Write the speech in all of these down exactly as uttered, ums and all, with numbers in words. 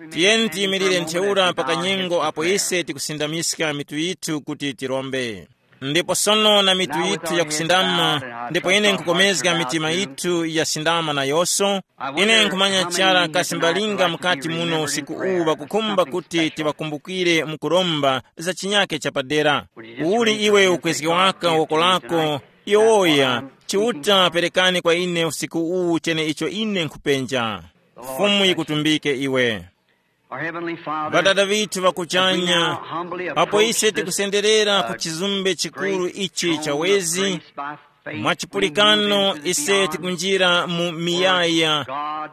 Tiyeni tiyimirire ntheura pa kanyengo apo ise tikusindamiska mitu yithu kuti tirombe. Ndipo sono na mitu yithu yakusindama, ndipo ine nkukomezga mitima yithu yasindama nayonso. Ine nkhumanya chara kasi mbalinga mukati muno usiku uwu ŵakukhumba kuti tiŵakumbukire mukuromba za chinyake chapadera. Uli iwe ukwezge waka woko lako, yowoya, Chiuta, perekani kwa ine usiku uwu cheneicho ine nkhupenja. Fumu yikutumbike iwe. Our Heavenly Father, Ŵadada vithu ŵakuchanya, apo ise tikusenderera ku chizumbe chikuru ichi cha wezi, mwa chipulikano ise tikunjira mu miyaya,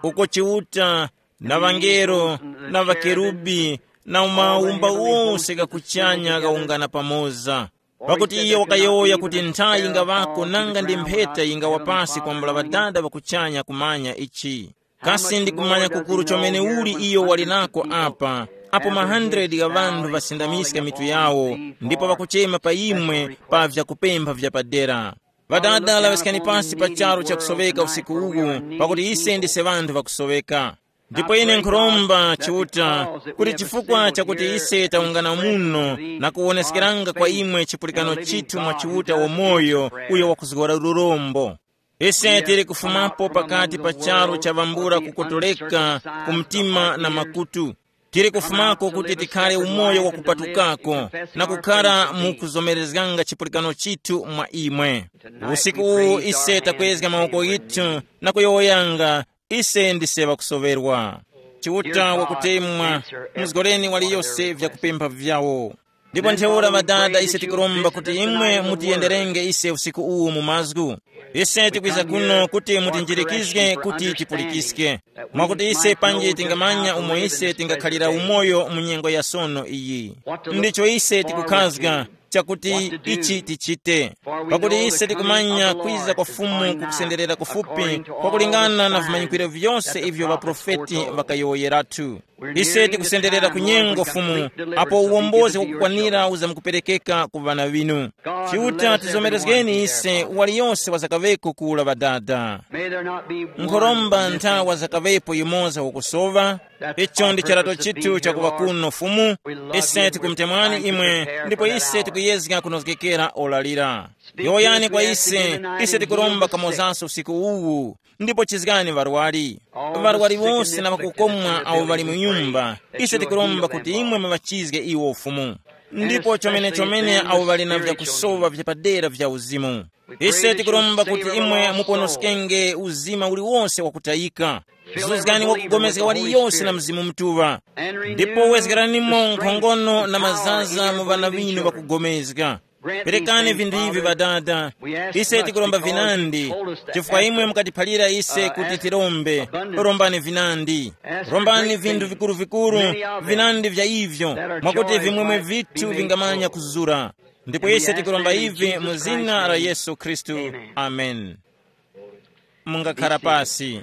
uko Chiuta na ŵangelo na ŵakerubi na umawumba wose ghakuchanya ghawungana pamoza. Pakuti iyo wakayowoya kuti nthayi yingaŵako nanga ndi mpheta yingawa pasi kwambula Ŵadada ŵakuchanya kumanya ichi. Kasi ndikumanya kukuru chomene uli iyo wali nako apa, apo ma hundred gha ŵanthu ŵasindamiska mitu yawo, ndipo ŵakuchema pa imwe pa vyakupempha vyapadera. Ŵadada, laŵiskani pasi pa charu chakusoweka usiku uwu, pakuti ise ndise ŵanthu ŵakusoweka. Ndipo ine nkhuromba Chiuta, kuti chifukwa chakuti ise tawungana muno na kuwoneskeranga kwa imwe chipulikano chithu mwa Chiuta wamoyo, uyo wakuzgora lurombo. Ise tili kufumapo pakati pa charu cha ŵambula kukotoleka ku mtima na makutu. Tili kufumako kuti tikhale umoyo wakupatukako na kukhara mu kuzomerezganga chipulikano chithu mwa imwe. Usiku uwu ise takwezga mawoko ghithu na kuyowoyanga, ise ndise ŵakusoŵerwa. Chiuta wakutemwa, muzgoreni waliyose vyakupempha vyawo. Ndipo ntheura Ŵadada, ise tikuromba kuti imwe mutiyenderenge ise usiku uwu mu mazgu. Ise tikwiza kuno kuti mutinjirikizge kuti tipulikiske, mwakuti ise panji tingamanya umo ise tingakhalira umoyo mu nyengo ya sono iyi. Ndicho ise tikukhazga chakuti ichi tichite, pakuti ise tikumanya kwiza kwa Fumu kukusenderera kufupi kwakulingana na vimanyikiro vyose ivyo ŵaprofeti ŵakayowoyeratu. Ise tikusenderera ku nyengo Fumu, apo uwombozi wakukwanira uzamukuperekeka ku ŵana ŵinu. Chiuta tizomerezgeni ise waliyose wazakaŵeko kula Ŵadada. Nkhoromba nthawa zakaŵepo yimoza wakusowa. Icho ndi charato chithu chakuŵa kuno Fumu. Ise tikumutemwani imwe, ndipo ise tikuyezga kunozgekera ora lira. Yowoyani kwa ise, ise tikuromba kamozanso usiku uwu. Ndipo chizgani ŵarwari, ŵarwari wose na ŵakukomwa awo ŵali mu nyumba, ise tikuromba kuti imwe muŵachizge iwo Fumu. Ndipo chomene-chomene awo ŵali na vyakusowa vyapadera vya uzimu, ise tikuromba kuti imwe muponoskenge uzima uliwonse wakutayika. Zuzgani wakugomezga waliyose na Mzimu Mutuŵa, ndipo wezgeranimo nkhongono na mazaza mu ŵana ŵinu ŵakugomezga. Perekani vinthu ivi Ŵadada. Ise tikuromba vinandi, chifukwa imwe mukatiphalira ise kuti tirombe. Rombani vinandi. Rombani vinthu vikuru-vikuru, vinandi vya ivyo, mwakuti vimwemwe vithu vingamanya kuzura. Ndipo ise tikuromba ivi mu zina la Yesu Khristu. Amen. Mungakhara pasi.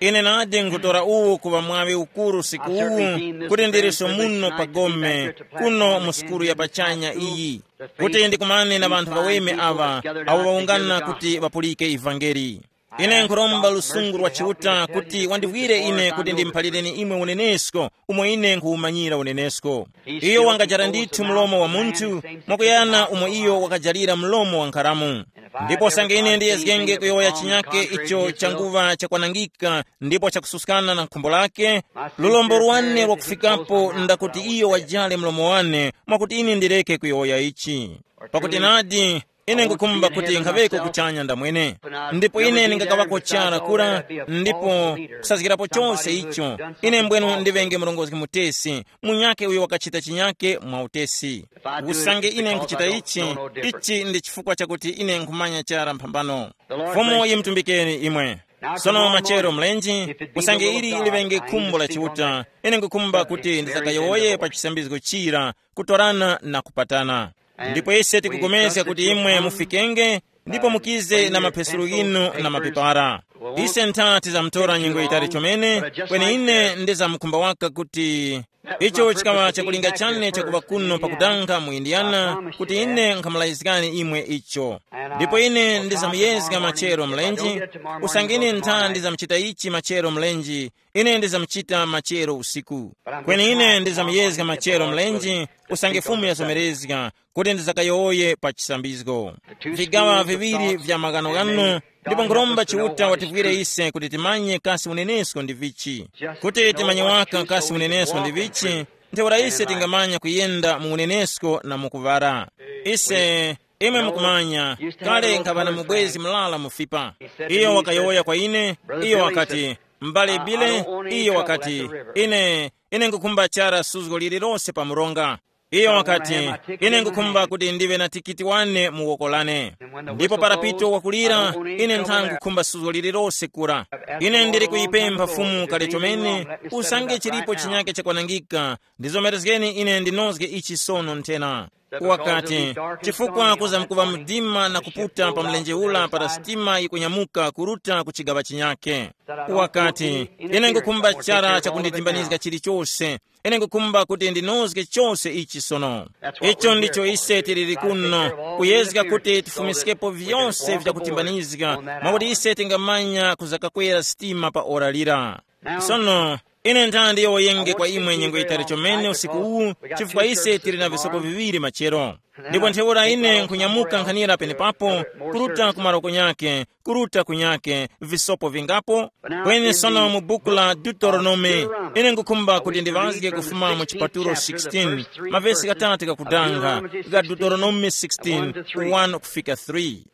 Ine nadi nkhutora uwu kuŵa mwaŵi ukuru usiku uwu, kuti ndiliso muno pa gome, kuno mu sukulu ya pachanya iyi, kuti ndikumane na ŵanthu ŵaweme aŵa, awo ŵawungana kuti ŵapulike ivangeli. Ine nkhuromba lusungu lwa Chiuta kuti wandiwire ine kuti ndimuphalireni imwe unenesko, umo ine nkhuwumanyira unenesko. Iyo wangajara ndithu mlomo wa munthu, mwakuyana umo iyo wakajarira mlomo wa nkharamu. Ndipo usange ine ndiyezgenge kuyowoya chinyake icho changuŵa chakwanangika ndipo chakususkana na khumbo lake, lulombo lwane lwakufikapo ndakuti iyo wajare mlomo wane, mwakuti ine ndireke kuyowoya ichi. Pakuti nadi, ine nkukhumba kuti nkhaŵeko kuchanya ndamwene. Ndipo ine ndingakaŵako chara kura, ndipo kusazgirapo chose icho, ine mbwenu ndiŵenge murongozgi mutesi, munyakhe uyo wakachita chinyakhe mwa utesi. Usange ine nkuchita ichi, ichi ndi chifukwa chakuti ine nkhumanya chara mphambano. Fumu yimutumbikeni imwe. Sono machero mlenji, usange ili liŵenge khumbo la Chiuta, ine nkukhumba kuti ndisakayowoye pa chisambizgo chira kutorana na kupatana. Ndipo ise tikupulikana kuti imwe mufikenge, ndipo mukize na mapesulu ghinu na mapepara. Ise ntha tizamutora nyengo yitali chomene, kweni ine ndizamkhumba waka kuti icho chikaŵa chakulinga chane chakuŵa kuno pakudanga mu Indiana, kuti ine nkhamulazgani imwe icho. Ndipo ine ndizamuyezga machero mlenji, usange ine ntha ndizamuchita ichi machero mlenji, ine ndizamuchita machero usiku. Kweni ine ndizamuyezga machero mlenji, usange Fumu yazomerezga, kuti ndizakayowoye pa chisambizgo. Vigaŵa viŵiri vya maghanoghano, ndipo nkhuromba Chiuta wativwire ise kuti timanye kasi unenesko ndi vichi. Kuti timanye waka kasi unenesko ndi vichi, ntheura ise tingamanya kuyenda mu unenesko na mu kuŵala. Ise, imwe mukumanya, kale nkhaŵa na mubwezi mulala mufipa. Iyo wakayowoya kwa ine, iyo wakati, mbale Bile, iyo wakati, ine, ine ngukhumba chara suzgo lililose pa mronga. Iyo wakati, ine ngukhumba kuti ndive na tikiti wane mu woko lane. Ndipo para pito wakulira, ine ntha ngukhumba suzgo lililose kura. Ine ndili kuyipempha Fumu kale chomene, usange chilipo chinyake chakwanangika, ndizomerezgeni ine ndinozge ichi sono nthena. Wakati, chifukwa kuza mkuva mdima na kuputa pa mlenje ula para sitima yikunyamuka kuruta ku chigaŵa chinyake. Wakati, ine ngukhumba chara chakunditimbanizga chilichose. Ine ngukhumba kuti ndinozge chose ichi sono. Icho ndicho ise tiliri kuno, kuyezga kuti tifumiskepo vyose vyakutimbanizga, mwakuti ise tingamanya kuzakakwera sitima pa ora lira. Sono, ine nthandi yowoyenge kwa imwe nyengo yitali chomene usiku uwu, chifukwa ise tili na visoko viŵiri machero. Ndipo ntheura ine nkhunyamuka nkhanira penepapo, kuruta ku maroko nyake, kuruta kunyake, visopo vingapo? Kweni sono mu buku la Deuteronome, ine ngukhumba kuti ndiŵazge kufuma mu chipatulo sixteen, mavesi ghatatu gakudanga, ga Deuteronome sixteen, one kufika three.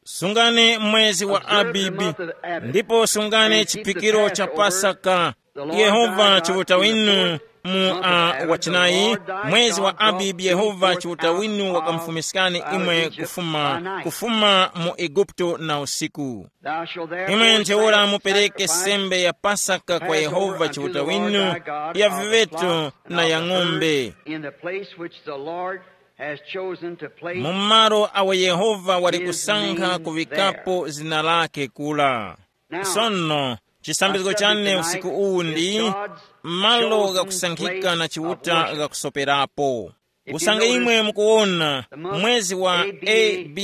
Sungani mwezi wa Abibi, ndipo sungani chipikiro cha Pasaka. Yehova Chiuta winu mu uh, wachinayi, mwezi wa Abibi Yehova Chiuta winu wakamfumiskani imwe kufuma, kufuma mu Eguputo na usiku. Imwe ntheura mupereke sembe ya Pasaka kwa Yehova Chiuta winu, ya viŵeto na ya ng'ombe, mu malo awo Yehova wali kusankha kuŵikapo zina lake kula. Sono, chisambizgo chane usiku uwu ndi malo ghakusankhika na Chiuta ghakusoperapo. Usange imwe mukuwona mwezi wa abadb,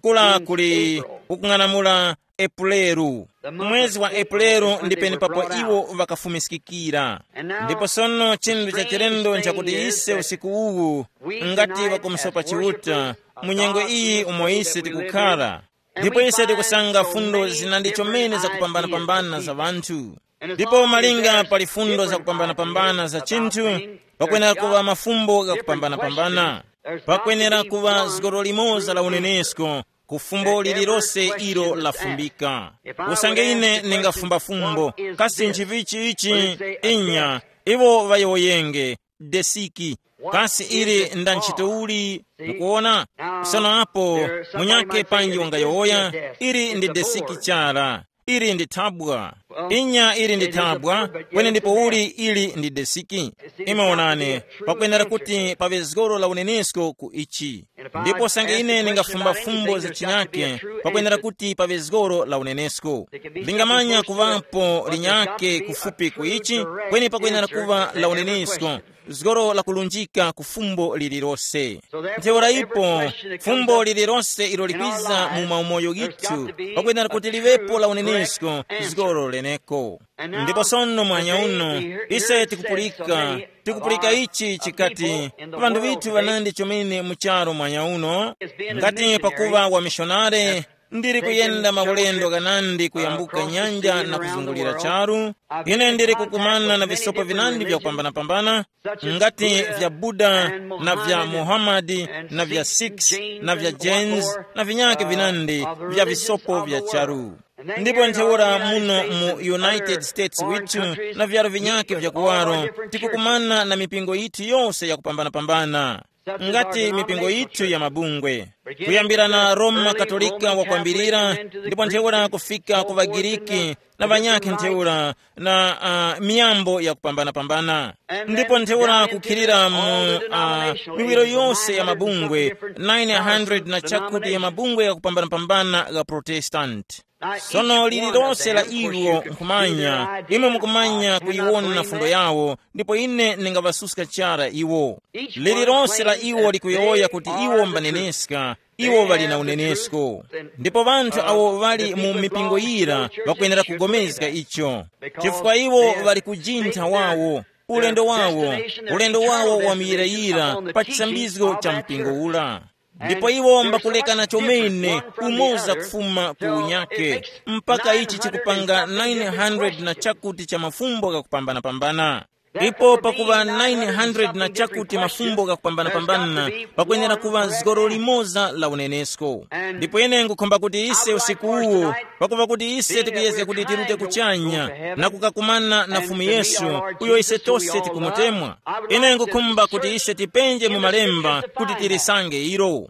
kula kuli ukung'anamula Epuleru. Mwezi wa Epuleru ndi penepapo iwo ŵakafumiskikira. Ndipo sono chinthu cha chilendo nchakuti ise usiku uwu, ngati ŵakumusopa Chiuta, mu nyengo iyi umo ise tikukhara, ndipo ise tikusanga fundo zinandi chomene zakupambana-pambana za ŵanthu. Ndipo malinga pali fundo zakupambana-pambana za chinthu, pakwenera kuŵa mafumbo ghakupambana-pambana. Pakwenera kuŵa zgoro limoza la unenesko ku fumbo lililose ilo lafumbika. Usange ine ndingafumba fumbo, kasi nchivichi ichi? Inya, iwo ŵayowoyenge, desiki. Kasi ili nda ntchito uli? Mukuona? Sono apo, munyakhe panji wangayowoya, ili ndi desiki chara. Ili ndi thabwa. Inya ili ndi thabwa, kweni ndipo uli ili ndi desiki. Imwe wonani, pakwenera kuti paŵe zgoro la unenesko ku ichi. Ndipo sange ine ndingafumba fumbo za chinyake, pakwenera kuti paŵe zgoro la unenesko. Lingamanya kuŵapo linyake kufupi ku ichi, kweni pakwenera kuŵa la unenesko, zgoro lakulunjika ku fumbo lililose. Ntheura ipo, fumbo lililose ilo likwiza mu maumoyo ghithu, pakwenera kuti liŵepo la unenesko, zgoro leneko. Ndipo sono mwanya uno, ise tikupulika, tikupulika ichi chikati, ŵanthu ŵithu ŵanandi chomene mu charu mwanya uno, ngati pakuŵa wamishonare, ndili kuyenda maulendo ghanandi kuyambuka nyanja na kuzungulira charu. Ine ndili kukumana na visopo vinandi vya kupambana-pambana, ngati vya Buddha, na vya Muhammad, na vya Sikhs, na vya Jains, na vinyake vinandi vya visopo vya charu. Ndipo ntheura muno mu United States withu, na vyaro vinyake vya kuwaro, tikukumana na mipingo yithu yose ya kupambana-pambana. Ngati mipingo yithu ya mabungwe, kuyambira na Roma Katolika wakwambirira, ndipo ntheura kufika ku ŵaGiriki na ŵanyakhe ntheura na uh, miyambo yakupambanapambana, ndipo ntheura kukhirira mu uh, miwiro yose ya mabungwe, nine hundred na chakuti ya mabungwe yakupambanapambana gha Protestant. Sono lililonse la iwo nkhumanya, imwe mukumanya kuyiwona fundo yawo, ndipo ine ndingaŵasuska chara iwo. Lililonse la iwo likuyowoya kuti iwo mbaneneska, iwo ŵali na unenesko. Ndipo ŵanthu awo ŵali mu mipingo yira ŵakwenera kugomezga icho, chifukwa iwo ŵali kujintha wawo, ulendo wawo, ulendo wawo wa muyirayira pa chisambizgo cha mpingo ura. Ndipo iwo mbakulekana chomene umoza kufuma ku unyake, mpaka ichi chikupanga nine hundred na chakuti cha mafumbo ghakupambanapambana. Ipo pakuŵa nine hundred na chakuti mafumbo ghakupambanapambana, pakwenera kuŵa zgoro limoza la unenesko. Ndipo ine ngukhumba kuti ise usiku uwu, pakuva kuti ise tikuyezga kuti tirute kuchanya na kukakumana na Fumu Yesu, uyo ise tose tikumutemwa, ine ngukhumba kuti ise tipenje mu malemba kuti tilisange ilo.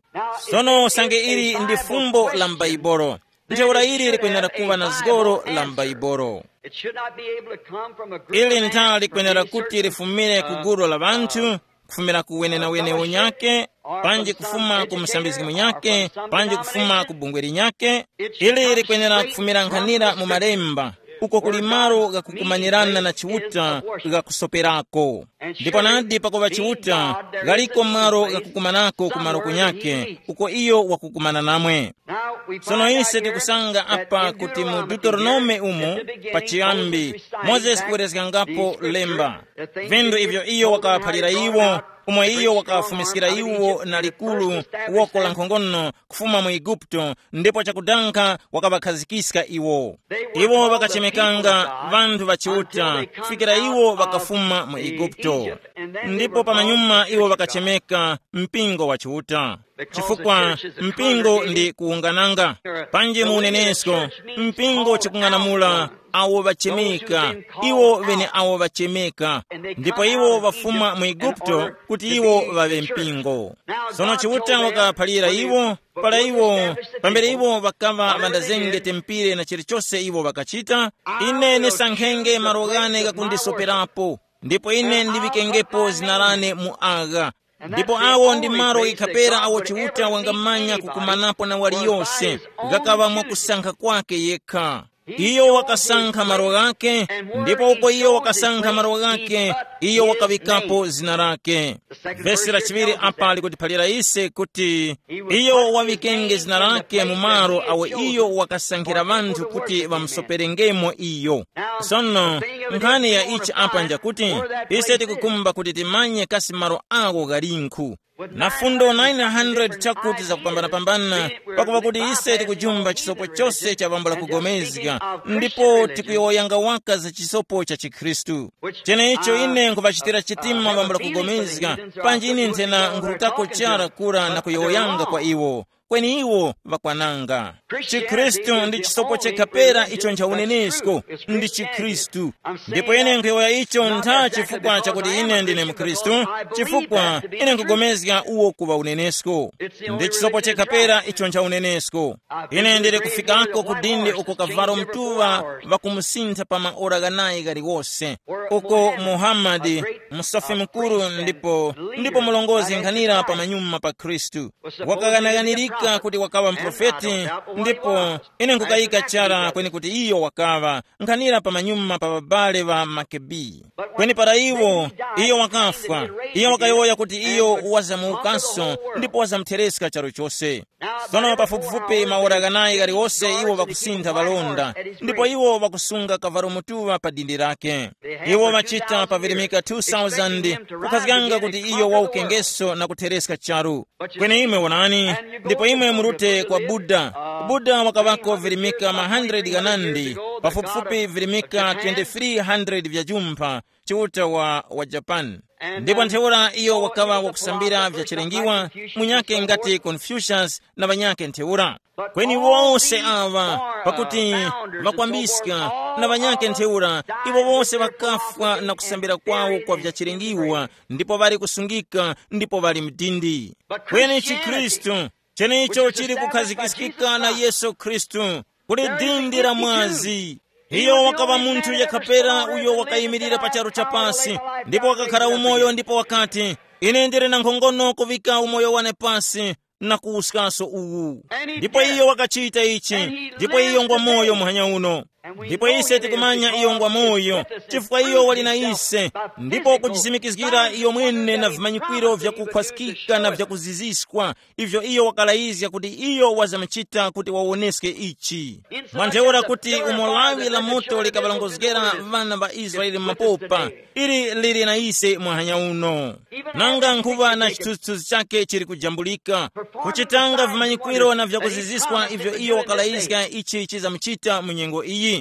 Sono usange ili ndi fumbo la m'Baibolo, ntheura ili likwenera kuŵa na zgoro la m'Baibolo. It should not be able to come from a group ili of ntha man, likwenera from a kuti certain, lifumire ku uh, gulu la uh, vanthu, kufumira ku wenewene unyake, panji kufuma ku musambizgi munyake, panji kufuma ku bungwe linyake. Ili likwenera kufumira nkhanira mu malemba, uko kuli malo ghakukumanirana na Chiuta ghakusoperako. Ndipo nadi pakuŵa Chiuta, ghaliko malo ghakukumanako ku malo kunyake, uko iyo wakukumana namwe. Sono ise tikusanga apa kuti mu Deuteronome umu, pachiyambi, Mozesi kuwerezgangapo lemba, vindu ivyo iyo wakawaphalira iwo, umo iyo wakawafumiskira iwo na likulu woko la nkhongono kufuma mu Eguputo, ndipo chakudankha wakaŵakhazikiska iwo. Iwo ŵakachemekanga ŵanthu ŵa Chiuta kufikira iwo ŵakafuma mu Eguputo. Ndipo pamanyuma iwo ŵakachemeka mpingo wa Chiuta, chifukwa mpingo ndi kuwungananga. Panji mu unenesko, mpingo chikung'anamula awo ŵachemeka, iwo ŵene awo ŵachemeka, ndipo iwo ŵafuma mu Eguputo kuti iwo ŵaŵe mpingo. Sono Chiuta wakaphalira iwo, para iwo, pambere iwo ŵakaŵa ŵandazenge tempire na chilichose iwo ŵakachita, ine ndisankhenge malo ghane ghakundisoperapo, ndipo ine ndiŵikengepo zina lane mu agha. Ndipo awo ndi malo ikhapera awo Chiuta wangamanya kukumanapo na waliyose, ghakaŵa mwakusankha kwake yekha. Iyo wakasankha malo ghake, ndipo uko iyo wakasankha malo ghake, iyo wakaŵikapo zina lake. Vesi la chiŵiri apa likutiphalira ise kuti iyo waŵikenge zina lake mu malo awo iyo wakasankhira ŵanthu kuti ŵamusoperengemo iyo. Sono, nkhani ya ichi apa njakuti, ise tikukhumba kuti timanye kasi malo awo ghalinkhu. Na fundo nine hundred chakuti zakupambanapambana, pakupa kuti ise tikujumba chisopo chose cha bambo la kugomezga, ndipo tikuyowoyanga waka za chisopo cha chikhristu. Cheneicho ine nkuvachitira chitima bambo la kugomezga, panji ine nthena nkhurutako chara kura na kuyowoyanga kwa iwo, kweni iwo ŵakwananga. Chikhristu ndi chisopo chekha pera icho nchaunenesko, ndi chikhristu. Ndipo ine nkhuyowoya icho ntha chifukwa chakuti ine ndine mkhristu, chifukwa ine nkugomezga uwo kuŵa unenesko. Ndi chisopo chekha pera icho nchaunenesko. Ine ndili kufikako ku dindi uko kavalo mtuŵa ŵakumusintha pa maora ghanayi ghaliwose, uko Muhammad, msofi mukuru ndipo ndipo mulongozi nkhanira pamanyuma pa khristu, wakaghanaghanirika kuti wakaŵa muprofeti. Ndipo ine nkukayika chara kweni kuti iyo wakaŵa nkhanira pamanyuma pa babale ŵa makebi. Kweni para iwo, iyo wakafwa, iyo wakayowoya kuti iyo wazamuwukanso ndipo wazamuthereska charu chose. Sono pafupifupi maora ghanayi ghaliwose iwo ŵakusintha ŵalonda, ndipo iwo ŵakusunga kavalo mutuŵa pa dindi lake. Iwo ŵachita pavirimika two thousand kukhazganga kuti iyo wawukengeso na kuthereska charu. Kweni imwe wonani, ndipo imwe murute kwa Buddha. Buddha wakaŵako virimika ma hundred ghanandi, pafupifupi virimika twenty-three hundred vya jumpha, chiuta wa, wa Japan. Ndipo ntheura iyo wakaŵa wakusambira vyachilengiwa, munyakhe ngati Confucius na ŵanyakhe ntheura. Kweni wose aŵa, pakuti ŵakwambiska, na ŵanyakhe ntheura, iwo wose ŵakafwa na kusambira kwawo kwa vyachilingiwa, ndipo ŵali kusungika ndipo ŵali mdindi. Kweni chikhristu, chenecho chili kukhazikiskika na Yesu Khristu, kuli dindi la mwazi. Iyo wakaŵa munthu yakhapera uyo wakayimirira pa charu cha pasi, ndipo wakakhala umoyo ndipo wakati, ine ndili na nkhongono kuŵika umoyo wane pasi na kuwuskaso uwu. Ndipo iyo wakachita ichi, ndipo iyo ngwa moyo muhanya uno. Ndipo ise tikumanya iyo ngwa moyo, chifukwa iyo wali na ise, ndipo kujisimikizgira iyo mwene na vimanyikwiro vyakukhwaskika na vyakuziziswa, ivyo iyo wakalayizga kuti iyo wazamchita kuti wawoneske ichi. Mwa ntheura kuti umo lawi la moto likaŵalongozgera ŵana ŵa Israele mapopa, ili lili na ise mwahanya uno. Nanga nkhuŵa na chithunzithunzi chake chili kujambulika, kuchitanga vimanyikwiro na vyakuziziswa ivyo iyo wakalayizga ichi chizamuchita mu nyengo iyi.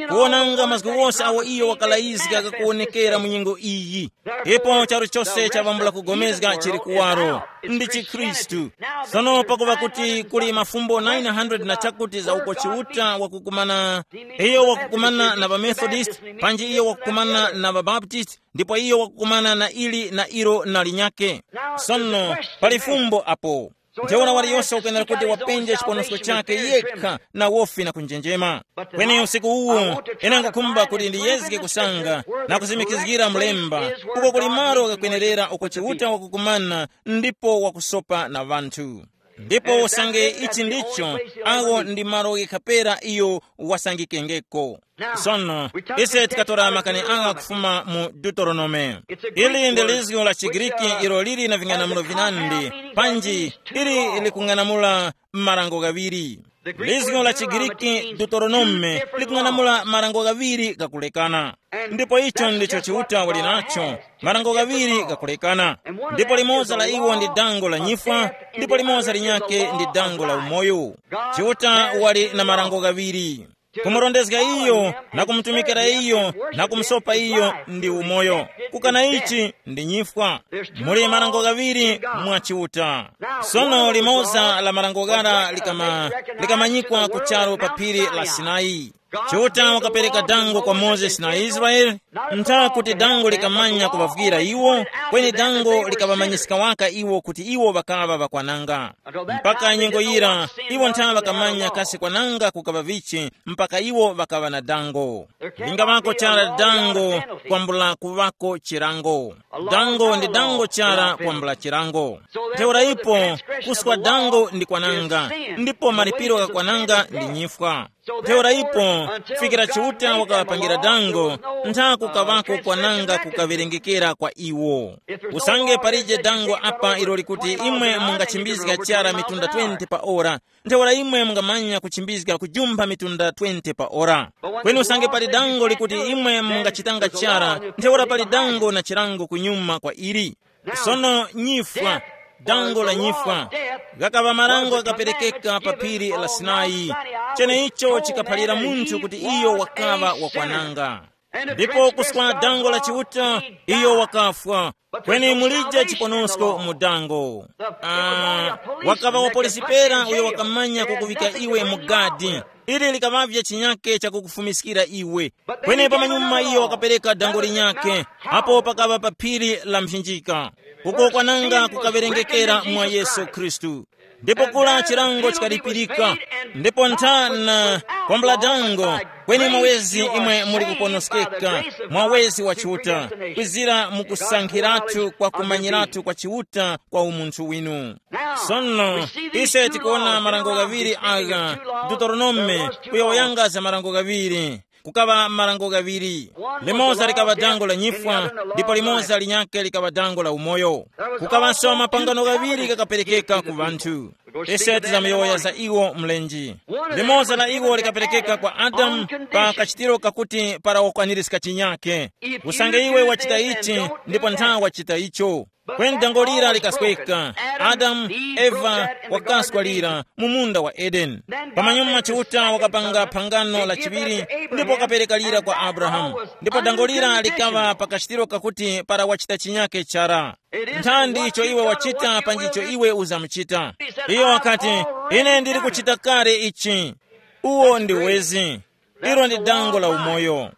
Kuwonanga mazgu wose awo iyo wakalayizga kakuwonekera mu nyengo iyi. Ipo charu chose chavambula kugomezga chili kuwaro, ndi chikhristu. Sono pakuva kuti kuli mafumbo nine hundred na chakuti za uko Chiuta wakukumana, iyo wakukumana na ŵamethodist, panji iyo wakukumana na ŵabaptist, ndipo iyo wakukumana na ili na ilo na linyake. Sono, pali fumbo apo. Ntheura waliyose wakwenera kuti wapenje chiponosko chake yekha na wofi na kunjenjema. Kweni usiku uwu, ine ngukhumba kuti ndiyezge kusanga na kuzimikizgira mlemba, uko kuli malo ghakwenerera uko Chiuta wakukumana ndipo wakusopa na ŵanthu. Ndipo usange ichi ndicho, awo ndi malo ghikhapera iyo wasangikengeko. Sono, ise tikatora makani agha kufuma mu Deuteronome. Ili ndi lizgu la Chigiriki ilo lili na ving'anamulo vinandi, panji ili likung'anamula marango ghaŵiri. Lizgu la Chigiriki Deuteronome likung'anamula marango ghaŵiri ghakulekana. Ndipo icho ndicho Chiuta wali nacho, marango ghaŵiri ghakulekana. Ndipo limodzi la iwo ndi dango la nyifwa, ndipo limodzi linyake ndi dango la umoyo. Chiuta wali na marango ghaŵiri. Kumurondezga iyo na kumutumikira iyo na kumusopa iyo ndi umoyo. Kukana ichi ndi nyifwa. Muli marango ghaŵiri mwa Chiuta. Sono limoza la marango ghara likama, likamanyikwa ku charu pa phiri la Sinai. Chiuta wakapereka dango kwa Mozesi na Israele, ntha kuti dango likamanya kuŵavwira iwo, kweni dango likaŵamanyiska waka iwo kuti iwo ŵakaŵa ŵakwananga. Mpaka nyengo yira, iwo ntha ŵakamanya kasi kwananga kukaŵa vichi, mpaka iwo ŵakaŵa na dango. Lingaŵako chara dango kwambula kuŵako chirango. Dango ndi dango chara kwambula chirango. Ntheura ipo, kuswa dango ndi kwananga, ndipo malipiro gha kwananga ndi nyifwa. Ntheura ipo, kufikira Chiuta wakaŵapangira dango, ntha kukaŵako kwananga kukaŵerengekera kwa iwo. Usange palije dango apa ilo likuti imwe mungachimbizga chara mitunda twenty pa ora, ntheura imwe mungamanya kuchimbizga kujumpha mitunda twenty pa ora. Kweni usange pali dango likuti imwe mungachitanga chara, ntheura pali dango na chilango kunyuma kwa ili. Sono nyifwa, dango la nyifwa, ghakaŵa marango ghakaperekeka pa phiri la Sinai. Cheneicho chikaphalira munthu kuti iyo wakaŵa wakwananga. Ndipo kuswa dango la Chiuta, iyo wakafwa. Kweni mulije chiponosko mu dango. Ah, wakaŵa wapolisi pera uyo wakamanya kukuŵika iwe mu gadi. Ili likaŵavye chinyake chakukufumiskira iwe. Kweni pamanyuma iyo wakapereka dango linyake, apo pakaŵa pa phiri la mphinjika. Uko kwananga kukawerengekera mwa Yesu Khristu. Ndipo kula chilango chikalipirika, ndipo nthana kwambula dango, kweni mwawezi imwe muli kuponoskeka, mwawezi wa Chiuta, kwizira mukusankhiratu kwa kumanyiratu kwa Chiuta kwa umunthu winu. Sono, ise tikuwona marango ghaŵiri agha, Deuteronome, kuyowoyanga za marango ghaŵiri. Kukaŵa marango ghaŵiri. Limoza likaŵa dango la nyifwa, ndipo limoza linyakhe likaŵa dango la umoyo. Kukaŵanso mapangano ghaŵiri ghakaperekeka ku ŵanthu. Ise tizamuyowoya za iwo mlenji. Limoza la iwo likaperekeka kwa Adamu pa kachitiro kakuti para wakwanirizga chinyakhe. Usange iwe wachita ichi, ndipo nthawe wachita icho. Kweni dango lira likasweka. Adamu, Eva, wakaswa lira mu munda wa Edeni. Pamanyuma Chiuta wakapanga phangano la chiŵiri, ndipo wakapereka lira kwa Abrahamu. Ndipo dango lira likaŵa pakachitiro kakuti para wachita chinyake chara. Nthandi icho iwe wachita panji icho iwe uzamuchita. Iyo wakati, ine ndili kuchita kale ichi. Uwo ndi wezi. Ilo ndi dango la umoyo.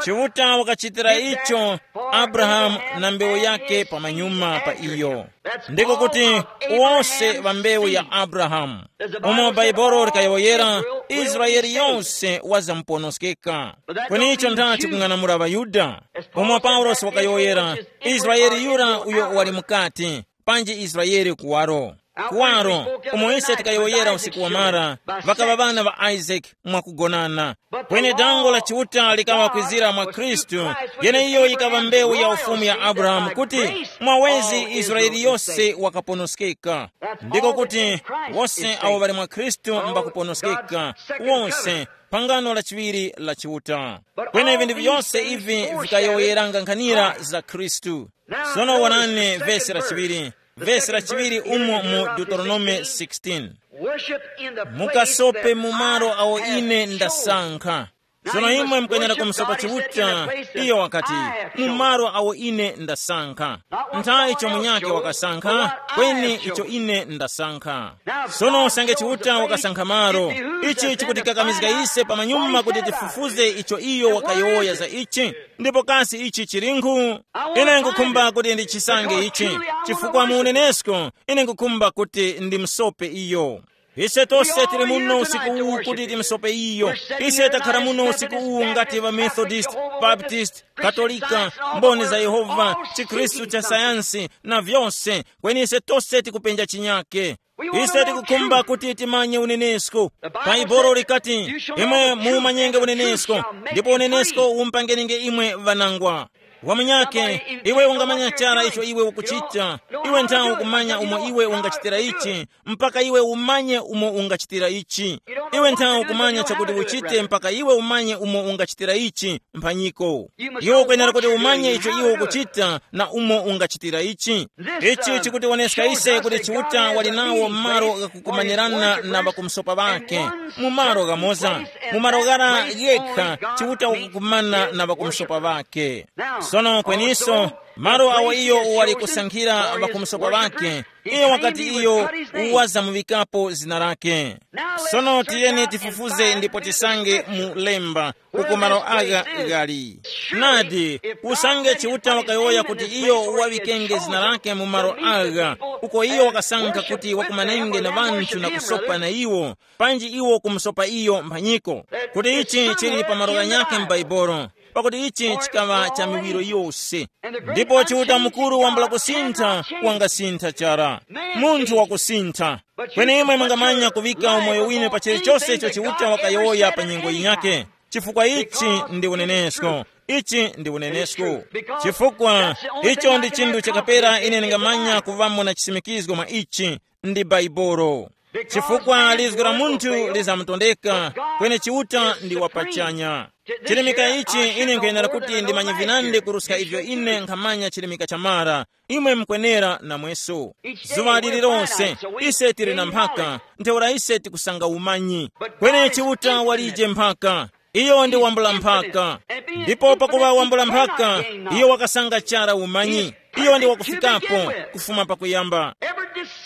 Chiuta wakachitira icho Abrahamu na mbewu yake pamanyuma pa iyo. Ndiko kuti wose ŵa mbewu ya Abrahamu. Umo Baibolo likayowoyera, Israele yonse wazamuponoskeka. Kweni icho ndati kung'anamula ŵaYuda? Umo Paulosi wakayowoyera, Israele yura uyo wali mukati, panji Israele kuwaro. Kuwaro, umo ise tikayowoyera usiku wamara, ŵakaŵa ŵana ŵa Isaac mwakugonana. Kweni dango la Chiuta likaŵa kwizira mwa Khristu, yeneiyo yikaŵa mbewu ya ufumu ya Abrahamu, kuti mwawezi Israele yose wakaponoskeka. Ndiko kuti wose awo ŵali mwa Khristu mbakuponoskeka, wose, phangano la chiŵiri la Chiuta. Kweni vinthu vyose ivi vikayowoyeranga nkhanira za Khristu. Sono wonani vesi la chiŵiri, vesi la chiŵiri umo mu Deuteronome sixteen. Worship in the place mukasope that mu malo I awo have ine chosen. Ndasankha. Now sono you imwe must mukuyenera worship kumusopa God, he said, in the chiuta place that iyo wakati I have mu chosen. Malo awo ine ndasankha. Not what nthawi someone icho else munyake chose, wakasankha but what I kweni have icho chosen. Ine ndasankha. Now sono God usange chose chiuta the place, wakasankha malo it behooves ichi us then to chikutikamizga find out ise what pamanyuma he kuti said about it. Tifufuze icho iyo wakayowoya za ichi. Ndipo kasi ichi chilinkhu? Ine nkukhumba kuti ndichisange ichi chifukwa mu unenesko ine nkukhumba kuti ndimsope iyo. Ise tose tili muno usiku uwu kuti timsope iyo. Ise takhala muno usiku uwu ngati va Methodist, Baptist, Katolika, Mboni za Yehova, chikhristu cha sayansi na vyose. Kweni ise tose tikupenja chinyake. Ise tikukhumba kuti timanye unenesko. Bhaibuli likati, imwe mumanyenge unenesko, ndipo unenesko umpangenenge imwe ŵanangwa. Wamunyake, iwe ungamanya chara icho iwe ukuchita. Iwe nthawe ukumanya umo iwe ungachitira ichi, mpaka iwe umanye umo ungachitira ichi. Iwe nthawe ukumanya chakuti uchite mpaka iwe umanye umo ungachitira ichi. Mphanyiko, iwe ukwenera kuti umanye icho iwe ukuchita na umo ungachitira ichi. Ichi chikutiwoneska ise kuti Chiuta wali nawo malo ghakukumanirana na ŵakumsopa ŵake. Mu malo ghamoza, mu malo ghara yekha Chiuta wakukumana na ŵakumsopa ŵake. Sono kweniso, malo awo iyo wali kusankhira ŵakumsopa ŵake, iyo wakati iyo wazamuŵikapo zina lake. Sono tiyeni tifufuze ndipo tisange mu lemba uko malo agha ghali. Nadi, usange Chiuta wakayowoya kuti iyo waŵikenge zina lake mu malo agha, uko iyo wakasankha kuti wakumanenge na ŵanthu na kusopa na iwo, panji iwo kumusopa iyo mphanyiko, kuti ichi chili pa malo ghanyakhe m'Baibulo, pakuti ichi chikaŵa cha miwiro yose. Ndipo Chiuta mukuru wambula kusintha, wangasintha chara. Munthu wakusintha. Kweni imwe mungamanya kuŵika umoyo winu pa chilichose icho Chiuta wakayowoya pa nyengo yinyakhe, chifukwa ichi ndi unenesko. Ichi ndi unenesko. Chifukwa icho ndi chinthu chakapera ine ndingamanya kuvamo na chisimikizgo mwa ichi, ndi Bhaibuli. Chifukwa lizgu la munthu lizamutondeka, kweni Chiuta ndi wapachanya. Chilimika ichi ine nkhayenera kuti ndimanye vinandi kuruska ivyo ine nkhamanya chilimika cha mara. Imwe mukwenera namweso. Zuŵa lililonse ise tili na mphaka, ntheura ise tikusanga umanyi. Kweni Chiuta walije mphaka. Iyo ndi wambula mphaka. Ndipo pakuŵa wambula mphaka, iyo wakasanga chara umanyi. Iyo ndi wakufikapo kufuma pakuyamba.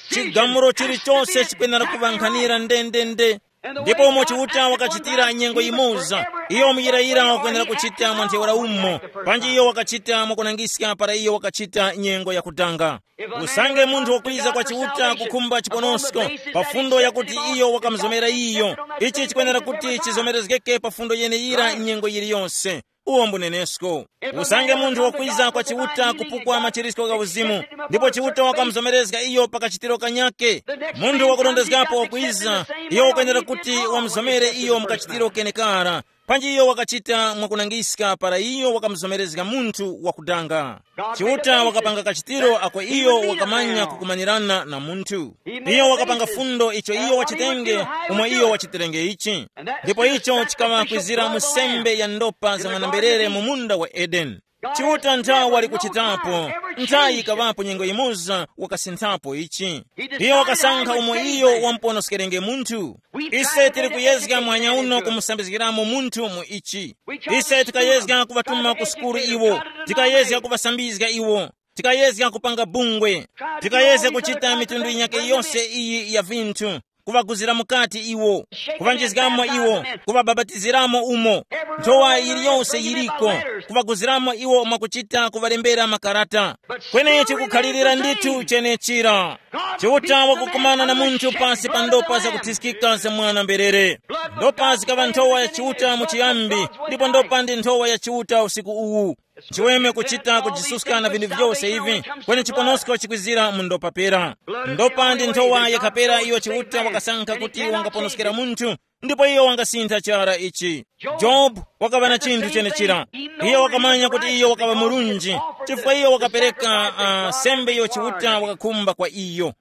Chigamulo chilichose chikwenera kuŵankhanira ndendende. Ndipo umo Chiuta wakachitira nyengo yimoza, iyo muyirayira wakwenera kuchita mwa ntheura umo, panji iyo wakachita mwakunangiska para iyo wakachita nyengo yakudanga. Usange munthu wakwiza kwa Chiuta kukhumba chiponosko pa fundo yakuti iyo wakamuzomera iyo, ichi chikwenera kuti chizomerezgeke pa fundo yeneyira nyengo yiliyonse. Uwo mbunenesko. Usange munthu wakwiza kwa Chiuta kupukwa machirisko gha uzimu, ndipo Chiuta wakamuzomerezga iyo pa kachitiro kanyake, munthu wakurondezgapo wakwiza, iyo wakwenera kuti wamuzomere iyo mu kachitiro kenekara. Panji iyo wakachita mwakunangiska para iyo wakamuzomerezga munthu wakudanga. Chiuta wakapanga kachitiro ako iyo wakamanya kukumanirana na munthu. Iyo wakapanga fundo icho iyo wachitenge, umo iyo wachitirenge ichi. Ndipo icho chikaŵa kwizira mu sembe ya ndopa za mwanamberere mu munda wa Edeni. Chiuta nthawi wali kuchitapo, nthawi yikaŵapo nyengo yimoza wakasinthapo ichi. Iyo wakasankha umo iyo wamuponoskerenge munthu. Ise tili kuyezga mwanya uno kumusambizgiramo munthu mu ichi. Ise tikayezga kuŵatuma ku sukulu iwo, tikayezga kuŵasambizga iwo, tikayezga kupanga bungwe, tikayezga kuchita mitundu yinyakhe yose iyi ya vinthu. kuŵaguzira mukati iwo, kuŵanjizgamo iwo, kuŵabapatiziramo umo. Nthowa yiliyonse yiliko, kuŵaguziramo iwo mwakuchita kuŵalembera makarata. Kwenechi kukhalirira ndithu chenechira. Chiuta wakukumana na munthu pasi pa ndopa zakuthiskika za mwana mberere. Ndopa zikaŵa nthowa ya Chiuta mu chiyambi, ndipo ndopa ndi nthowa ya Chiuta usiku uwu. Chiweme kuchita kujisuska na vinthu vyose ivi, kweni chiponosko chikwizira mu ndopa pera. Ndopa ndi nthowa yakhapera iyo Chiuta wakasankha kuti wangaponoskera munthu, ndipo iyo wangasintha chara ichi. Jobu wakaŵa na chinthu chenechira. Iyo wakamanya kuti iyo wakaŵa murunji, chifukwa iyo wakapereka uh, sembe iyo Chiuta wakakhumba kwa iyo.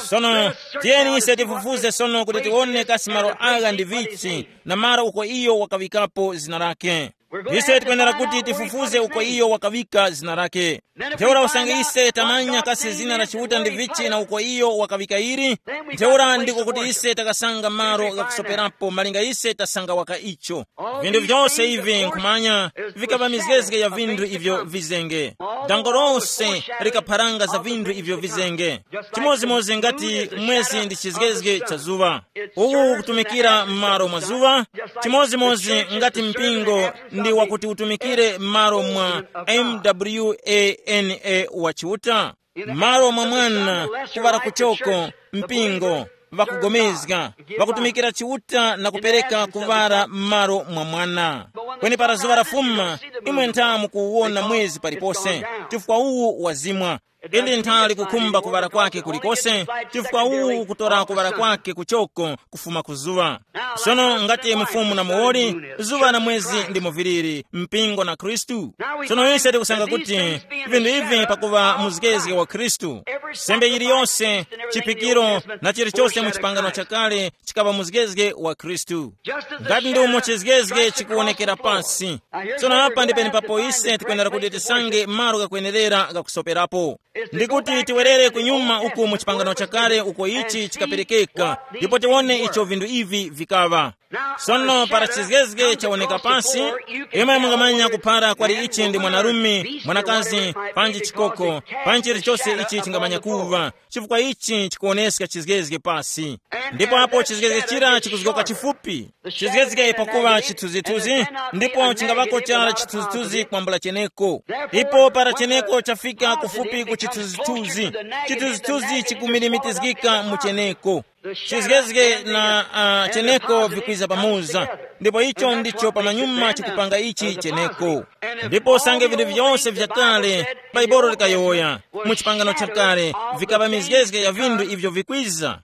Sono, tiyeni ise tifufuze sono kuti tiwone kasi malo agha ndi vichi, na malo uko iyo wakaŵikapo zina lake. Ise tikwenera kuti tifufuze uko iyo wakaŵika zina lake. Ntheura usange ise tamanya kasi zina la Chiuta ndi vichi na uko iyo wakaŵika ili, ntheura ndiko kuti ise takasanga malo ghakusoperapo malinga ise tasanga waka icho. Vinthu vyose ivi nkhumanya, vikaba mizgezge ya vinthu ivyo vizenge. Dango lose likapharanga za vinthu ivyo vizenge. Chimodzimodzi ngati mwezi ndi chizgezge cha zuŵa. Uwu ukutumikira m'malo mwa zuŵa, chimodzimodzi ngati mpingo ndi wakuti utumikire m'malo mwa mwana wa Chiuta, m'malo mwa mwana, kuŵala kuchoko, mpingo, ŵakugomezga, ŵakutumikira Chiuta na kupereka kuŵala m'malo mwa mwana. Kweni para zuŵa lafuma, imwe ntha mukuwona mwezi palipose, chifukwa uwu wazimwa. Ili ntha likukhumba kuŵala kwake kulikose, chifukwa uwu kutora kuŵala kwake kuchoko kufuma ku zuŵa. Sono ngati mufumu na muwoli, zuŵa na mwezi ndimo viliri, mpingo na Khristu. Sono ise tikusanga kuti vinthu ivi pakuva muzgezge wa Khristu, sembe yiliyose, chiphikiro na chilichose mu chipangano chakale chikaŵa muzgezge wa Khristu. Ngati ndi umo chizgezge chikuwonekera pansi. Tsono apa ndi penepapo ise tikwenera kuti tisange malo ghakwenerera ghakusoperapo. Ndi kuti tiwerere kunyuma uku mu chipangano chakale uko ichi chikaperekeka, ndipo tiwone icho vinthu ivi vikaŵa. Sono para chizgezge chawoneka pasi, imwe mungamanya kuphara kwali ichi ndi mwanarume, mwanakazi, panji chikoko, panji chilichose ichi chingamanya kuva, chifukwa ichi chikuwoneska chizgezge pasi. Ndipo apo chizgezge chira chikuzgoka chifupi, chizgezge pakuva chithunzithunzi, ndipo chingavako chara chithunzithunzi kwambula cheneko. Ipo para cheneko chafika kufupi ku chithunzithunzi, chithunzithunzi chikumilimitizgika mu cheneko. Chizgezge na uh, cheneko vikwiza pamoza, ndipo icho ndicho pamanyuma chikupanga ichi cheneko. Ndipo usange vinthu vyose vyakale, Baibolo likayowoya, mu chipangano chakale, vikapa mizgezge ya vinthu ivyo vikwiza.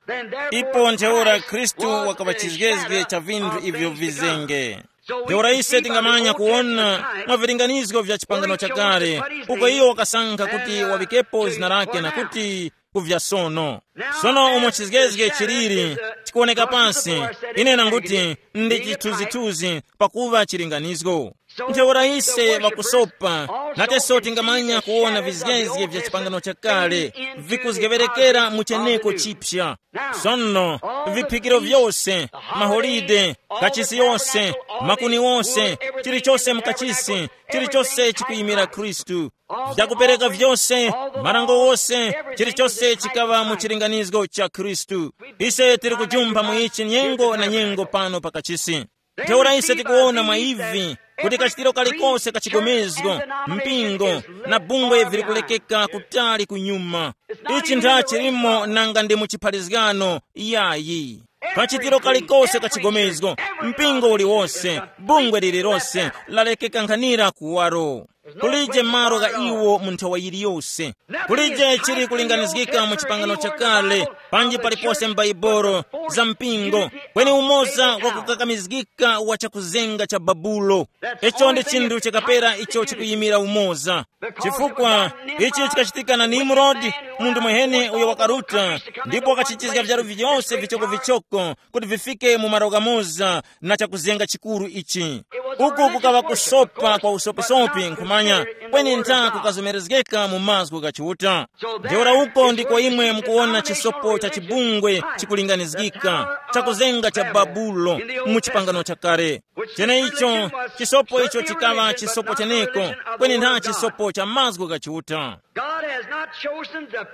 Ipo ntheura Khristu wakapa chizgezge cha vinthu ivyo vizenge. Ntheura ise tingamanya kuwona mwa vilinganizgo vya chipangano chakale, uko iyo wakasankha kuti wavikepo zina lake na kuti kuvya sono. Sono umo chizgezge chiliri chikuwoneka pansi, ine nanguti ndi chithunzithunzi pakuva chilinganizgo. Ntheura ise vakusopa, nateso tingamanya kuwona vizgezge vya chipangano chakale vikuzgeverekera mu cheneko chipya. Sono, viphikiro vyose, maholide, kachisi yose, makuni wose, chilichose mukachisi, chilichose chikuyimira Khristu. Vyakupereka vyose, marango wose, chilichose chikaŵa mu chilinganizgo cha Khristu. Ise tiri kujumpha mu ichi nyengo na nyengo pano pakachisi. Ntheura ise tikuwona mwa ivi kuti kachitiro kalikose ka chigomezgo, mpingo, na bungwe vili kulekeka kutali kunyuma. Ichi ntha chilimo nanga ndi mu chipharizgano yayi. Kachitiro kalikose ka chigomezgo, mpingo uliwose, bungwe lililose lalekeka nkhanira kuwaro. Kulije malo gha iwo mu nthawa yiliyose. Kulije chili kulinganizgika mu chipangano chakale, panji palipose m'Baibolo, za mpingo, kweni umoza wa kukakamizgika wa chakuzenga cha Babulo. Icho ndi chinthu chakapera icho chikuyimira umoza. Chifukwa ichi chikachitika na Nimrodi, munthu mwehene uyo wakaruta, ndipo wakachitizga vyaru vyose vichokovichoko kuti vifike mu malo ghamoza na chakuzenga chikuru ichi. Uku kukaŵa kusopa kwa usopisopi nkhumanya, kweni ntha kukazomerezgeka mu mazgu gha Chiuta. Ntheura uko ndiko imwe mukuwona chisopo cha chibungwe chikulinganizgika, chakuzenga cha Babulo mu chipangano chakale. Cheneicho, chisopo icho chikaŵa chisopo cheneko, kweni ntha chisopo cha mazgu gha Chiuta.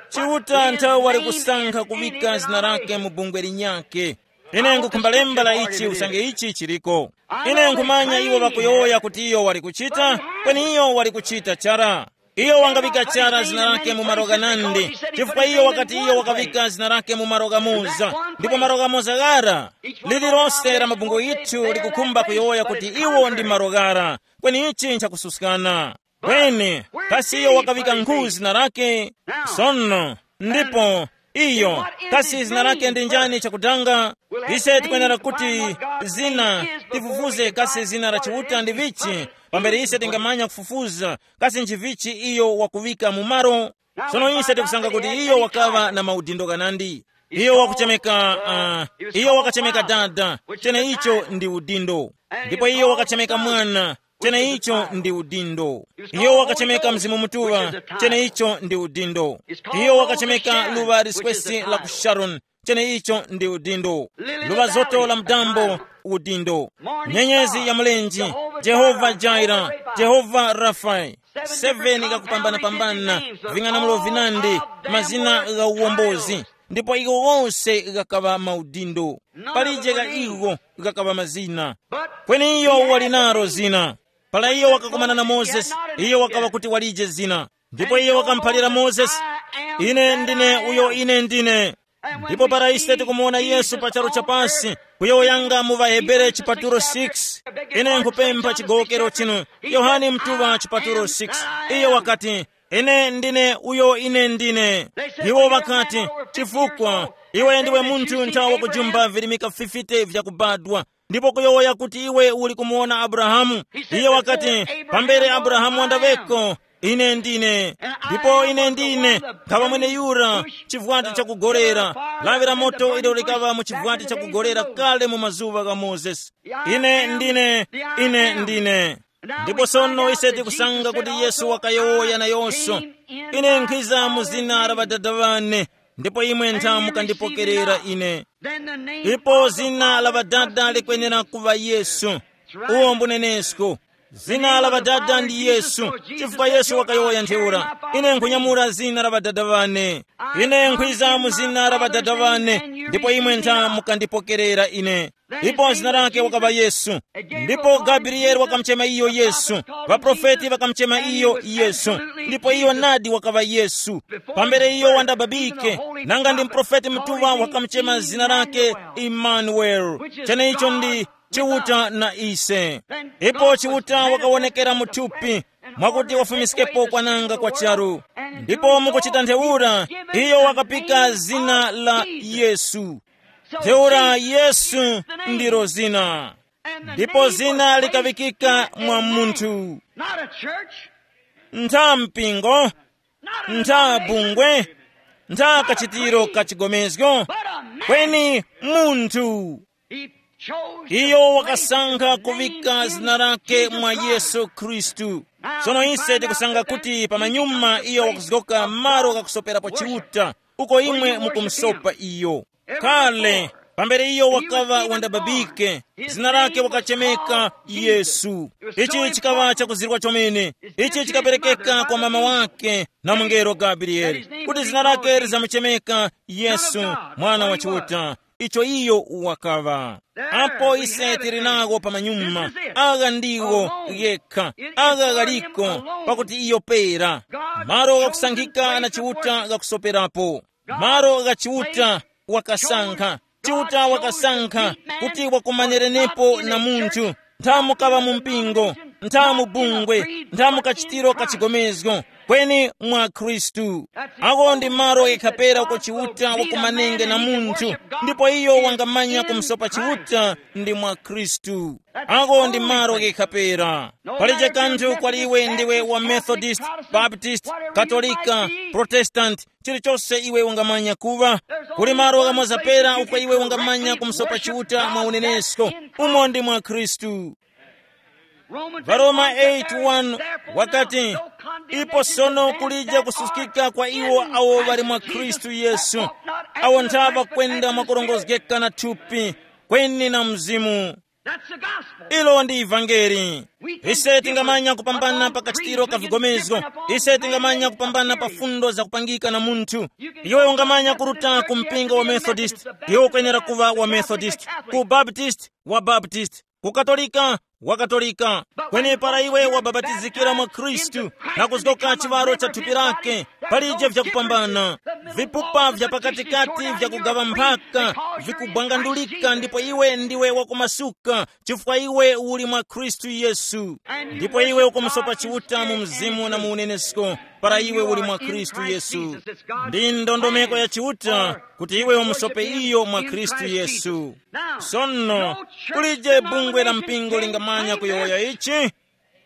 Chiuta nthawi wali kusankha kuŵika zina lake mu bungwe linyakhe. Ine nkukhumba lemba la ichi usange ichi chiliko. Ine nkhumanya iwo ŵakuyowoya kuti iyo wali kuchita, kweni iyo wali kuchita chara. Iyo wangaŵika chara zina lake mu malo ghanandi, chifukwa iyo wakati iyo wakaŵika zina lake mu malo ghamoza, ndipo malo ghamoza ghara. Lililonse la mabungwe yithu likukhumba kuyowoya kuti iwo ndi malo ghara, kweni ichi nchakususkana. Kweni, kasi iyo wakaŵika nkhu zina lake? Sono, ndipo iyo, kasi zina lake ndi njani chakutanga? Ise tikwenera kuti zina tifufuze kasi zina la Chiuta ndi vichi, pambere ise tingamanya kufufuza kasi nchivichi iyo wakuŵika mu malo. Sono ise tikusanga kuti iyo wakaŵa na maudindo ghanandi. Iyo wakuchemeka, uh, iyo wakachemeka dada, cheneicho ndi udindo. Ndipo iyo wakachemeka mwana, cheneicho ndi udindo. Iyo wakachemeka Mzimu Mutuŵa, cheneicho ndi udindo. Iyo wakachemeka luŵa liswesi la ku Sharoni, cheneicho ndi udindo. Luŵa zoto la mdambo, udindo. Nyenyezi ya mlenje, Jehova Jaira, Jehova Rafa. Seven gakupambana-pambana, ving'anamulo vinandi, mazina gha uwombozi. Ndipo iwo wose ghakaŵa maudindo. Palije gha iwo ghakaŵa mazina. Kweni iyo wali nalo zina. Para iyo wakakumana na Mozesi, iyo wakaŵa kuti walije zina. Ndipo iyo wakamuphalira Mozesi, "Ine ndine uyo ine ndine." Ndipo para ise tikumuwona Yesu pa charu cha pasi, kuyowoyanga mu ŵaHebere chipatulo six, ine nkupempha chigowokero chinu, Yohane Mtuŵa chipatulo six, iyo wakati, "Ine ndine uyo ine ndine." Iwo ŵakati, "Chifukwa iwe ndiwe munthu nthawi wakujumba virimika fifty vyakubadwa, ndipo kuyowoya kuti iwe uli kumuwona Abrahamu?" Iye wakati, "Pambere Abrahamu wandaŵeko, ine ndine. Ndipo ine ndine nkhaŵa mweneyura chivwati chakugolera, lawi la moto ilo likaŵa mu chivwati chakugolera kale mu mazuŵa gha Mozesi. Ine ndine, ine ndine." Ndipo sono ise tikusanga kuti Yesu wakayowoya nayonso, "Ine nkhiza mu zina la Ŵadada ŵane, ndipo imwe ntha mukandipokerera ine." Ndipo zina la Ŵadada likwenera kuŵa Yesu. Uwo mbunenesko. Zina la Ŵadada ndi Yesu, chifukwa Yesu wakayowoya ntheura, "Ine nkhunyamula zina la Ŵadada ŵane. Ine nkhwiza mu zina la Ŵadada ŵane, ndipo imwe ntha mukandipokerera ine." Ndipo zina lake wakaŵa Yesu. Ndipo Gabrieli wakamuchema iyo Yesu. Ŵaprofeti ŵakamuchema iyo Yesu. Ndipo iyo nadi wakaŵa Yesu. Pambere iyo wandababike, nanga ndi muprofeti mutuŵa wakamuchema zina lake Imanueli, cheneicho ndi Chiuta na ise. Ipo Chiuta wakawonekera mu thupi, mwakuti wafumiskepo kwananga kwa charu. Ndipo mukuchita ntheura, iyo wakapika zina la Yesu. Ntheura Yesu ndilo zina. Ndipo zina likaŵikika mwa munthu. Not a church, ntha mpingo, not an ntha denomination, bungwe, ntha kachitiro ka chigomezgo, but a man. Kweni munthu. He chose to iyo place wakasankha his name kuvika in zina lake Jesus mwa Christ. Yesu Khristu. Sono ise tikusanga kuti pamanyuma iyo wakuzgoka malo kakusoperapo Chiuta, uko imwe mukumusopa iyo. Kale, pambere iyo wakaŵa wandababike, zina lake wakachemeka Yesu. Ichi chikaŵa chakuzirwa chomene. Ichi chikaperekeka kwa mama wake na mungelo Gabrieli, kuti zina lake lizamuchemeka Yesu, Mwana wa Chiuta. Icho iyo wakaŵa. Apo ise tili nawo pamanyuma, agha ndiwo ghekha, agha ghaliko, pakuti iyo pera. Malo ghakusankhika na Chiuta ghakusoperapo. Malo gha Chiuta wakasankha. Chiuta wakasankha kuti wakumanerenepo na munthu. Ntha mukaŵa mu mpingo, ntha mu bungwe, ntha mu kachitiro ka chigomezgo, kweni mwa Khristu. Ako ndi malo ghekhapera uko Chiuta wakumanenge na munthu, ndipo iyo wangamanya kumsopa Chiuta ndi mwa Khristu. Ako ndi malo ghekhapera. Palije kanthu kwali iwe ndiwe wa Methodist, Baptist, Katolika, Protestant, chilichonse iwe ungamanya kuŵa. Kuli malo ghamoza pera uko iwe ungamanya kumsopa Chiuta mwa unenesko. Umo ndi mwa Khristu. Varoma eight one wakati, "Ipo sono kulije kususkika kwa iwo awo ŵali mwa Khristu Yesu, awo ntha ŵakwenda mwakurongozgeka na thupi, kweni na Mzimu." That's the gospel. Ilo ndi ivangeli. Ise tingamanya kupambana pa kachitiro ka vigomezgo. Ise tingamanya kupambana pa fundo zakupangika na munthu. Iwe ungamanya kuruta ku mpingo wa Methodist, iwe ukwenera kuva wa Methodist, ku Baptist, wa Baptist, ku Katolika, wa Katolika. Kweni para iwe wababatizikira mwa Khristu na kuzgoka chiwaro cha thupi lake, palije vyakupambana. Vipupa vya pakatikati vyakugawa mphaka vikubwangandulika, ndipo iwe ndiwe wakumasuka, chifukwa iwe uli mwa Khristu Yesu. Ndipo iwe ukumusopa Chiuta mu mzimu na mu unenesko, para iwe uli mwa Khristu Yesu. Ndi ndondomeko ya Chiuta kuti iwe umusope iyo mwa Khristu Yesu. Sono, kulije bungwe la mpingo lingamanya kuyowoya ichi?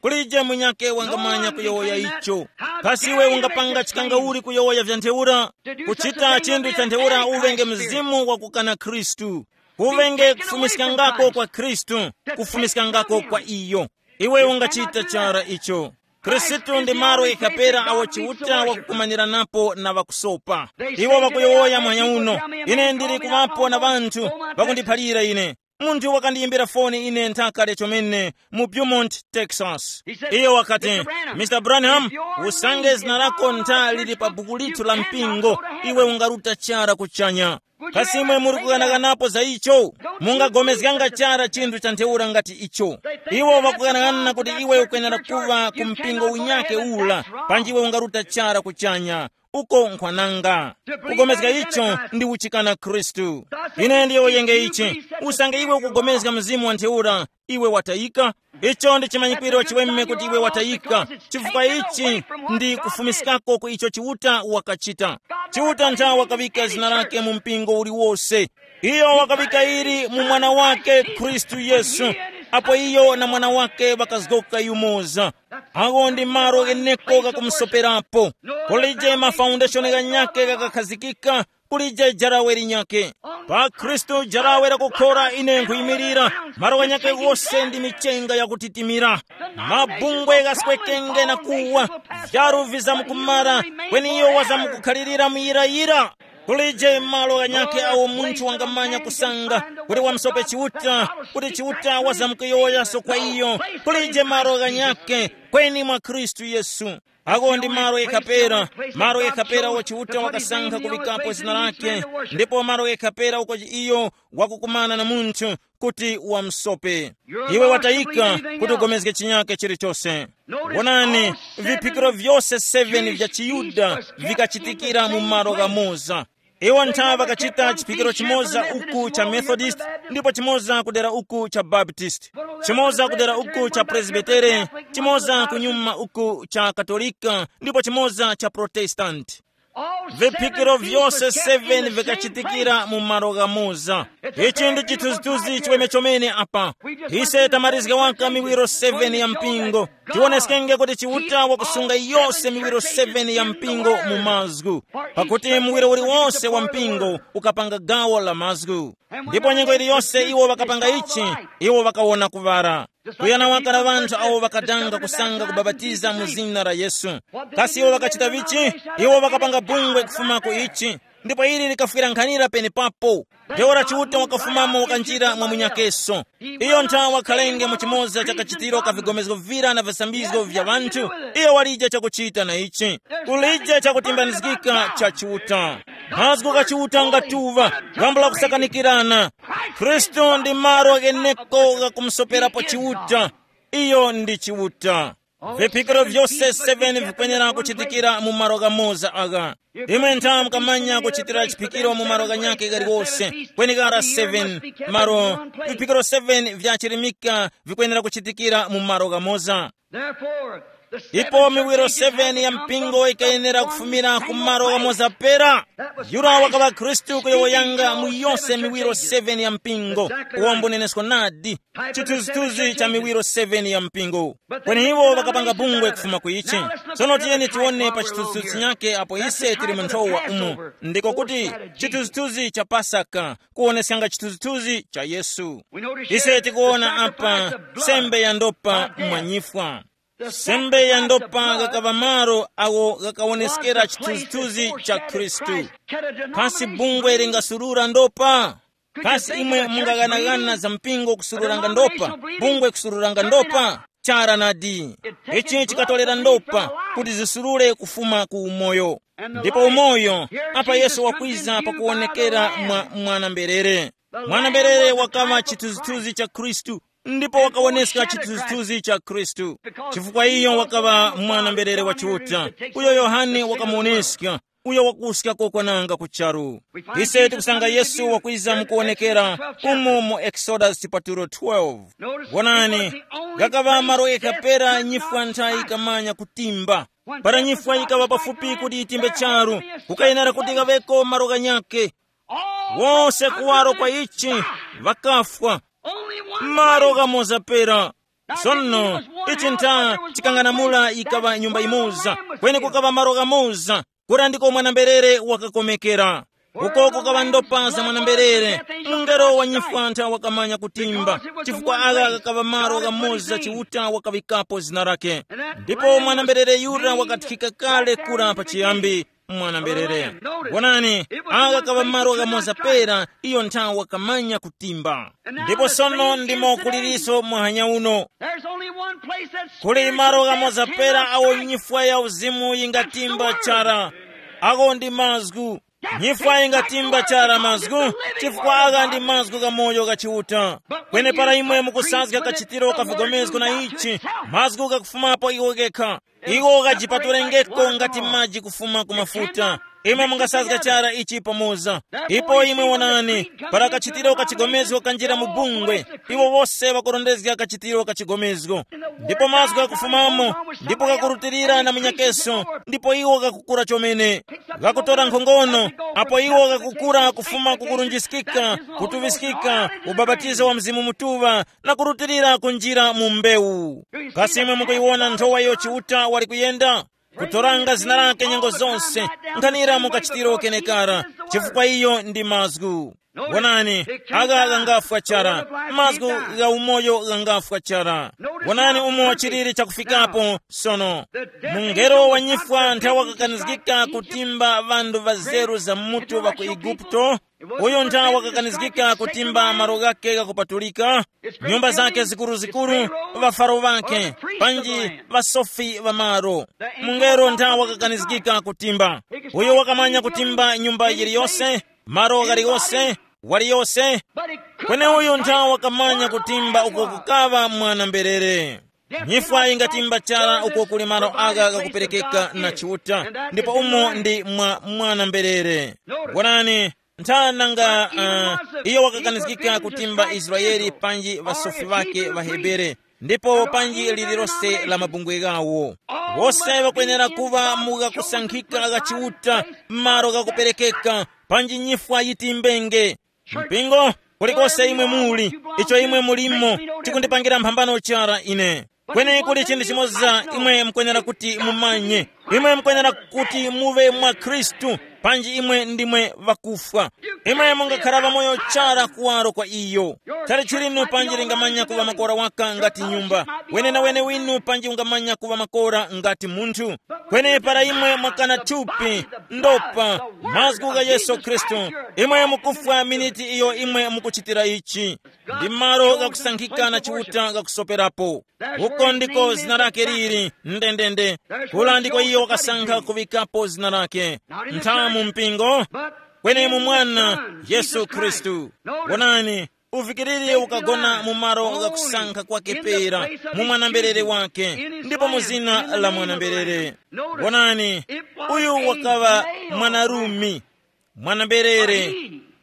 Kulije munyake wangamanya kuyowoya icho? Kasi iwe ungapanga chikangauli kuyowoya vya ntheura? Kuchita chinthu cha ntheura uvenge mzimu wa kukana Khristu. Kuvenge kufumiskangako kwa Khristu, kufumiskangako kwa iyo. Iwe ungachita chara icho. Khristu ndi malo ikhapera awo Chiuta wakukumaniranapo na ŵakusopa. Iwo ŵakuyowoya mwanya uno, ine ndili kuŵapo na ŵanthu ŵakundiphalira ine. Munthu wakandiyimbira foni ine nthaka lya chomene mu Beaumont, Texas. Iyo wakati, "Mister Branham, usange zina lako ntha lili pa buku lithu la mpingo, iwe ungaruta chara kuchanya." Kasi imwe muri kughanaghanapo za icho? Mungagomezganga chara chinthu cha ntheura ngati icho? Iwo ŵakughanaghana kuti iwe ukwenera kuŵa ku mpingo unyake ula, panji iwe ungaruta chara kuchanya. Uko nkhwananga. Kugomezga icho ndi uchikana Khristu. Ine ndiyo yenge ichi. Usange iwe ukugomezga mzimu wa ntheura, iwe watayika. Icho ndi chimanyikwiro chiweme kuti iwe watayika, chifukwa ichi ndi kufumiskako ku icho Chiuta wakachita. Chiuta ntha wakaŵika zina lake mu mpingo uliwose. Iyo wakaŵika ili mu mwana wake Khristu Yesu, apo iyo na mwana wake ŵakazgoka yumoza. Agho ndi malo gheneko ghakumusoperapo. Kulije mafaundeshoni ghanyakhe ghakakhazikika, kulije jarawe linyakhe. Pa Khristu jarawe lakukhora ine nkhuyimirira, malo ghanyakhe ghose ndi michenga yakutitimira. Mabungwe ghaswekenge na kuwa, vyaru vizamkumara, kweni iyo wazamkukhalirira muyirayira. Kulije malo ghanyakhe awo munthu wangamanya kusanga kuti wamsope Chiuta, kuti Chiuta wazamkuyowoyaso kwa iyo. Kulije malo ghanyakhe kweni mwa Khristu Yesu. Ako ndi malo ekhapera, malo ekhapera wo Chiuta wakasankha kuvikapo zina lake, ndipo malo ekhapera uko iyo wakukumana na munthu kuti wamsope. Iwe watayika kuti ugomezge chinyake chilichose. Wonani, viphikiro vyose seven vya chiYuda vikachitikira mu malo ghamoza. Iwo ntha ŵakachita chiphikiro chimoza uku cha Methodist, ndipo chimoza kudera uku cha Baptist, chimoza kudera uku cha Presbytere, chimoza kunyuma uku cha Katolika, ndipo chimoza cha Protestant. Viphikiro vyose seven vikachitikira mu malo ghamoza. Ichi ndi chithunzithunzi chiweme chomene apa. Ise tamarizga waka miwiro seven ya mpingo. Tioneskenge kuti Chiuta wakusunga yose miwiro seven ya mpingo mu mazgu, pakuti muwiro uliwonse wa mpingo ukapanga gawo la mazgu. Ndipo nyengo iliyonse iwo ŵakapanga ichi, iwo ŵakawona kuŵala. Kuyana waka na ŵanthu awo ŵakadanga kusanga kubapatiza mu zina la Yesu. Kasi iwo ŵakachita vichi? Iwo ŵakapanga bungwe kufuma ku ichi, ndipo ili likafwira nkhanira penepapo. Ntheura Chiuta wakafumamo wakanjira mwa munyakeso. Iyo nthawa wakhalenge mu chimoza cha kachitiro ka vigomezgo vira na visambizgo vya ŵanthu, iyo walije chakuchita na ichi. Kulije chakutimbanizgika cha Chiuta. Mazgu gha Chiuta ngatuŵa, ghambo la kusakanikirana. Khristu ndi malo gheneko gha kumusoperapo Chiuta. Iyo ndi Chiuta. Viphikiro vyose seven vikwenera kuchitikira mu malo ghamoza agha. Imwe ntha mukamanya kuchitira chiphikiro mu malo ghanyakhe ghaliwose, kweni ghara seven malo, viphikiro seven vya chirimika vikwenera kuchitikira mu malo ghamoza. Ipo miwiro seven ya mpingo ikayenera kufumira ku malo ghamoza pera. Yura wakaŵa Khristu kuyowoyanga mu yose miwiro seven ya mpingo. Uwo mbunenesko nadi. Chithunzithunzi cha miwiro seven ya mpingo. Kweni iwo ŵakapanga bungwe kufuma ku ichi. Tsono tiyeni tiwone pa chithunzithunzi chinyake apo ise tili mu nthowa umu. Ndiko kuti chithunzithunzi cha Pasaka, kuwoneskanga chithunzithunzi cha Yesu. Ise tikuwona apa sembe ya ndopa mwanyifwa. Sembe ya ndopa ghakaŵa malo awo ghakawoneskera chithunzithunzi cha Khristu. Pasi bungwe lingasulura ndopa? Kasi imwe mungaghanagana za mpingo kusururanga ndopa, bungwe kusururanga ndopa? Chara nadi. Ichi chikatolera ndopa kuti zisurure kufuma ku umoyo. Ndipo umoyo, apa Yesu wakwiza pakuwonekera mwa mwana-mberere. Mwana-mberere wakaŵa chithunzithunzi cha Khristu, ndipo wakawoneska chithunzithunzi cha Khristu. Chifukwa iyo wakaŵa mwana-mberere wa Chiuta, uyo Yohane wakamuwoneska, uyo wakuska kokwananga ku charu. Ise tikusanga Yesu wakwiza mukuwonekera umo mu Exodus chipatulo twelve. Wonani, ghakaŵa malo ghekha pera nyifwa nthayi ikamanya kutimba. Para nyifwa yikaŵa pafupi kuti yitimbe charu, kukayenera kuti ghaŵeko malo ghanyakhe. Wose kuwaro kwa ichi, ŵakafwa. Malo ghamoza pera. Sono, ichi ntha chikang'anamula yikaŵa nyumba yimoza, kweni kukaŵa malo ghamoza, kura ndiko mwana-mberere wakakomekera. Uko kukaŵa ndopa za mwana-mberere, mungelo wa nyifwa ntha wakamanya kutimba, chifukwa agha ghakaŵa malo ghamoza Chiuta wakaŵikapo zina lake. Ndipo mwana-mberere yura wakathika kale kura pachiyambi. Mwana-mberere, wonani, agha kaŵa malo ghamoza pera, iyo nthawi wakamanya kutimba. Ndipo sono ndimo kuliriso muhanya uno. There's only one place that's kuli malo ghamoza pera awo nyifwa ya uzimu yingatimba chara. Awo ndi mazgu. Nyifwa yingatimba chara mazgu, chifukwa agha ndi mazgu gha moyo gha Chiuta. Kweni para imwe mukusazga kachitiro ka vigomezgo na ichi, mazgu ghakufumapo iwo gekha. Iwo ghajipatulengeko ngati maji kufuma ku mafuta. Imwe mungasazga chara ichi pamoza. Ipo imwe wonani, para kachitiro ka chigomezgo kanjira mu bungwe, iwo wose ŵakurondezga kachitiro ka chigomezgo. Ndipo mazgu ghakufumamo, ndipo ghakurutilira na munyakeso, ndipo iwo ghakukura chomene. Ghakutora nkhongono, apo iwo ghakukura kufuma ku kurunjiskika, kutuŵiskika, ubapatizo wa Mzimu Mutuŵa, na kurutilira kunjira mu mbewu. Kasi imwe mukuyiwona nthowa iyo Chiuta wali kuyenda? Kutoranga zina lake nyengo zonse, nkhanira mu kachitiro kenekara, chifukwa iyo ndi mazgu. Wonani, agha ghangafwa chara, mazgu gha umoyo ghangafwa chara. Wonani umo chiliri chakufikapo sono. Mungelo wa nyifwa nthawi wakakanizgika kutimba ŵanthu ŵazeru za mutu ŵa ku Eguputo, uyo ntha wakakanizgika kutimba malo ghake ghakupatulika, nyumba zake zikuruzikuru, ŵafaro ŵake, panji ŵasofi ŵa malo. Mungelo ntha wakakanizgika kutimba. Uyo wakamanya kutimba nyumba yiliyose, malo ghaliyose, waliyose. Kweni uyu ntha wakamanya kutimba uko kukaŵa mwana-mberere. Nyifwa ingatimba chara uko kuli malo agha ghakuperekeka na Chiuta, ndipo umo ndi mwa mwana-mberere. Wonani, ntha nanga, uh, iyo wakakanizgika kutimba Israeli panji ŵasofi ŵake ŵaHebere, ndipo panji lililose la mabungwe ghawo. Wose ŵakwenera kuŵa mu ghakusankhika gha Chiuta, malo ghakuperekeka, panji nyifwa yitimbenge. Mpingo, kulikose imwe muli, icho imwe mulimo, chikundipangira mphambano chara ine. Kweni kuli chinthu chimoza imwe mukwenera kuti mumanye. Imwe mukwenera kuti muve mwa Khristu, panji imwe ndimwe ŵakufwa. Imwe mungakhala ŵamoyo chara kuwaro kwa iyo. Chalichi linu panji lingamanya kuŵa makora waka ngati nyumba. Wenewene winu panji ungamanya kuŵa makora ngati munthu. Kweni para imwe mwakana thupi, ndopa, mazgu gha Yesu Khristu, imwe mukufwa miniti iyo imwe mukuchitira ichi. Ndi malo ghakusankhika na Chiuta ghakusoperapo. Uko ndiko zina lake lili, ndendende. Kula ndiko iyo wakasankha kuŵikapo zina lake. Ntha mu mpingo, kweni mu mwana Yesu Khristu. Wonani, uvikiriri ukagona mu malo ghakusankha kwake pera, mu mwana-mberere wake, ndipo mu zina la mwana-mberere. Wonani, uyu wakaŵa mwanarume, mwana-mberere,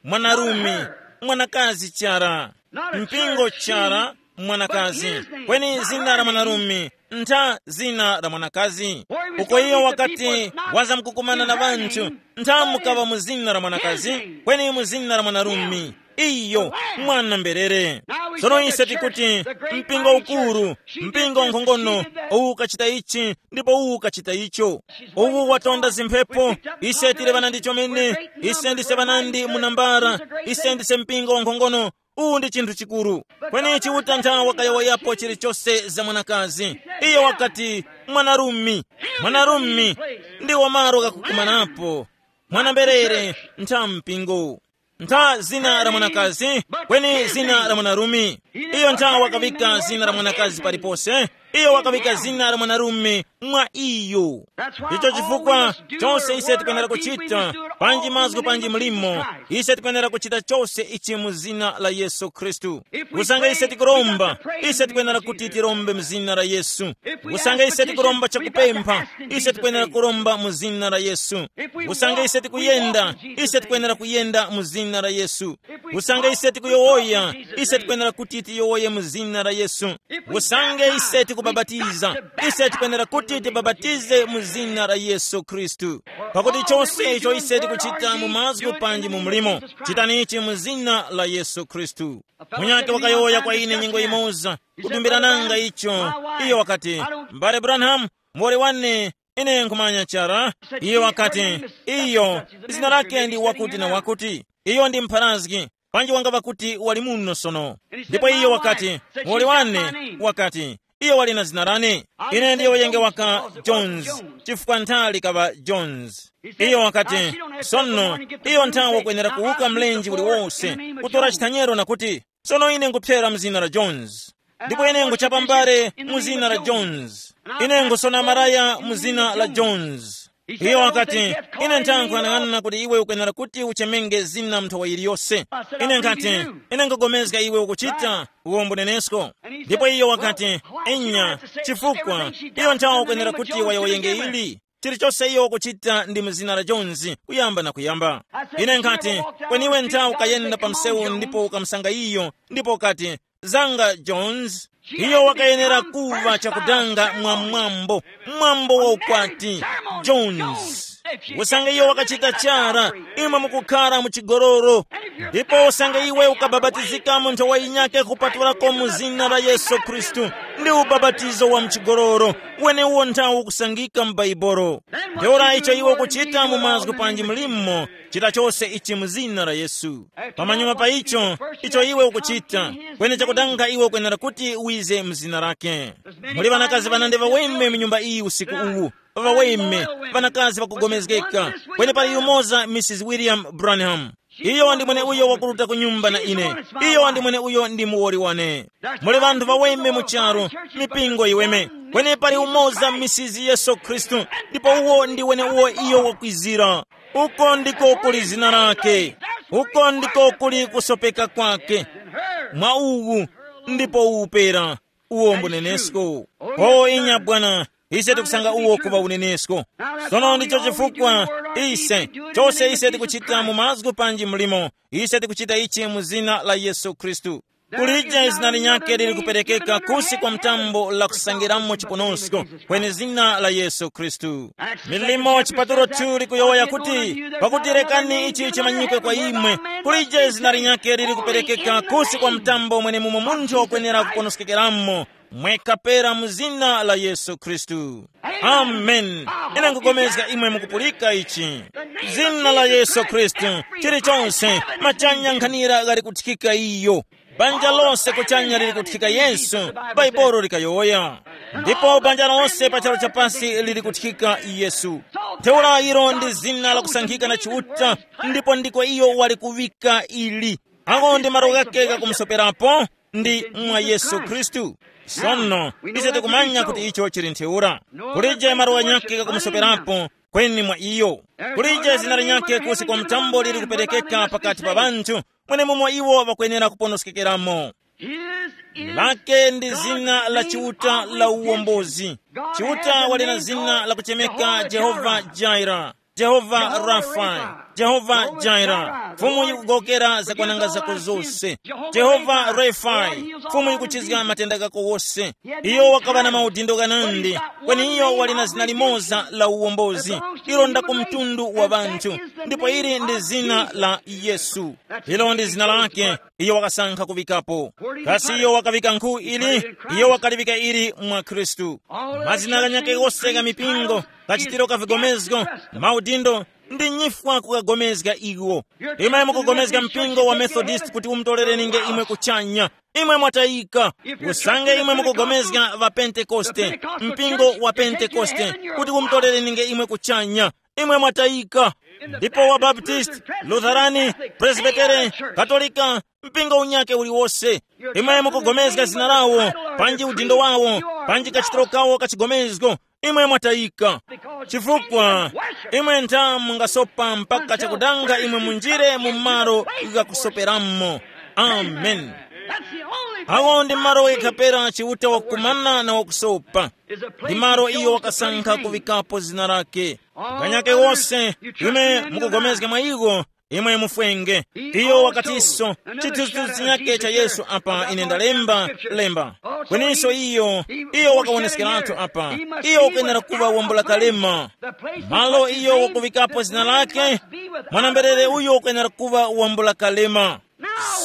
mwanarume, mwanakazi chara, mpingo chara, mwanakazi. Kweni zina la mwanarume, ntha zina la mwanakazi. Uko iyo wakati waza mkukumana na ŵanthu, ntha mukaŵa mu zina la mwanakazi, kweni mu zina la mwanarume. Iyo, mwana-mberere. Sono ise tikuti, mpingo ukuru, mpingo nkhongono, uwu ukachita ichi, ndipo uwu ukachita icho. Uwu watonda zimphepo, ise tili ŵanandi chomene, ise ndise ŵanandi mu nambara, ise ndise mpingo nkhongono. Uwu ndi chinthu chikuru. Kweni Chiuta ntha wakayowoyapo chilichose za mwanakazi. Iyo wakati, mwanarume, mwanarume, ndiwo malo ghakukumanapo. Mwana-mberere, ntha mpingo. Ntha zina la mwanakazi, kweni zina la mwanarume. Iyo ntha wakavika zina la mwanakazi palipose. Iyo wakavika zina la mwanarume mwa iyo. Icho chifukwa, chose ise tikwenera kuchita, panji mazgu panji mlimo, ise tikwenera kuchita chose ichi mu zina la Yesu Khristu. Kusanga ise tikuromba, ise tikwenera kuti tirombe mu zina la Yesu. Kusanga ise tikuromba chakupempha, ise tikwenera kuromba mu zina la Yesu. Kusanga ise tikuyenda, ise tikwenera kuyenda mu zina la Yesu. Kusanga ise tikuyowoya, ise tikwenera kuti tiyowoye mu zina la Yesu. Kusanga ise tikubabatiza, ise tikwenera kuti tibabatize mu zina la Yesu Khristu. Pakuti chose icho ise tikuchita mu mazgu panji mu mlimo, chitani ichi mu zina la Yesu Khristu. Munyake wakayowoya kwa ine nyengo imoza, kudumbira nanga icho. Iyo wakati, "M'bale Branham, muwoli wane, ine nkhumanya chara." Iyo wakati, "Iyo, zina lake ndi wakuti na wakuti. Iyo ndi mpharazgi, panji wangava kuti wali muno sono." Ndipo iyo wakati, "Muwoli wane," wakati, "iyo wali na zina lane. Ine ndiyo yenge waka Jones, chifukwa nthali kaŵa Jones." Iyo wakati, "Sono, iyo nthawe kwenera kuwuka mlenje uliwose, kutora chithanyero na kuti, 'Sono ine nkuphyera mu zina la Jones. Ndipo ine nguchapa mbale mu zina la Jones. Ine ngusona maraya mu zina la Jones.'" Iyo wakati, "Ine nthankhu anang'ana kuti iwe ukwenera kuti uchemenge zina mnthawa yiliyose." Ine nkhati, "Ine nkugomezga iwe ukuchita uwombo nenesko." Ndipo iyo wakati, "Enya, chifukwa iyo nthawa ukwenera kuti wayowoyenge ili. Chilichose iyo ukuchita ndi mu zina la Jones, kuyamba na kuyamba." Ine nkhati, "Kweni iwe nthawi ukayenda pa msewu ndipo ukamusanga iyo, ndipo ukati, 'Zanga Jones.'" Iyo wakayenera kuva chakudanga mwa mwambo, mwambo wa ukwati, Jones. Usanga iyo wakachita chara, imwe mukukhara mu chigoloro. Ndipo usanga iwe ukabapatizika mu nthowa yinyake kupatulako mu zina la Yesu Khristu, ndi ubapatizo wa mchigoloro, wenewo nthawi ukusangika mu Baibolo. Ntheura icho iwe ukuchita mu mazgu panji mlimo, chita chose ichi mu zina la Yesu. Pamanyuma pa icho, icho iwe ukuchita, kweni chakudanga iwe ukwenera kuti wize mu zina lake. Muli ŵanakazi ŵanandi ŵaweme mu nyumba iyi usiku uwu. Ŵaweme, ŵanakazi ŵakugomezgeka. Kweni pali yumoza, Mrs William Branham. Iyo ndi mwene uyo wakuruta ku nyumba na ine. Iyo ndi mwene uyo ndi muwoli wane. Muli ŵanthu ŵaweme mu charu, mipingo iweme. Kweni pali umoza, Mrs Yesu Khristu, ndipo uwo ndi wene uwo iyo wakwizira. Uko ndiko kuli zina lake. Uko ndiko kuli kusopeka kwake. Mwa uwu ndipo upera uwo mbunenesko. O inya bwana, ise tikusanga uwo kuŵa unenesko. Sono ndicho chifukwa ise, chose ise tikuchita mu mazgu panji mlimo, ise tikuchita ichi mu zina la Yesu Khristu. Kulije zina linyakhe lili kuperekeka kusi kwa mtambo la kusangiramo chiponosko, kweni zina la Yesu Khristu. Milimo chipatulo tu likuyowoya kuti, pakuti rekani ichi chimanyikwe kwa imwe, kulije zina linyakhe lili kuperekeka kusi kwa mtambo mwene mumo munthu wakwenera kuponoskekeramo, mwekha pera mu zina la Yesu Khristu. Amen. Ine nkugomezga imwe mukupulika ichi. Zina la Yesu Khristu, chilichonse, machanya nkhanira ghali kuthikika iyo. Banja lose kuchanya lili kuthika Yesu, Baibolo likayowoya. Ndipo banja lose pa charu chapasi lili kuthika Yesu. Ntheura ilo ndi zina la kusankhika na Chiuta, ndipo ndiko iyo wali kuŵika ili. Ako ndi malo ghake ghakumusoperapo, ndi mwa Yesu Khristu. Sono, ise tikumanya kuti icho chili ntheura. Kulije malo ghanyakhe ghakumusoperapo, kweni mwa iyo. Kulije zina linyakhe kusi kwa mtambo lili kuperekeka pakati pa ŵanthu, mwenemumo iwo ŵakwenera kuponoskekeramo. Lake ndi zina la Chiuta la uwombozi. Chiuta wali na zina la kuchemeka Jehova Jaira, Jehova Rafa, Jehova Jaira, Fumu yikugowokera zakwananga zako zose. Jehova Rafa, Fumu yikuchizga matenda gako wose. Iyo wakaŵa na maudindo ghanandi, kweni iyo wali na zina limoza la uwombozi, ilo nda ku mtundu wa ŵanthu, ndipo ili ndi zina la Yesu. Ilo ndi zina lake, iyo wakasankha kuŵikapo. Kasi iyo wakaŵika nkhu ili? Iyo wakaliŵika ili mwa Khristu. Mazina ghanyakhe ghose gha mipingo, kachitiro ka vigomezgo, maudindo, ndi nyifwa kukagomezga iwo. Imwe mukugomezga mpingo wa Methodist kuti umutolereninge imwe kuchanya. Imwe mwatayika. Usange imwe mukugomezga va Pentekoste, mpingo wa Pentekoste, kuti umutolereninge imwe kuchanya. imwe mwatayika. Ndipo wa Baptist, Lutherani, Presbytere, Katolika, mpingo unyake uliwose, imwe mukugomezga zina lawo, panji udindo wawo, panji kachitiro kawo kachigomezgo, imwe mwatayika. Chifukwa imwe ntha mungasopa mpaka chakudanga imwe munjire mu malo ghakusoperamo. Amen. Awo ndi malo ghekha pera Chiuta wakukumana na wakusopa. Ndi malo iyo wakasankha kuŵikapo zina lake. Ganyake wose, imwe mukugomezga mwa iwo, imwe mufwenge. Iyo wakatiso, chithunzithunzi chinyake cha Yesu apa ine ndalemba, lemba. Kweninso iyo, iyo wakawoneskeratu apa, iyo ukwenera kuŵa wambula kalema. Malo iyo wakuŵikapo zina lake, mwanamberere uyo ukwenera kuŵa wambula kalema.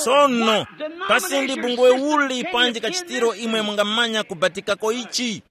Sono, kasi ndi bungwe uli panji kachitiro imwe mungamanya kubatikako ichi?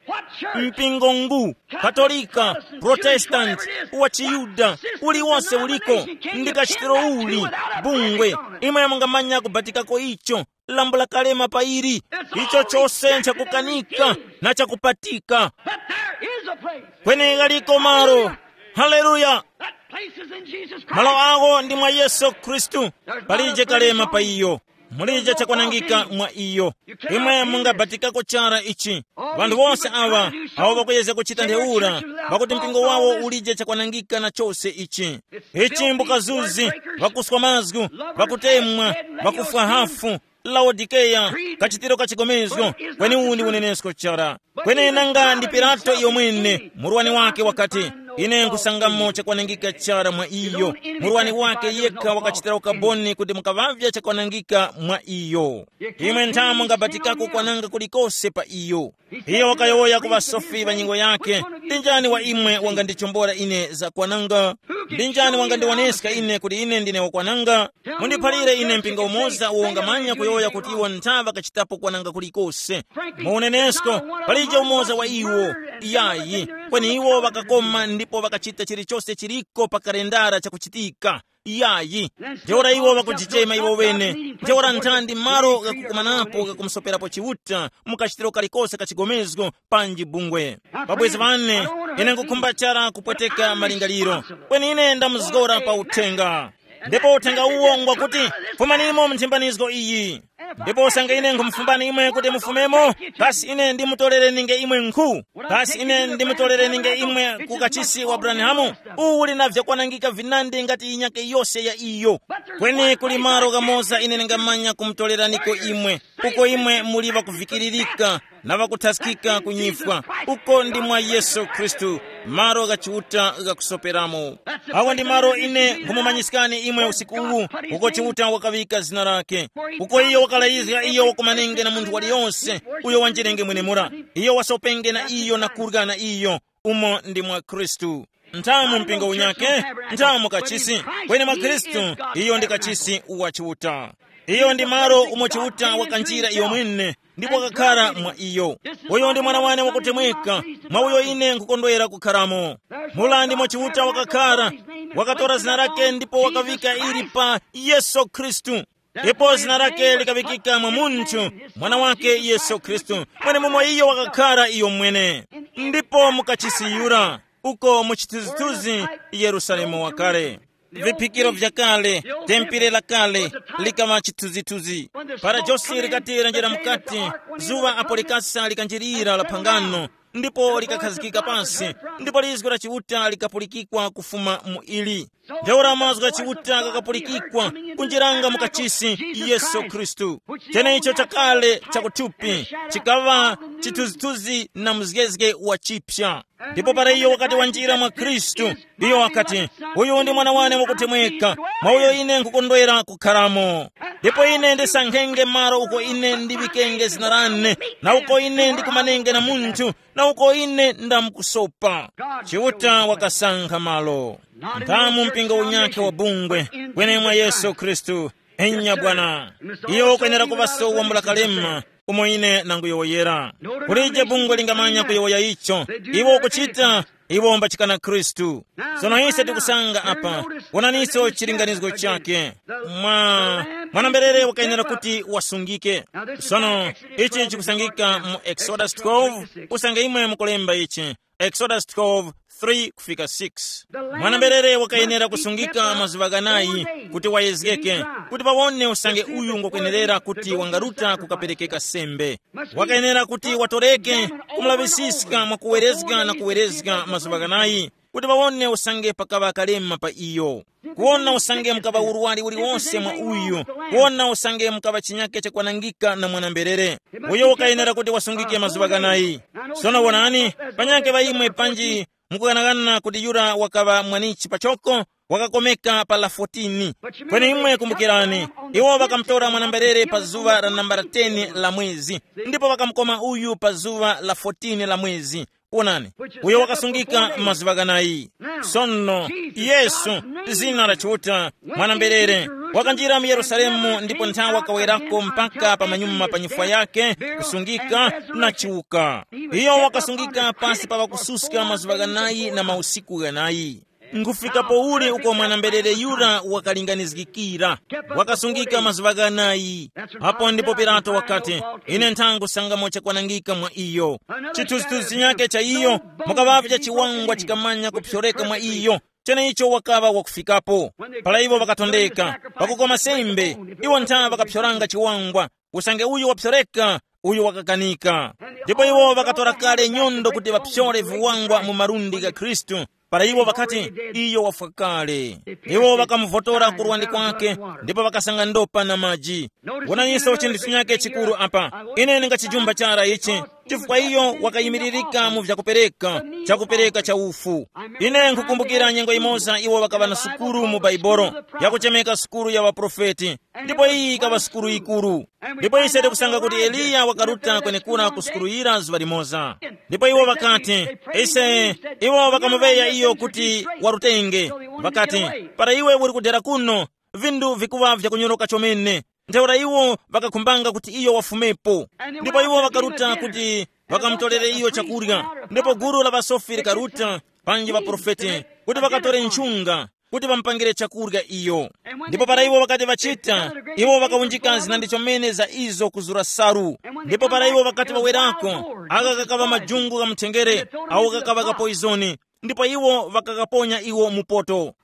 Mpingo ngu, Katolika, Protestant, wa Chiyuda, uliwonse uliko, ndi kachitiro uli, bungwe, imwe mungamanya kubatikako icho, lambula kalema pa ili, icho chose nchakukanika na chakupatika. But there is a place. Kweni ghaliko malo. Haleluya. That place is in Jesus Christ. Malo awo ndi mwa Yesu Khristu. Palije kalema pa iyo. Mulije chakwanangika mwa iyo. Imwe mungabatikako chara ichi. Vanthu wonse awa awo vakuyeza kuchita ntheura, pakuti mpingo wawo ulije chakwanangika na chose ichi. Ichi mbukazuzi, vakuswa mazgu, vakutemwa, vakufwa hafu, Laodikeya, kachitiro ka chigomezgo. Kweni uwu ndi unenesko chara. Kweni nanga ndi Pilato iyo mwene, murwani wake wakati, ine nkhusangamo chakwanangika chara mwa iyo. Murwani wake yekha wakachitira ukaboni kuti mukaŵavya chakwanangika mwa iyo. Imwe nthamu ngabatikako kwananga kulikose pa iyo. Iyo wakayowoya ku ŵasofi ŵa nyengo yake, ndi njani wa imwe wangandichombora ine za kwananga? Ndi njani wangandiwoneska ine kuti ine ndine wakwananga? Mundiphalire ine mpingo umoza uwo ungamanya kuyowoya kuti iwo nthaŵa kachitapo kwananga kulikose. Mu unenesko, palije umoza wa iwo. Yayi. Kweni iwo ŵakakoma ndipo ŵakachita chilichose chiliko pa kalendara chakuchitika. Yayi. Ntheura iwo ŵakujichema iwo wene. Ntheura nthandi malo ghakukumanapo ghakumusoperapo Chiuta mu kachitiro kalikose ka chigomezgo panji bungwe. Pabwezi ŵane, ine nkukhumba chara kupweteka malingaliro. Kweni ine ndamuzgora pa uthenga. Ndipo uthenga uwo ngwakuti, fumanimo mu nthimbanizgo iyi. Ndipo usange ine nkhumufumbani imwe kuti mufumemo, kasi ine ndimutorereninge imwe nkhu? Kasi ine ndimutorereninge imwe ku kachisi wa Abrahamu? Uwu uli na vyakwanangika vinandi ngati yinyake yose ya iyo. Kweni kuli malo ghamoza ine ndingamanya kumutoreraniko imwe, uko imwe muli ŵakuvikiririka na ŵakuthaskika kunyifwa, uko ndi mwa Yesu Khristu, malo gha Chiuta ghakusoperamo. Awa ndi malo ine nkhumumanyiskani imwe usiku uwu, uko Chiuta wakaŵika zina lake, uko iyo wakalayizga iyo wakumanenge na munthu waliyonse uyo wanjirenge mwenemura, iyo wasopenge na iyo na kurya na iyo, umo ndi mwa Khristu. Nthamu mpingo unyake, nthamu kachisi, kweni mwa Khristu, iyo ndi kachisi wa Chiuta. Iyo ndi malo umo Chiuta wakanjira iyo mwene, ndipo wakakhara mwa iyo. Uyo ndi mwana wane wakutemweka, mwa uyo ine nkukondwera kukharamo. Mulandi mwa Chiuta wakakhara, wakatora zina lake ndipo wakavika ili pa Yesu Khristu. Ndipo zina lake likavikika mwa munthu, mwana wake Yesu Khristu, mwenemumo iyo wakakhara iyo mwene. Ndipo mukachisi yura, uko mu chithunzithunzi Yerusalemu wakale. Viphikiro vyakale, tempere lakale, likaŵa chithunzithunzi. Para josi likati lanjira mukati, zuŵa apo likasa likanjirira la phangano, ndipo likakhazikika pansi, ndipo lizgu la Chiuta likapulikikwa kufuma mu ili. Ntheura mazgu gha Chiuta ghakapulikikwa kunjiranga mu kachisi Yesu Khristu. Cheneicho chakale chakuthupi, chikaŵa chithunzithunzi na mzgezge wa chipya. Ndipo para iyo wakati wanjira mwa Khristu, iyo wakati, uyu ndi mwana wane wakutemweka, mwa uyo ine nkukondwera kukharamo. Ndipo ine ndisankhenge malo uko ine ndiŵikenge zina lane, na uko ine ndikumanenge na munthu, na uko ine ndamkusopa. Chiuta wakasankha malo. Nthamu mpingo unyakhe wa bungwe, kwenemwa Yesu Khristu. Enya bwana. Iyo ukwenera kuŵa so wambula kalema, umo ine nanguyowoyera. Kulije bungwe lingamanya kuyowoya icho. Iwo ukuchita, iwo mbachikana Khristu. Sono ise tikusanga apa, wonaniso chilinganizgo chake. Mwa, mwanamberere wakayenera kuti wasungike. Sono, ichi chikusangika mu Exodus twelve, usange imwe mukulemba ichi. Exodus twelve, three kufika six. Mwana-mberere wakayenera kusungika mazuŵa ghanayi kuti wayezgeke, kuti pawone usange uyu ngwakwenerera kuti wangaruta kukaperekeka sembe. Wakayenera kuti watoreke, kumulaŵisiska mwakuwerezga na kuwerezga mazuŵa ghanayi, kuti pawone usange pakaŵa kalema pa iyo, kuwona usange mukaŵa urwari uliwonse mwa uyu, kuwona usange mukaŵa chinyake chakwanangika na mwana-mberere. Uyo wakayenera kuti wasungike mazuŵa ghanayi. Sono wonani, panyake ŵa imwe panji mukughanaghana kuti yura wakaŵa mwanichi pachoko, wakakomeka pa la fourteen. Kweni imwe kumbukirani, iwo ŵakamutora mwana-mberere pa zuŵa la nambala ten la mwezi, ndipo ŵakamukoma uyu pa zuŵa la fourteen la mwezi. Wonani, uyo wakasungika mazuŵa ghanayi. Sono, Yesu, zina la Chiuta, mwana-mberere, wakanjira mu Yerusalemu ndipo nthawi wakawerako mpaka pa manyuma pa nyifwa yake, kusungika na chiuka. Iyo wakasungika pasi pa ŵakususka mazuŵa ghanayi na mausiku ghanayi. Nkufikapo uli uko mwana-mberere yura wakalinganizgikira, wakasungika mazuŵa ghanayi. Apo ndipo Pilato wakati, ine nthangusangamo chakwanangika mwa iyo. Chithunzithunzi chinyake cha iyo, mukaŵavya chiwangwa chikamanya kupyoreka mwa iyo, cheneicho wakaŵa wakufikapo. Para iwo ŵakatondeka pakukoma sembe, iwo ntha ŵakapyoranga chiwangwa, usange uyu wapyoreka, uyu wakakanika. Ndipo iwo ŵakatora kale nyondo kuti ŵapyore viwangwa mu malundi gha Khristu, para iwo ŵakati, iyo wafwa kale. Iwo ŵakamuvotora ku luwandi kwake, ndipo ŵakasanga ndopa na maji. Wonaninso chinthu chinyake chikuru apa. Ine ndingachijumba chara ichi, chifukwa iyo wakayimiririka mu vyakupereka, chakupereka cha ufu. Ine nkhukumbukira nyengo imoza iwo ŵakaŵa na sukulu mu Baibolo, yakuchemeka sukulu ya ŵaprofeti. Ndipo iyi ikaŵa sukulu yikuru. Ndipo ise tikusanga kuti Eliya wakaruta kwenekura ku sukulu yira zuŵa limoza. Ndipo iwo ŵakati, ise, iwo ŵakamuŵeya iyo kuti warutenge. Ŵakati, para iwe uri kudera kuno, vinthu vikuŵa vyakunyoroka chomene. Ntheura iwo ŵakakhumbanga kuti iyo wafumepo. Ndipo iwo ŵakaruta kuti ŵakamutolere iyo chakurya. Ndipo gulu la ŵasofi likaruta, panji ŵaprofeti, kuti ŵakatore nchunga, kuti ŵamupangire chakurya iyo. Ndipo para iwo ŵakati ŵachita, iwo ŵakawunjika zinandi chomene za izo kuzura salu. Ndipo para iwo ŵakati ŵawerako, aka kakaŵa majungu gha muthenjere, awo kakaŵa kapoizoni, ndipo iwo ŵakakaponya iwo mu poto.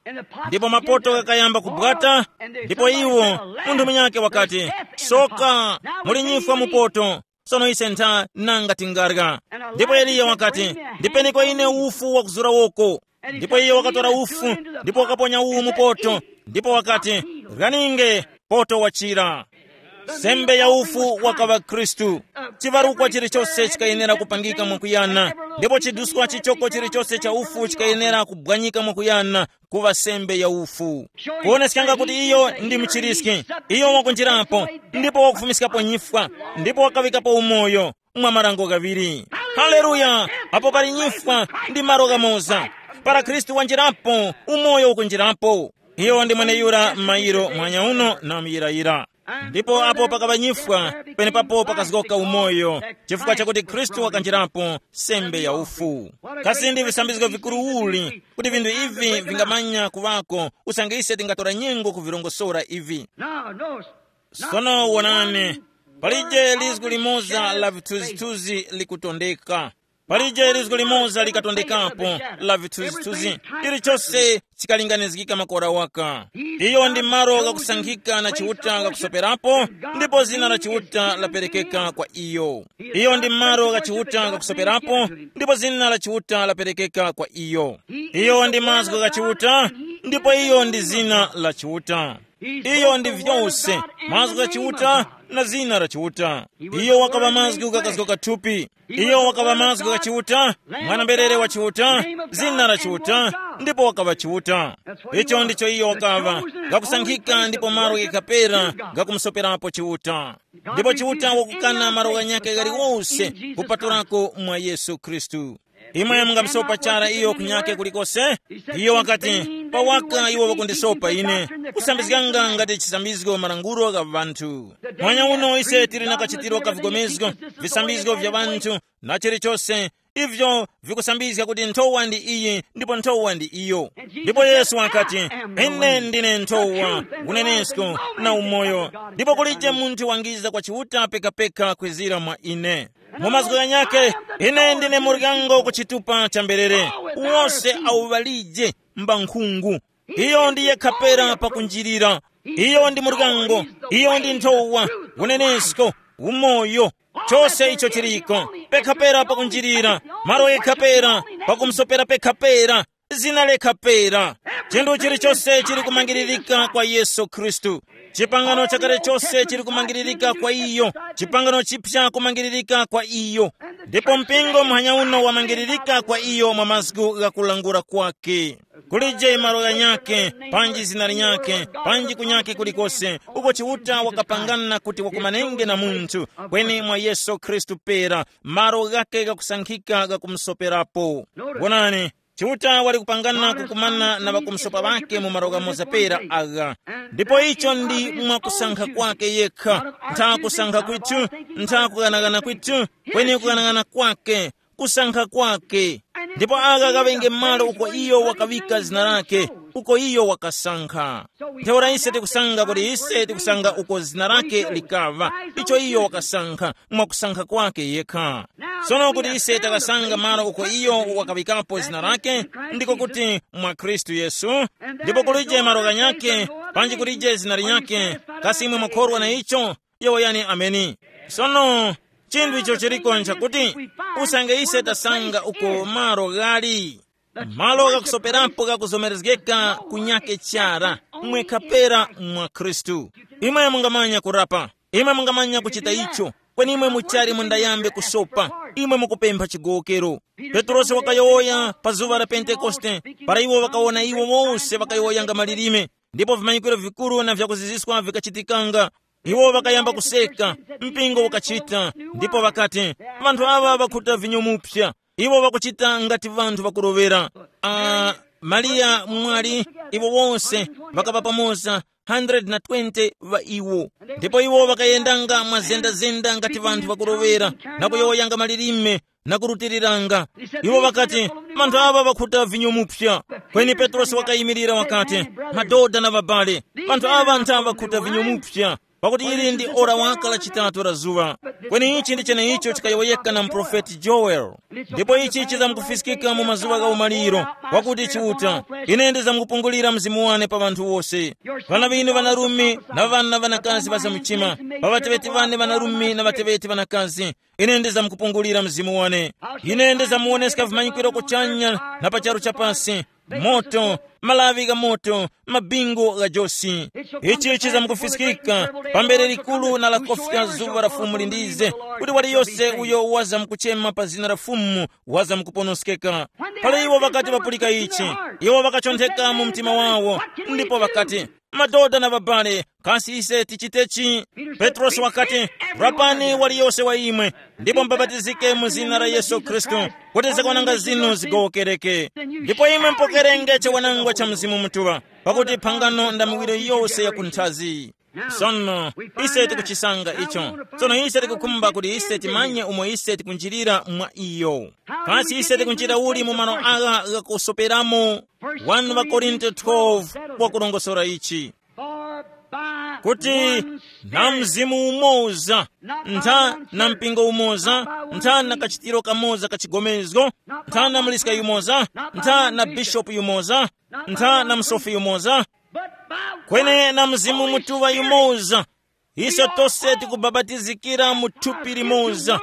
Ndipo mapoto ghakayamba kubwata, ndipo iwo, munthu munyakhe wakati, soka, muli nyifwa mu poto. Sono ise ntha nanga tingarya. Ndipo Eliya wakati, ndipeneko ine ufu wakuzura woko. Ndipo iye wakatora ufu, ndipo wakaponya uwu mu poto, ndipo wakati, ryaninge, poto wachira. Sembe ya ufu wakaŵa Khristu. Chivarukwa chilichose chikayenera kupangika mwakuyana, ndipo chiduskwa chichoko chilichose cha ufu chikayenera kubwanyika mwakuyana, kuŵa sembe ya ufu. Kuoneskanga kuti iyo ndi muchiriski, iyo wakunjirapo, ndipo wakufumiskapo nyifwa, ndipo wakawikapo umoyo mwa marango ghaŵiri. Haleluya! Apo pali nyifwa ndi malo ghamoza. Para Khristu wanjirapo, umoyo ukunjirapo. Iyo ndi mweneyura m'mayiro mwanya uno na muyirayira. Ndipo apo pakaŵa nyifwa, penepapo pakazgoka umoyo, chifukwa chakuti Khristu wakanjirapo sembe ya ufu. Kasi ndi visambizgo vikuru uli kuti vinthu ivi vingamanya kuŵako, usange ise tingatora nyengo kuvirongosora ivi. Now, notice, sono wonani, palije lizgu limoza la vithunzithunzi likutondeka. Palije lizgu limoza likatondekapo la vithunzithunzi, chilichose chikalinganizgika makora waka. Iyo ndi malo ghakusankhika na Chiuta ghakusoperapo, ndipo zina la Chiuta laperekeka kwa iyo. Iyo ndi malo gha Chiuta ghakusoperapo, ndipo zina la Chiuta laperekeka kwa iyo. Iyo ndi mazgu gha Chiuta, ndipo iyo ndi zina la Chiuta. Iyo ndi vyose, mazgu gha Chiuta na zina la Chiuta. Iyo wakaŵa mazgu ghakazgoka thupi. Iyo wakaŵa mazgu gha Chiuta, mwana-mberere wa Chiuta, zina la Chiuta, ndipo wakaŵa Chiuta. Icho ndicho iyo wakaŵa, ghakusankhika ndipo malo ghakapera ghakumusoperapo Chiuta. Ndipo Chiuta wakukana malo ghanyakhe ghaliwose kupatulako mwa Yesu Khristu. Imwe mungamsopa chara iyo kunyake kulikose? Iyo wakati, pawaka iwo wakundisopa ine, kusambizganga ngati chisambizgo malangulo gha ŵanthu. Mwanya uno ise tili na kachitiro ka vigomezgo, visambizgo vya ŵanthu, na chilichose, ivyo vikusambizga kuti nthowa ndi iyi ndipo nthowa ndi iyo. Ndipo Yesu wakati, ine ndine nthowa, unenesko, na umoyo, ndipo kulije munthu wangiza kwa Chiuta pekapeka kwezira mwa ine. Mu mazgu ghanyakhe, ine ndine muryango ku chitupa cha mberere. Wose awo ŵalije mbankhungu. Iyo ndi yekha pera pakunjirira. Iyo ndi muryango. Iyo ndi nthowa, unenesko, umoyo. Chose icho chiriko pekha pera pakunjirira, malo yekha pera, pakumsopera pekha pera, zina lekha pera. Chinthu chilichose chili kumangiririka kwa Yesu Khristu. Chipangano chakale chose chili kumangiririka kwa iyo. Chipangano chipya kumangiririka kwa iyo. Ndipo mpingo muhanya uno wamangiririka kwa iyo mwa mazgu gha kulangula kwake. Kulije malo ghanyakhe, panji zina linyakhe, panji kunyakhe kulikose, uko Chiuta wakapangana kuti wakumanenge na munthu, kweni mwa Yesu Khristu pera, malo ghakhe ghakusankhika ghakumusoperapo. Wonani, Chiuta wali kupangana kukumana na ŵakumusopa ŵakhe mu malo ghamoza pera agha. Ndipo icho ndi mwakusankha kwake yekha, ntha kusankha kwithu, ntha kughanagana kwithu, kweni kughanagana kwake, kusankha kwake. Ndipo aka kaŵenge malo uko iyo wakaŵika zina lake, uko iyo wakasankha. Ntheura ise tikusanga kuti ise tikusanga uko zina lake likaŵa, icho iyo wakasankha mwakusankha kwake yekha. Sono kuti ise takasanga malo uko iyo wakaŵikapo zina lake, ndiko kuti mwa Khristu Yesu, ndipo kulije malo ghanyakhe, panji kulije zina linyakhe, kasi imwe mwakhorwa na icho? Yowoyani ameni. Sono, chinthu icho chiriko nchakuti, usange ise tasanga uko malo ghali, malo ghakusoperapo ghakuzomerezgeka kunyake chara, mwekha pera mwa Khristu. Imwe mungamanya kurapa, imwe mungamanya kuchita icho, kweni imwe muchali mundayambe kusopa, imwe mukupempha chigowokero. Petrosi wakayowoya pa zuŵa la Pentekoste, para iwo ŵakawona iwo wose ŵakayowoyanga malilime, ndipo vimanyikiro vikuru na vyakuziziswa vikachitikanga. Iwo ŵakayamba kuseka, mpingo ukachita, ndipo ŵakati, “Ŵanthu aŵa ŵakhuta vinyo mupsa, iwo ŵakuchita ngati ŵanthu ŵakuroŵera.” Ah, Mariya mwali, iwo wonse ŵakaŵa pamoza, twenty-one ŵa iwo. Ndipo iwo ŵakayendanga mwa zendazenda ngati ŵanthu ŵakuroŵera, na kuyowoyanga malilime, na kurutiriranga. Iwo ŵakati, “Ŵanthu aŵa ŵakhuta vinyo mupsa.” Kweni Petrosi wakayimirira wakati, “Madoda na ŵabale, ŵanthu aŵa ntha ŵakhuta vinyo mupsa, pakuti ili ndi ora waka la chitatu la zuŵa.” Kweni ichi ndi cheneicho chikayowoyeka na muprofeti Joel. Ndipo ichi chizamkufiskika mu mazuŵa gha umaliro, wakuti Chiuta, “Ine ndizamkupungulira Mzimu wane pa ŵanthu wose. Ŵana ŵinu ŵanarume na ŵana ŵanakazi ŵazamuchima, pa ŵateŵeti ŵane ŵanarume na ŵateŵeti ŵanakazi, ine ndizamkupungulira Mzimu wane. Ine ndizamuwoneska vimanyikiro kuchanya na pa charu chapasi, moto, malaŵi gha moto, mabingu gha josi. Ichi chizamkufiskika pambere likuru na lakofika zuŵa la Fumu lindize, kuti waliyose uyo wazamkuchema pa zina la Fumu wazamkuponoskeka.” Pala iwo ŵakati ŵapulika ichi, iwo ŵakachontheka mu mtima wawo, ndipo ŵakati, “Madoda na ŵabale, kasi ise tichitechi?” Petrosi wakati, “Rapani waliyose wa imwe, ndipo mubapatizike mu zina la Yesu Khristu, kuti zakwananga zinu zigowokereke. Ndipo imwe mupokerenge chiwanangwa cha Mzimu Mutuŵa, pakuti phangano nda miwiro yose ya kunthazi.” Sono, ise tikuchisanga icho. Sono ise tikukhumba kuti ise timanye umo ise tikunjirira mwa iyo. Kasi ise tikunjira uli mu malo agha ghakusoperamo? One wa Korinto twelve wakulongosora ichi, kuti na mzimu umoza, ntha na mpingo umoza, ntha na kachitiro kamoza ka chigomezgo, ntha na muliska yumoza, ntha na bishopu yumoza, ntha na msofi yumoza, kweni na Mzimu Mutuŵa yumoza, ise tose tikubabatizikira mu thupi limoza,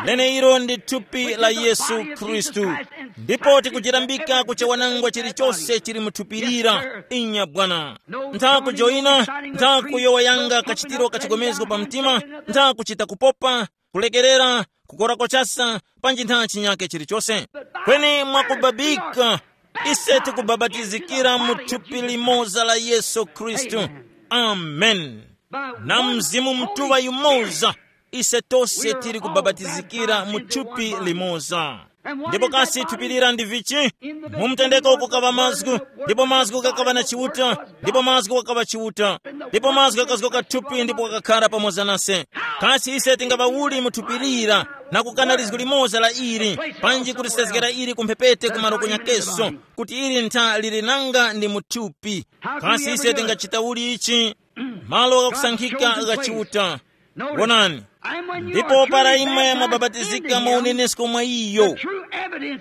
leneilo ndi thupi la Yesu Khristu. Ndipo tikujirambika kuchewanangwa chilichose chili mu thupi lira. Inya bwana. Ntha kujoyina, ntha kuyowoyanga kachitiro kachigomezgo pa mtima, ntha kuchita kupopa, kulekerera, kukora kochasa, panji ntha chinyake chilichose. Kweni mwakubabika, ise tikubabatizikira mu thupi limoza la Yesu Khristu. Amen. Na Mzimu Mutuŵa yumoza, ise tose tili kubabatizikira mu thupi limoza. Ndipo kasi thupi lira ndi vichi? Mu mtendeko kukaŵa mazgu, ndipo mazgu ghakaŵa na Chiuta, ndipo mazgu ghakaŵa Chiuta, ndipo mazgu ghakazgoka thupi ndipo ghakakhara pamoza nase. Kasi ise tingaŵa uli mu thupi lira na kukana lizgu limoza la ili, panji kulisezgera ili ku mphepete ku malo kunyakeso, kuti ili ntha lili nanga ndi mu thupi? Kasi ise tingachita uli ichi? Malo ghakusankhika gha Chiuta, Wonani, ndipo para imwe mwabapatizika mwa unenesko mwa iyo,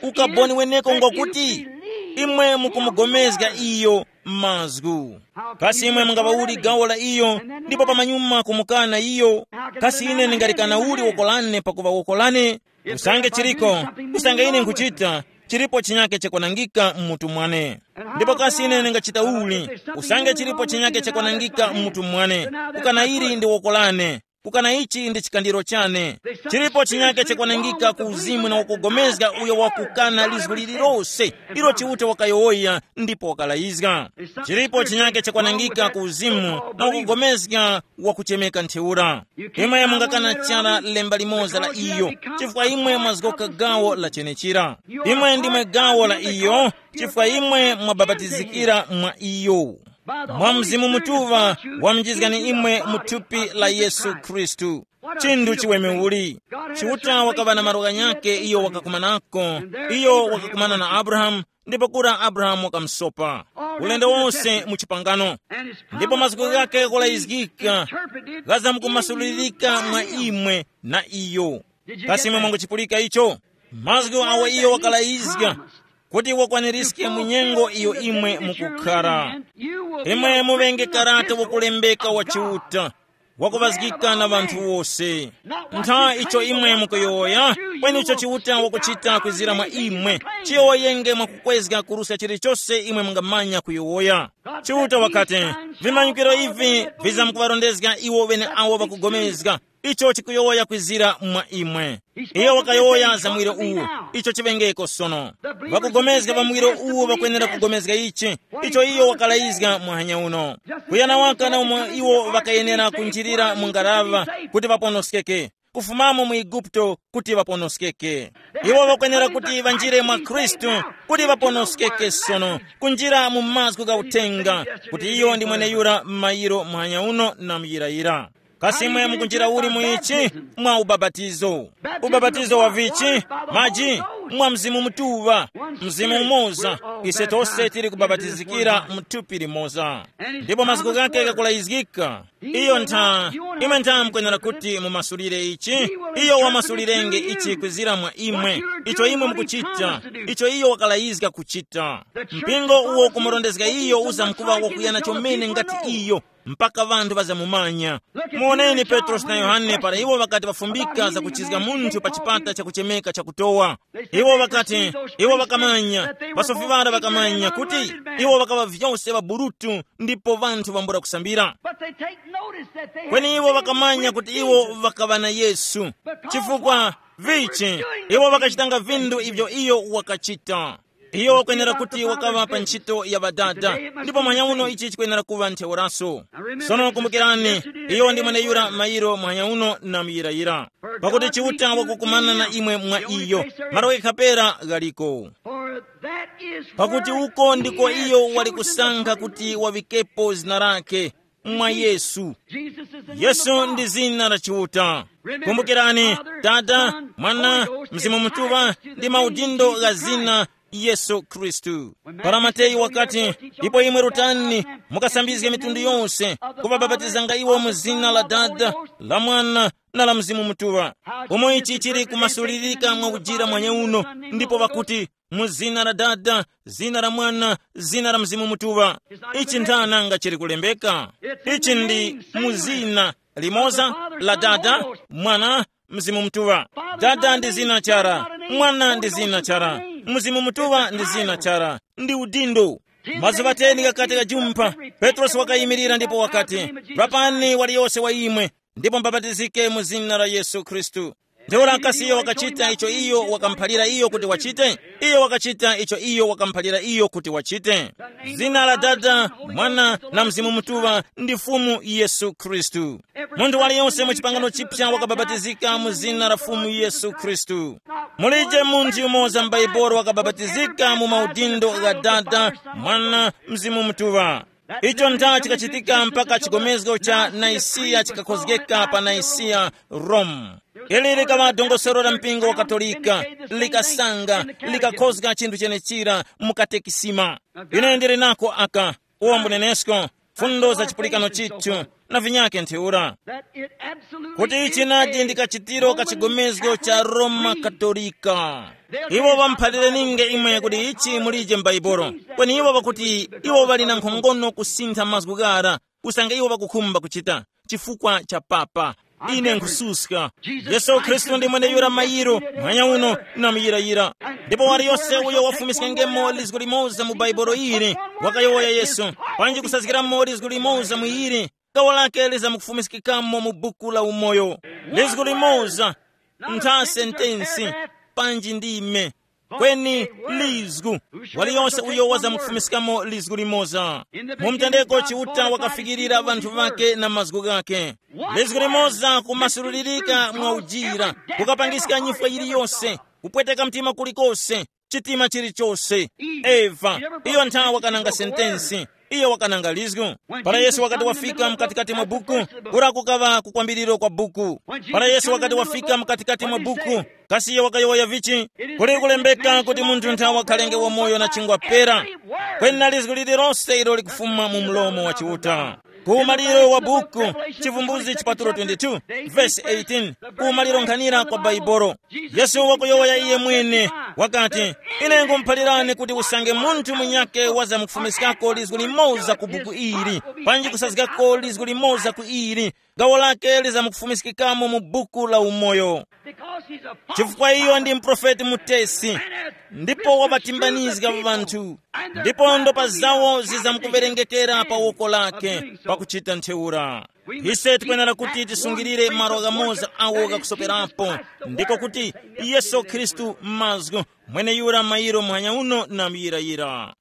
ukaboni weneko ngwakuti imwe mukumugomezga iyo mazgu. Kasi imwe mungaŵauli gawo la iyo, ndipo pamanyuma kumukana iyo? Kasi ine ndingalikana uli woko lane pakuŵa woko lane? Usange chiriko, usange ine nkhuchita, chilipo chinyake chakwanangika mmutu mwane. Ndipo kasi ine ndingachita uli? Usange chilipo chinyake chakwanangika mmutu mwane, kukana ili ndi woko lane, kukana ichi ndi chikandiro chane. Chilipo chinyake chakwanangika ku uzimu na wakugomezga uyo wakukana lizgu lililose ilo Chiuta wakayowoya ndipo wakalayizga. Chilipo chinyake chakwanangika ku uzimu na wakugomezga wakuchemeka ntheura. Imwe mungakana chara lemba limoza la iyo, chifukwa imwe mwazgoka gawo la chenechira. Imwe ndimwe gawo la iyo, chifukwa imwe mwabapatizikira mwa iyo. Mwa Mzimu Mutuŵa wamjizgani imwe mu thupi la Yesu Khristu. Chinthu chiweme uli. Chiuta wakaŵa na malo ghanyakhe iyo wakakumanako. Iyo wakakumana na Abrahamu, ndipo kura Abrahamu wakamusopa. Ulendo wonse mu chipangano. Ndipo mazgu ghakhe ghakulayizgika, ghazamkumasulirika mwa imwe na iyo. Kasi imwe mwanguchipulika icho? Mazgu awo iyo wakalayizga kuti wakwanirizge mu nyengo iyo imwe mukukhara. Imwe muŵenge karata wakulembeka wa Chiuta, wakuŵazgika na ŵanthu wose. Ntha icho imwe mukuyowoya, kweni icho Chiuta wakuchita kwizira mwa imwe, chiyowoyenge mwakukwezga kuruska chilichose imwe mungamanya kuyowoya. Chiuta wakati, vimanyikiro ivi vizamkuŵarondezga iwo ŵeneawo ŵakugomezga. Icho chikuyowoya kwizira mwa imwe. Iyo wakayowoya za mwiro uwu, icho chiŵengeko sono. Ŵakugomezga pa mwiro uwu ŵakwenera kugomezga ichi, icho iyo wakalayizga muhanya uno. Kuyana waka na umo iwo ŵakayenera kunjirira mu ngaraŵa kuti ŵaponoskeke, kufumamo mu Eguputo kuti ŵaponoskeke. Iwo ŵakwenera kuti ŵanjire mwa Khristu kuti ŵaponoskeke sono, kunjira mu mazgu gha uthenga, kuti iyo ndi mweneyura m'mayiro muhanya uno na muyirayira. Kasi imwe mukunjira uli mu ichi? Mwa ubapatizo. Ubapatizo wa vichi? Maji. Mwa Mzimu Mutuŵa. Mzimu umoza. Ise tose tili kubabatizikira mu thupi limoza. Ndipo mazgu ghake ghakulayizgika. Iyo ntha, imwe ntha mukwenera kuti mumasulire ichi. Iyo wamasulirenge ichi kwizira mwa imwe. Icho imwe mukuchita, icho iyo wakalayizga kuchita. Mpingo uwo kumurondezga iyo uzamkuŵa wakuyana chomene ngati iyo, mpaka ŵanthu ŵazamumanya. Muwoneni Petrosi na Yohane para iwo ŵakati ŵafumbika zakuchizga munthu pa chipata chakuchemeka chakutowa. Iwo ŵakati, iwo ŵakamanya, ŵasofi ŵara ŵakamanya kuti iwo ŵakaŵa vyose ŵaburutu ndipo ŵanthu ŵambula kusambira. But they take notice that they kweni iwo ŵakamanya kuti iwo ŵakaŵa na Yesu. Chifukwa vichi? Iwo ŵakachitanga vinthu ivyo iyo wakachita. Iyo wakwenera kuti wakaŵa pa ntchito ya ŵadada, ndipo manyauno ichi chikwenera kuŵa ntheuraso. Sono kumbukirani, iyo ndi mweneyura mayiro manyauno na muyirayira. Pakuti Chiuta wakukumana na imwe mwa iyo, malo ghekha pera ghaliko. Pakuti uko ndiko iyo wali kusankha kuti wavikepo zina lake mwa Yesu. Yesu ndi zina la Chiuta. Kumbukirani, Tata, Mwana, Mzimu Mutuŵa ndi maudindo gha zina Yesu Khristu. Para Mateyu wakati, ndipo imwe rutani, mukasambizge mitundu yonse, kuŵabapatizanga iwo mu zina la Dada, la Mwana, na la Mzimu Mutuŵa. Umo ichi chili kumasulirika mwa ujira mwanyeuno, ndipo ŵakuti, mu zina la Dada, zina la Mwana, zina la Mzimu Mutuŵa. Ichi nthananga chili kulembeka. Ichi ndi mu zina limoza la Dada, Mwana, Mzimu Mutuŵa. Dada ndi zina chara, Mwana ndi zina chara, Mzimu Mutuŵa ndi zina chara, ndi udindo. Mazuŵa teni ghakati ghajumpha, Petrosi wakayimirira ndipo wakati, rapani waliyose wa imwe, ndipo mubapatizike mu zina la Yesu Khristu. Ntheura kasi iyo wakachita icho iyo wakamuphalira iyo kuti wachite? Iyo wakachita icho iyo wakamuphalira iyo kuti wachite. Zina la Dada, Mwana, na Mzimu Mutuŵa ndi Fumu Yesu Khristu. Munthu waliyonse mu chipangano chipya wakabapatizika mu zina la Fumu Yesu Khristu. Mulije munthu yumoza m'Baibulo wakabapatizika mu maudindo gha Dada, Mwana, Mzimu Mutuŵa. Icho nda chikachitika mpaka chigomezgo cha Naisiya chikakhozgeka pa Naisiya, Rome. Ili likaŵa dongosolo la mpingo wa Katolika, likasanga, likakhozga chinthu chenechira mu katekisima. Ine ndili nako aka, uwo mbunenesko, fundo za chipulikano chithu, na vinyake ntheura, kuti ichi nadi ndi kachitiro ka chigomezgo cha Roma Katolika. Iwo ŵamuphalire ninge imwe kuti ichi mulije m'Baibolo, kweni iwo ŵakuti iwo ŵali na nkhongono kusintha mazgu ghara, usange iwo ŵakukhumba kuchita, chifukwa cha papa. Ine nkhususka. Yesu Khristu ndi mweneyura mayiro, mwanya uno, na muyirayira. Ndipo waliyose uyo wafumiskengemo lizgu limoza mu Baibolo ili, wakayowoya Yesu, panji kusazgiramo lizgu limoza mu ili, gawo lake lizamukufumiskikamo mu buku la umoyo. Lizgu limoza, ntha sentensi, panji ndime, kweni lizgu. Waliyonse uyo wazamukufumiskamo lizgu limoza. Mu mtendeko Chiuta wakafikirira ŵanthu ŵake na mazgu ghake. Lizgu limoza kumasululirika mwa ujira, kukapangiska nyifwa yiliyose, kupweteka mtima kulikose, chitima chilichose. Eva, iyo nthawi wakananga sentensi, iyo wakananga lizgu. Para Yesu wakati wafika mkatikati mwa buku, kura kukaŵa kukwambiriro kwa buku. Para Yesu wakati wafika mkatikati mwa buku, kasi iyo wakayowoya vichi? Kuli kulembeka kuti munthu nthawi wakhalenge wamoyo na chingwa pera. Kweni na lizgu lililonse ilo likufuma mu mlomo wa Chiuta. Ku umaliro wa buku, Chivumbuzi chipatulo twenty-two, verse eighteen, ku umaliro nkhanira kwa Baibolo. Yesu wakuyowoya iye mwene, wakati, ine nkhumuphalirani kuti usange munthu munyake wazamukufumiskako lizgu limoza ku buku ili, panji kusazgako lizgu limoza ku ili, gawo lake lizamukufumiskikamo mu buku la umoyo. Chifukwa iyo ndi mprofeti mutesi, ndipo wabatimbanizga ŵanthu, ndipo ndopa zawo zizamukuwerengekera pa woko lake pakuchita ntheura. Ise tikwenera kuti tisungirire malo ghamoza awo ghakusoperapo, ndiko kuti Yesu Khristu mazgu, mweneyura mayiro muhanya uno na muyirayira.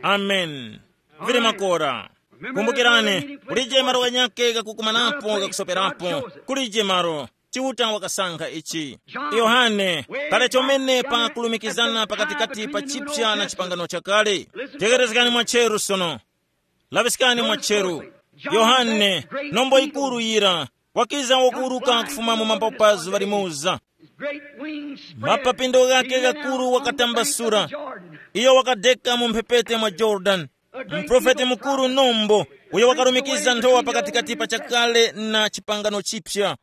Amen. Vili makora. Kumbukirani, kulije malo ghanyakhe ghakukumanapo ghakusoperapo. Kulije malo. Chiuta wakasankha ichi. Yohane, kale chomene pa kulumikizana pakatikati pa chipya na chipangano chakale. Tegerezgani mwacheru sono. Laŵiskani mwacheru. Yohane, nombo yikuru yira, wakiza wakuwuruka kufuma mu mapapa zuŵa limoza. Mapapindo ghake ghakuru wakatambasura. Iyo wakadeka mu mphepete mwa Yorodani. Mprofeti mukuru nombo, uyo wakarumikiza nthowa pakatikati pa chakale na chipangano chipya.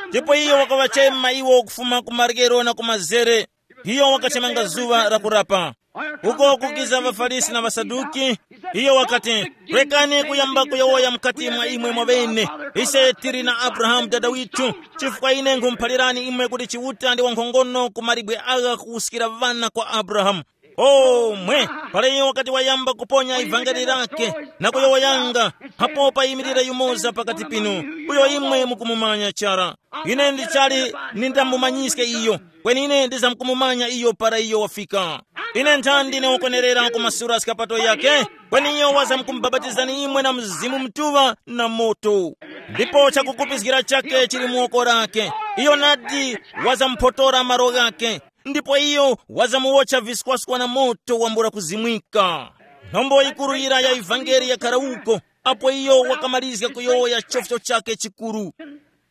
Ndipo iyo wakaŵachema iwo kufuma ku maryero na ku mazere. Iyo wakachemanga zuŵa la kurapa. Uko kukiza ŵaFarisi na ŵaSaduki, iyo wakati, rekani kuyamba kuyowoya mukati mwa imwe mwaŵene, ise tili na Abrahamu dada withu, chifukwa ine nkhumuphalirani imwe kuti Chiuta ndi wankhongono ku mawe agha kuwuskira ŵana kwa Abrahamu. O mwe, para iyo wakati wayamba kuponya ivangeli lake na kuyowoyanga, hapo payimirira yumoza pakati pinu, uyo imwe mukumumanya chara. Ine ndichali nindamumanyiske iyo, kweni ine ndizamkumumanya iyo para iyo wafika. Ine nthandi ndine ukwenerera kumasura skapato yake, kweni iyo wazamkumbabatizani imwe na Mzimu Mutuŵa na moto. Ndipo chakukupizgira chake chili mu woko lake. Iyo nadi wazamuphotora malo ghake, ndipo iyo wazamuwotcha viskwaswa na moto wambula kuzimwika. Nthombo yikuru yira ya ivangeli yakhara uko, apo iyo wakamalizga kuyowoya chofcho chake chikuru.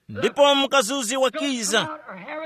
Ndipo mukazuzi wakiza,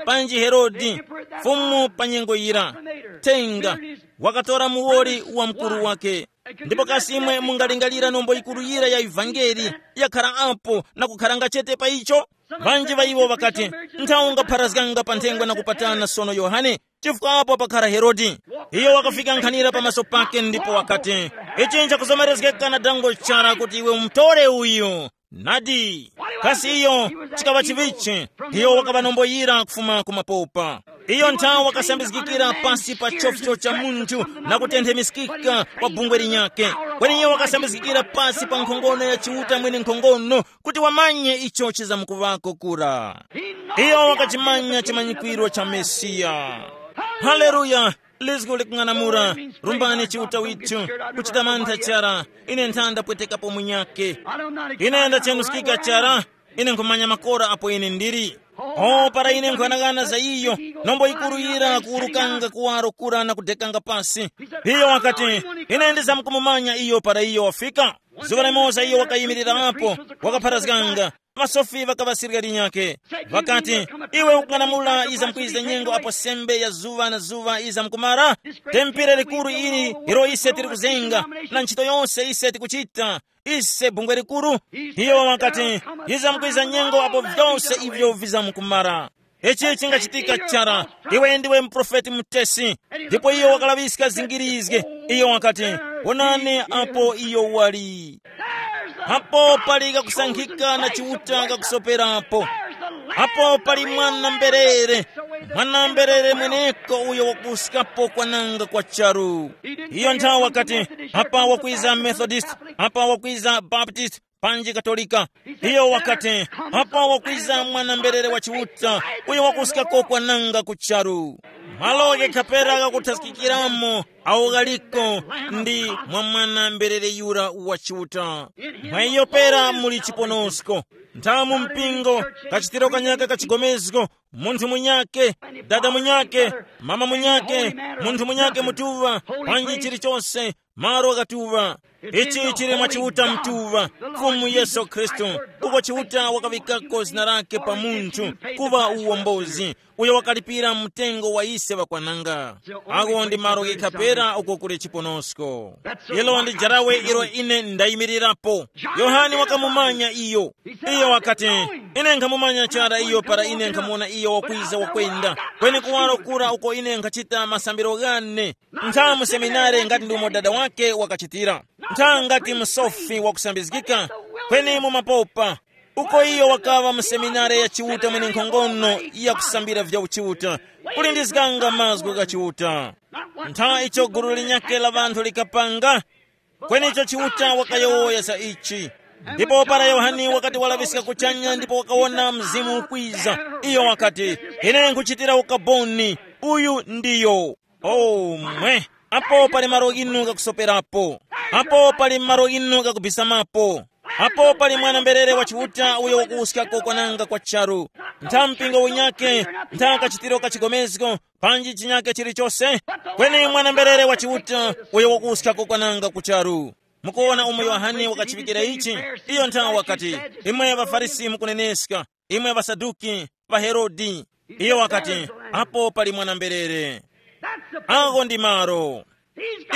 panji Herode, fumu pa nyengo yira, tenga, wakatora muwoli wa mkuru wake. Ndipo kasi imwe mungalingalira nombo yikuru yira ya ivangeli yakhara apo na kukharanga chete pa icho? Ŵanji ŵa iwo ŵakati, nthawi ungapharazganga pa nthengwa na kupatana sono Yohane, chifukwa apo pakhara Herode. Iyo wakafika nkhanira pamaso pake ndipo wakati, ichi nchakuzomerezgeka na dango chara kuti iwe umutore uyu. Nadi, kasi iyo chikaŵa chivichi? Iyo wakaŵa nombo yira kufuma ku mapopa. Iyo nthawi wakasambizgikira pasi pa chofcho cha munthu na kutenthemiskika pa bungwe linyakhe. Kweni iyo wakasambizgikira pasi pa nkhongono ya Chiuta mwene nkhongono, kuti wamanye icho chizamkuŵako kura. Iyo wakachimanya chimanyikwiro cha Mesiya. Haleluya! Lizgu likung'anamula, rumbani Chiuta withu, kuchita mantha chara, ine nthanda pwetekapo munyakhe. Ine ndachenuskika chara, ine nkhumanya makora apo ine ndili. O, para ine nkhughanaghana za iyo, nombo yikuru yira kuwurukanga kuwaro kura na kudekanga pasi. Iyo wakati, ine ndizamkumumanya iyo para iyo wafika. Zuŵa limoza iyo wakayimirira apo, wakapharazganga. Pasofi ŵakaŵasirika linyakhe, ŵakati, iwe ukung'anamula yizamkwiza nyengo apo sembe ya zuŵa na zuŵa yizamkumara? Tempere likuru ili ilo ise tili kuzenga, na ntchito yose ise tikuchita, ise bungwe likuru. Iyo wakati, yizamkwiza nyengo apo vyose ivyo vizamkumara. Ichi chingachitika chara. Iwe ndiwe muprofeti mutesi. Ndipo iyo wakalaŵiska zingirizge. Iyo wakati, wonani apo iyo wali. Apo pali kakusankhika na chiuta kakusoperapo. Apo pali mwana mberere. Mwana mberere mweneko uyo wakuskapo kwananga kwa charu. Iyo nthawi wakati, apa wakwiza Methodist, apa wakwiza Baptist, panji Katolika. Iyo wakati, apa wakwiza mwana mberere wa Chiuta, uyo wakuskako kwananga ku charu. Malo ghekhapera gakuthaskikiramo awo ghaliko ndi mwa mwana mberere yura wa Chiuta. Mwa iyo pera muli chiponosko. Nthamu mpingo, kachitiro kanyaka kachigomezgo, munthu munyake, dada munyake, mama munyake, munthu munyake mutuŵa, panji chilichonse, malo ghatuŵa. Ichi chili mwa Chiuta mtuŵa, Fumu Yesu Khristu. Uko Chiuta wakaŵikako zina lake pa munthu kuŵa uwombozi, uyo wakalipira mtengo wa ise ŵakwananga. Ako ndi malo ghikhapera uko kuli chiponosko. Ilo ndi jarawe ilo ine ndayimirirapo. Yohane wakamumanya iyo. Iyo wakati, ine nkhamumanya chara iyo para ine nkhamuwona iyo wakwiza wakwenda. Kweni kuwaro kura uko ine nkhachita masambiro ghane. Ntha mu seminare ngati ndi umo dada wake wakachitira. Ntha ngati msofi wakusambizgika. Kweni mu mapopa. Uko iyo wakaŵa mu seminare ya Chiuta mwenenkhongono yakusambira vya uchiuta. Kulindizganga mazgu gha Chiuta. Ntha icho gulu linyakhe la ŵanthu likapanga. Kweni icho Chiuta wakayowoya za ichi. Ndipo para Yohane wakati walaŵiska kuchanya ndipo wakawona Mzimu ukwiza, iyo wakati, ine nkhuchitira ukaboni. Uyu ndiyo. Oh, mwe. Apo pali malo inu ghakusoperapo. Apo pali malo inu ghakubisamapo. Apo pali mwana mberere wa Chiuta uyo wakuwuskako kwananga kwa charu. Ntha mpingo unyake, ntha kachitiro ka chigomezgo, panji chinyake chilichose. Kweni mwana mberere wa Chiuta uyo wakuwuskako kwananga ku charu. Mukuwona umo Yohane wakachiŵikira ichi? Iyo nthawi wakati, imwe ŵaFarisi mukuneneska, imwe ŵaSaduki, ŵaHerode. Iyo wakati, apo pali mwana mberere. Ako ndi malo.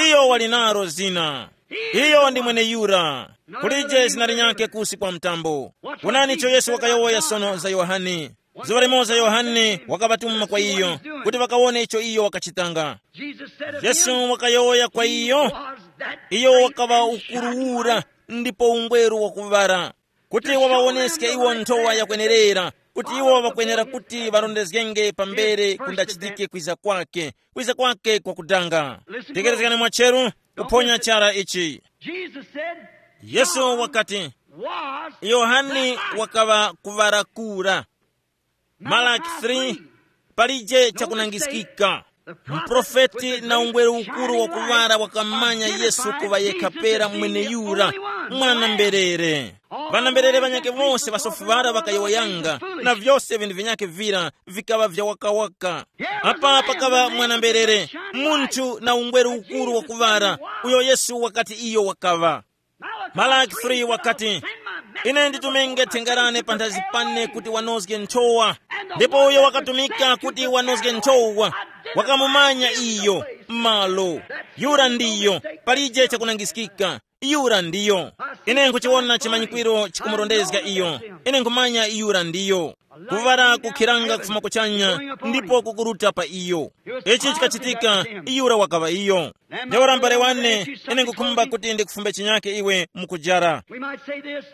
Iyo wali nalo zina. Iyo ndi mweneyura. Kulije zina linyakhe kusi kwa mtambo. Wonani icho Yesu wakayowoya sono za Yohane. Zuŵa limoza Yohane wakaŵatuma kwa iyo kuti ŵakawone icho iyo wakachitanga. Yesu wakayowoya kwa iyo, iyo wakaŵa ukuruwura ndipo ungweru wakuŵara, kuti waŵawoneske iwo nthowa yakwenerera, kuti iwo ŵakwenera kuti ŵarondezgenge pambere kundachitike kwiza kwake, kwiza kwake kwakudanga. Tekerezgani mwacheru, kuphonya chara ichi. Jesus said, yesu John wakati, was yohane the light. Wakaŵa kuŵarakura. Malaki three, palije chakunangiskika. Mprofeti na ungweru ukuru wakuŵala wakamanya Yesu kuŵa yekha pera mweneyura, mwana mberere. Ŵana mberere ŵanyakhe wose ŵasofi ŵara ŵakayowoyanga, na vyose vinthu vinyakhe vira vikaŵa vya wakawaka. Apa pakaŵa mwana mberere, munthu na ungweru ukuru wakuŵala, uyo Yesu wakati iyo wakaŵa. Malaki three wakati, ine nditumenge thenga lane panthazi pane kuti wanozge nthowa. Ndipo uyo wakatumika kuti wanozge nthowa, wakamumanya iyo malo. Yura ndiyo, palije chakunangiskika. Yura ndiyo. Ine nkuchiwona chimanyikwiro chikumurondezga iyo. Ine nkumanya yura ndiyo. Kuŵala kukhiranga kufuma kuchanya, ndipo kukuruta pa iyo. Ichi chikachitika, yura wakaŵa iyo. Ntheura mbale wane, ine nkukhumba kuti ndikufumbe chinyake iwe mukujara. We might say this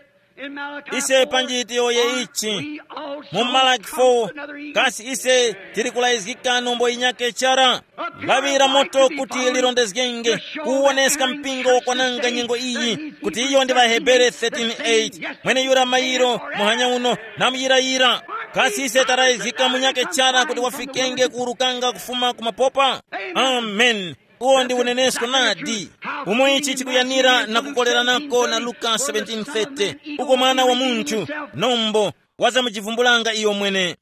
in Malachi ise four, panji tiyoye ichi, we also mu Malaki four, another evening. Kasi ise tili kulayizgika nombo yinyake chara? Lawi la moto kuti lirondezgenge, kuwoneska mpingo wakwananga nyengo iyi, kuti iyo ndi ŵaHebere thirteen eight, mwene yura mairo, muhanya uno, namuyirayira. Kasi ise tarayizgika munyake chara kuti wafikenge kuwurukanga kufuma ku mapopa? Amen. Uwo ndi unenesko nadi. Umo ichi chikuyanira na kukoleranako na Luka seventeen thirty, uko mwana wa munthu, nombo, wazamujivumbulanga iyo mwene,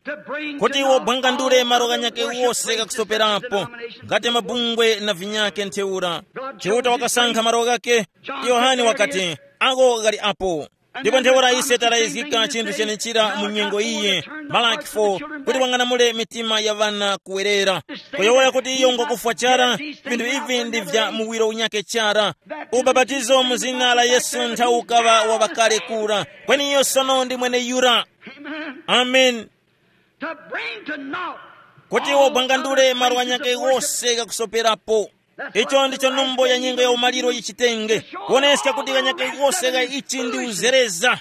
kuti iwo bwangandule malo ghanyakhe wose ghakusoperapo, ngati mabungwe na vinyakhe ntheura. Chiuta wakasankha malo ghakhe. Yohane wakati, ako ghali apo. Ndipo ntheura ise tarayizgika chinthu chenechira mu nyengo iyi, Malaki four, kuti wang'anamule mitima ya ŵana kuwerera, kuyowoya kuti iyo ngwakufwa chara. Vinthu ivi ndi vya muwiro unyake chara. Ubapatizo mu zina la Yesu nthawi ukaŵa wa ŵakale kura, kweni iyo sono ndi mwene yura. Amen. To bring to naught kuti all wobwangandule other malo places anyake of worship. Wose ghakusoperapo. Icho ndicho numbo ya nyengo ya umaliro yichitenge, kuoneska kuti ghanyake ghose gha ichi ndi uzereza.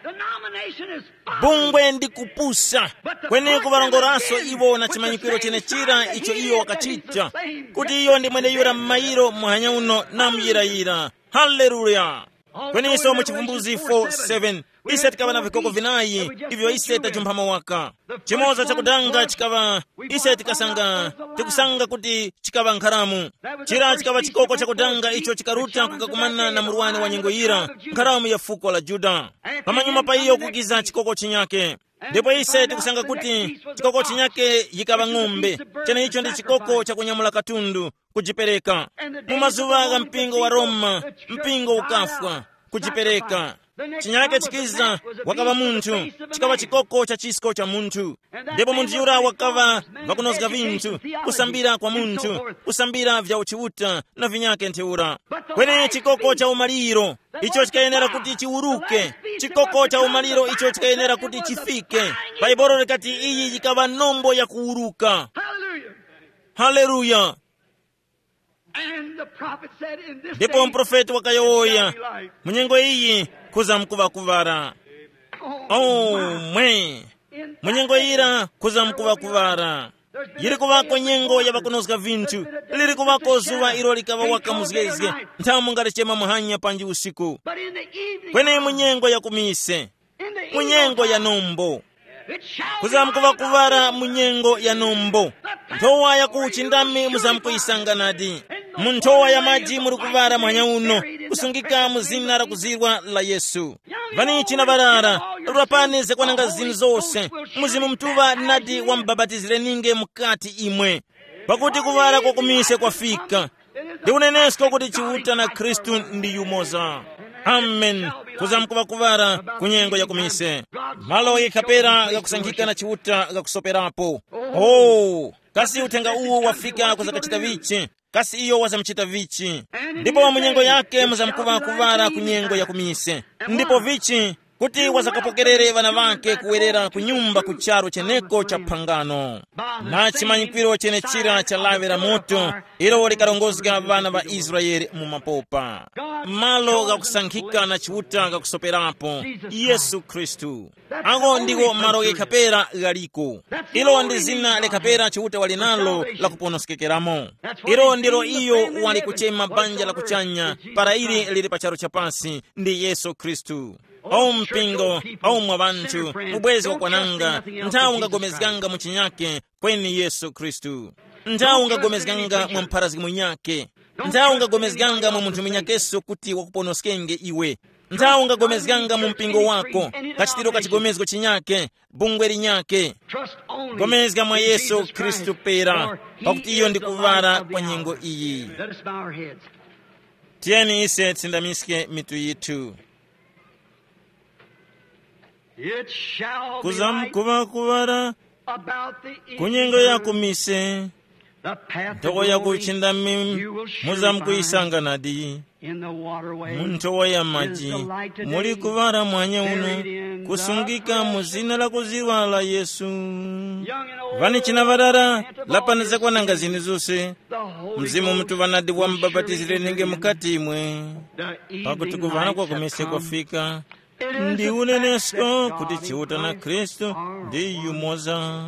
Denomination is folly. Bungwe ndi kupusa. Kweni kuŵalongoranso iwo na chimanyikiro chenechira icho iyo wakachita, kuti iyo ndi mwene yura m'mayiro muhanya uno na muyirayira. Haleluya. Kweninso mu Chivumbuzi four seven, ise tikaŵa na vikoko vinayi ivyo ise tajumpha mawaka. Chimoza chakudanga chikaŵa, ise tikasanga, tikusanga kuti chikaŵa nkharamu. Chira chikaŵa chikoko chakudanga icho chikaruta kukakumana na murwani wa nyengo yira, nkharamu ya fuko la Yuda. Pamanyuma pa iyo kukiza chikoko chinyake. Ndipo ise tikusanga kuti chikoko chinyake yikaŵa ng'ombe. Cheneicho ndi chikoko chakunyamula katundu, kujipereka. Mu mazuŵa gha mpingo wa Roma, mpingo ukafwa, kujipereka. Chinyake chikiza, wakaŵa munthu, chikaŵa chikoko cha chisko cha munthu. Ndipo munthu yura wakaŵa wakunozga vinthu, kusambira kwa munthu, kusambira vya uchiuta na vinyake ntheura. Kweni chikoko cha umaliro, icho chikayenera kuti chiwuruke, chikoko cha umaliro icho chikayenera kuti chifike. Bhaibuli likati iyi yikaŵa nombo ya kuwuruka. Hallelujah. Haleluya. And the prophet said, "In this Ndipo day mprofeti wakayowoya, it shall be light." Mu nyengo iyi kuzamkuŵa kuŵala. Oh, mwe! Mu nyengo yira kuzamkuŵa kuŵala. Yiri kuŵako nyengo ya ŵakunozga vinthu. Liri kuŵako zuŵa ilo likaŵa waka muzgezge, nthamu ngati chema muhanya panji usiku. But in the evening Kweni mu nyengo ya kumise, mu nyengo ya nombo, kuzamkuŵa kuŵala mu nyengo ya nombo. Nthowa ya ku uchindami muzamkuyisanga nadi. Mu nthowa ya maji muli kuŵala mwanya uno, kusungika mu zina la kuzirwa la Yesu. Vani china ŵarara, lapani zakwananga zinu zose. Mzimu Mutuŵa nadi wamubapatizireninge mukati imwe, pakuti kuŵala kwa kumise kwafika. Ndi unenesko kuti Chiuta na Khristu ndi yumoza. Amen. Kuzamkuŵa kuŵala ku nyengo ya kumise. Malo yikhapera ghakusankhika na Chiuta ghakusoperapo. Oh, kasi uthenga uwu wafika kuzakachita vichi? Kasi iyo wazamuchita vichi? Ndipo mu nyengo yake muzamkuŵa kuŵala ku nyengo ya kumise. Ndipo vichi? Kuti wazakapokerere ŵana ŵake kuwerera ku nyumba ku charu cheneko cha phangano, na chimanyikwiro chenechira cha lawi la moto, ilo likarongozga ŵana ŵa Israele mu mapopa. Malo ghakusankhika na Chiuta ghakusoperapo, Yesu Khristu. Agho ndiwo malo ghekha pera ghaliko. Ilo ndi zina lekha pera Chiuta wali nalo la kuponoskekeramo. Ilo ndilo iyo wali kuchema banja la kuchanya, para ili lili pa charu cha pasi, ndi Yesu Khristu. O mpingo, o mwa ŵanthu, mubwezi wakwananga, nthawi ungagomezganga mu chinyake, kweni Yesu Khristu. Nthawi ungagomezganga mwa mpharazgi munyake. Nthawi ungagomezganga mwa munthu munyakeso kuti wakuponoskenge iwe. Nthawi ungagomezganga mu mpingo wako, kachitiro ka chigomezgo chinyake, bungwe linyake. Gomezga mwa Yesu Khristu pera, pakuti iyo ndi kuŵala kwa nyengo iyi. Let us bow our heads. Tiyeni ise tisindamiske mitu yithu. It shall be light kuzamkuŵa kuŵala about the ku nyengo ya kumise. The path to nthowa ya glory kuchindami you will surely muzamkuyisanga find nadi. In the waterway mu nthowa ya is maji the light today. Muli kuŵala mwanya uno, kusungika mu zina la kuziwa la Yesu. Young and old, vani china varara, lapani zakwananga zini zose. The Holy Mzimu Ghost Mutuŵa nadi will surely wamubapatizire enter nenge in. Mukati imwe. The evening pakuti kuŵala lights kwa have kumise come. Kwafika. Ndi unenesko kuti Chiuta na Khristu ndi yumoza.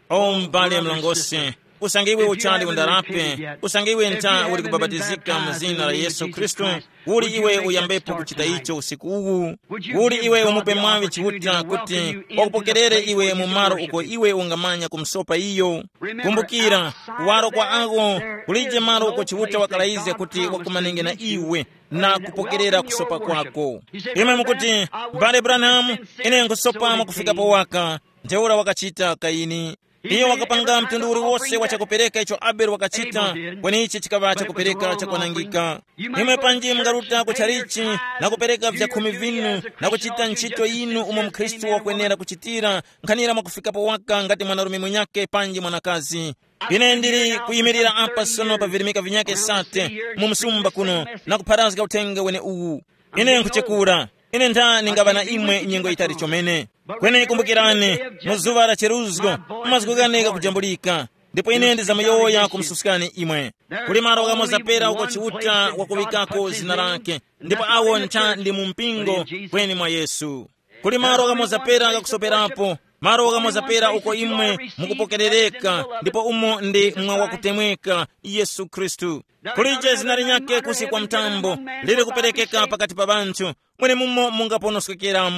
O mbale mlongosi, usange iwe uchali undarape, usange iwe nta uli kubapatizika mu zina la Yesu Khristu, uli iwe uyambepo kuchita icho usiku uwu? Uli iwe umupe mwaŵi Chiuta kuti wakupokerere iwe mu malo uko iwe ungamanya kumsopa iyo? Kumbukira, kuwaro kwa awo kulije malo uko Chiuta wakalayizga kuti wakumanenge na iwe na kupokerera kusopa kwako. Imwe mukuti, "Mbale Branham, ine nkusopa mwakufika powaka." Ntheura wakachita Kaini. Iyo wakapanga mtundu uliwose wa chakupereka icho Abele wakachita, kweni ichi chikaŵa chakupereka chakwanangika. Imwe panji mungaruta ku chalichi na kupereka vyakhumi vinu na kuchita ntchito yinu umo mkhristu wakwenera kuchitira, nkhanira mwakufikapo waka ngati mwanarume munyake panji mwanakazi. Ine ndili kuyimirira apa sono pa virimika vinyake sate mu msumba kuno na kupharazga uthenga wene uwu. Ine nkuchekura. Ine ntha ningaŵa na imwe nyengo yitali chomene. Kweni kumbukirani, mu zuŵa la cheruzgo, mazgu ghane ghakujambulika. Ndipo ine ndizamuyowoya kumususkani imwe. Kuli malo ghamoza pera uko Chiuta wakuŵikako zina lake, ndipo awo ntha ndi mu mpingo kweni mwa Yesu. Kuli malo ghamoza pera ghakusoperapo, malo ghamoza pera uko imwe mukupokerereka, ndipo umo ndi mwa wakutemweka, Yesu Khristu. Kulije zina linyakhe kusi kwa mtambo liri kuperekeka pakati pa ŵanthu, mwenemumo mungaponoskekera.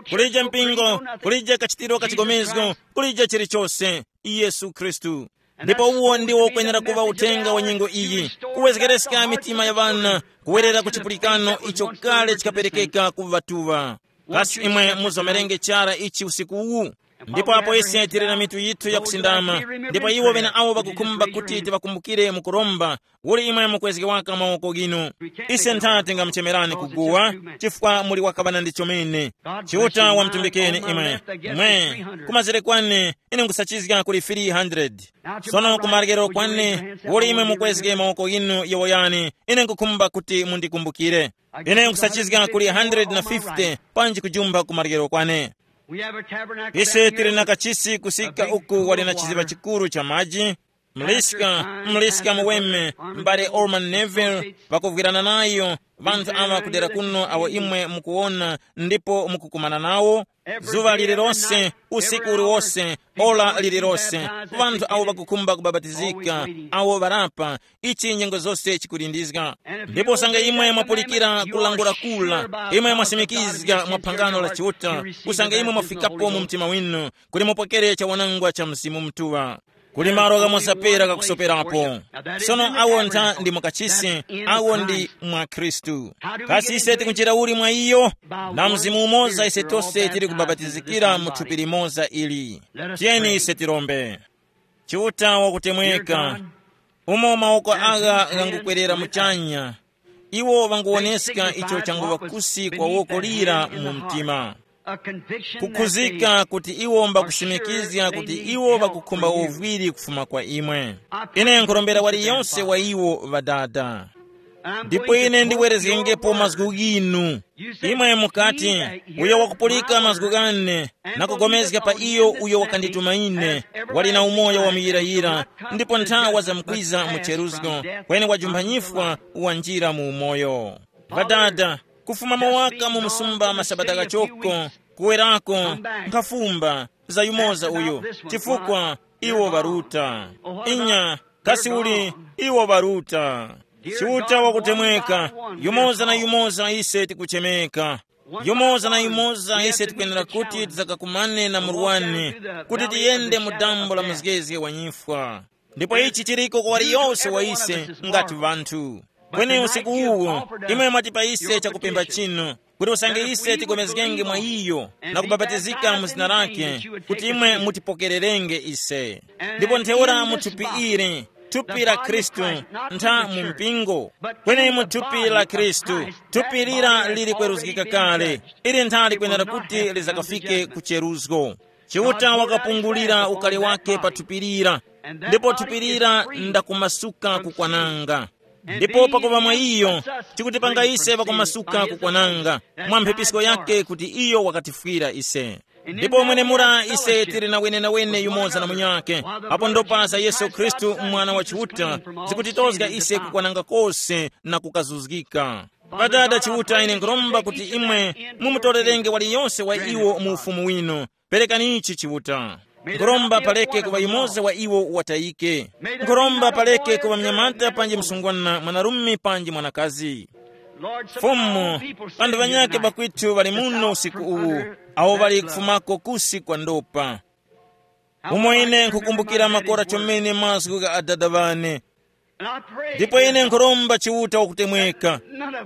Kulije mpingo, kulije kachitiro ka chigomezgo, kulije chilichose, Yesu Khristu. Ndipo uwo ndiwo ukwenera kuŵa uthenga wa nyengo iyi, kuwezgereska mitima ya ŵana, kuwerera ku chipulikano icho kale chikaperekeka ku ŵatuŵa. Kasi imwe muzomerenge chara ichi usiku uwu? Ndipo apo ise tili na mitu yithu yakusindama, ndipo iwo ŵeneawo ŵakukhumba kuti tiŵakumbukire mu kuromba, uli imwe mukwezge waka mawoko ghinu. Ise ntha tingamuchemerani kuguwa, chifukwa muli wakaŵana ndi chomene. Chiuta wamtumbikeni imwe. Mwe, kumazere kwane, ine nkusachizga kuli three hundred. Sono kumarekero kwane, uli imwe mukwezge mawoko ghinu yowoyani, ine nkukhumba kuti mundikumbukire. Ine nkusachizga kuli hundred na fifty, panji kujumba kumarekero kwane. Ise tili na kachisi kusika uku wali na chiziŵa chikuru cha maji. Mliska, mliska muweme, m'bale Orman Neville, pakuvwirana nayo, ŵanthu awa kudera kuno awo imwe mukuwona ndipo mukukumana nawo, zuŵa lililonse, usiku uliwose, ora lililonse, ŵanthu awo ŵakukhumba kubabatizika, awo ŵarapa, ichi nyengo zose chikulindizga. Ndipo usange imwe mwapulikira kulangula kula, imwe mwasimikizga mwa phangano la Chiuta, usange imwe mwafikapo mu mtima winu, kuti mupokere chawanangwa cha Mzimu Mutuŵa. Kuli malo ghamoza pera ghakusoperapo. Sono awo ntha ndi mukachisi, awo ndi mwa Khristu. Kasi ise tikunjira uli mwa iyo? Na Mzimu umoza ise tose tili kubapatizikira mu thupi limoza ili. Tiyeni ise tirombe. Chiuta wakutemweka, umo mawoko agha ghangukwerera muchanya, iwo ŵanguwoneska icho changuŵa kusi kwa woko lira mu mtima. Kukhuzika kuti iwo mbakusimikizga kuti iwo ŵakukhumba uvwiri kufuma kwa imwe. Ine nkurombera waliyonse wa iwo, Ŵadada. Ndipo ine ndiwerezgengepo mazgu ghinu. Imwe mukati, uyo wakupulika mazgu ghane na kugomezga pa iyo uyo wakandituma ine, wali na umoyo wa muyirayira, ndipo nthawa zamkwiza mu cheruzgo, kweni wajumpha nyifwa, wanjira mu umoyo. Ŵadada, kufuma mowaka mu msumba masabata ghachoko, kuwerako, nkhafumba za yumoza uyu, chifukwa iwo ŵaruta. Inya, kasi uli iwo ŵaruta. Chiuta wakutemweka, yumoza na yumoza ise tikuchemeka. Yumoza na yumoza ise tikwenera kuti tizakakumane na murwani, kuti tiyende mu dambo la muzgezge wa nyifwa. Ndipo ichi chiriko kwa waliyose wa ise ngati ŵanthu. Kweni usiku uwu, imwe mwatipa ise chakupemba chinu, kuti usange ise tigomezgenge mwa iyo na kubapatizika mu zina lake, kuti imwe mutipokererenge ise. Ndipo ntheura mu thupi ili, thupi la Khristu, ntha mu mpingo, kweni mu thupi la Khristu, thupi lira lili kweruzgika kale, ili ntha likwenera kuti lizakafike ku cheruzgo. Chiuta wakapungulira ukali wake pa thupi lira, ndipo thupi lira ndakumasuka kukwananga. Ndipo pakuŵa mwa iyo, tikutipanga ise pakumasuka kukwananga mwa mphepisko yake kuti iyo wakatifwira ise. Ndipo mwenemura ise tili na wenenawene yumoza na munyakhe, apo ndopa za Yesu Khristu, Mwana wa Chiuta, zikutitozga ise kukwananga kose na kukazuzgika. Ŵadada Chiuta, ine nkhuromba kuti imwe mumutorerenge waliyonse wa iwo mu ufumu winu. Perekani ichi Chiuta. Nkhuromba paleke kuŵa yumoza wa iwo watayike. Nkhuromba paleke kuŵa mnyamata panji msungwana, mwanarume panji mwanakazi. Fumu, ŵanthu ŵanyakhe ŵakwitu ŵali muno usiku uwu, awo ŵali kufumako kusi kwa ndopa. Umo ine nkhukumbukira makora chomene mazgu gha adada ŵane. Ndipo ine nkhuromba Chiuta wakutemweka,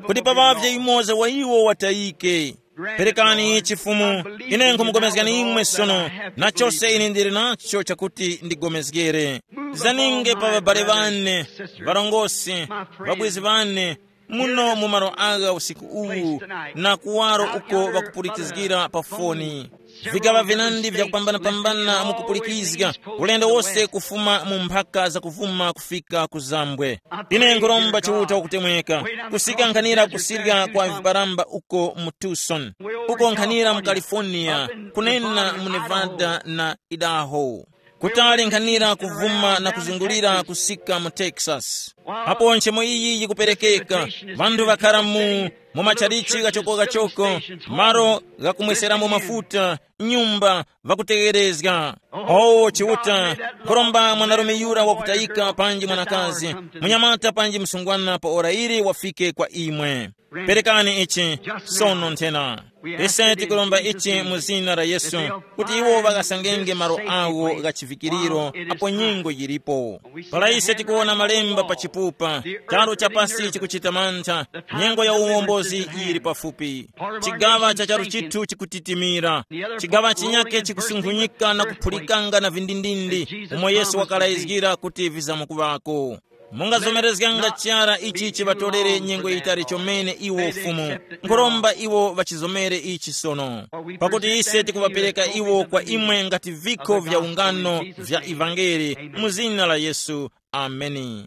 kuti paŵavye yumoza wa iwo watayike. Perekani ichi Fumu. Ine nkhumupulikani imwe sono, na chose ine ndili nacho chakuti ndigomezgere. Zaninge pa ŵabale ŵane, ŵarongosi, ŵabwezi ŵane, muno mu malo agha usiku uwu, na kuwaro uko ŵakupulikizgira pa foni. Vigaŵa vinandi vyakupambanapambana mukupulikizga, ulendo wose kufuma mu mphaka zakuvuma kufika ku zambwe. Ine nkhuromba Chiuta wakutemweka, kusika nkhanira kusirya kwa viparamba uko mu Tucson, uko nkhanira mu California, kunena mu Nevada na Idaho, kutali nkhanira kuvuma na kuzungulira kusika mu Texas. Apo nchemo iyi yikuperekeka, vanthu ŵakhara mu mu matchalichi ghachokogachoko, malo ghakumweseramo mafuta, nyumba, ŵakutegherezga. O Chiuta, nkhuromba mwanarume yura wakutayika panji mwanakazi, munyamata panji msungwana pa ora ili wafike kwa imwe. Perekani ichi sono nthena. Ise tikuromba ichi mu zina la Yesu, kuti iwo ŵakasangenge malo awo gha chivikiriro apo nyengo yilipo. Para ise tikuwona malemba pa chipupa, charu cha pasi chikuchita mantha, nyengo ya uwombozi yili pafupi. Chigaŵa cha charu chithu chikutitimira, chigaŵa chinyake chikusunkhunyika na kuphulikanga na vindindindi, umo Yesu wakalayizgira kuti vizamukuŵako. Mungazomerezganga chara ichi chiŵatorere nyengo yitali chomene iwo Fumu. Nkhuromba iwo ŵachizomere ichi sono, pakuti ise tikuŵapereka iwo kwa imwe ngati vikho vya ungano vya ivangeli, mu zina la Yesu. Ameni.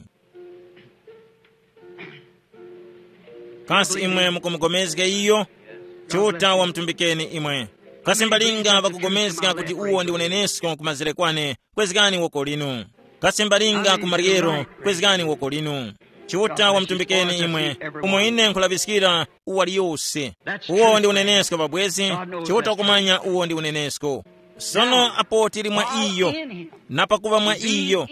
Kasi imwe mukumugomezga iyo? Chiuta wamutumbikeni imwe. Kasi mbalinga ŵakugomezga kuti uwo ndi unenesko kumazere kwane, kwezgani woko linu. Kasi mbalinga ku maryero, kwezgani woko linu. Chiuta wamutumbikeni imwe, umo ine nkhulaŵiskira uwaliyose. Uwo ndi unenesko, ŵabwezi. Chiuta wakumanya uwo ndi unenesko. Sono apo tili mwa iyo, na pakuŵa mwa iyo,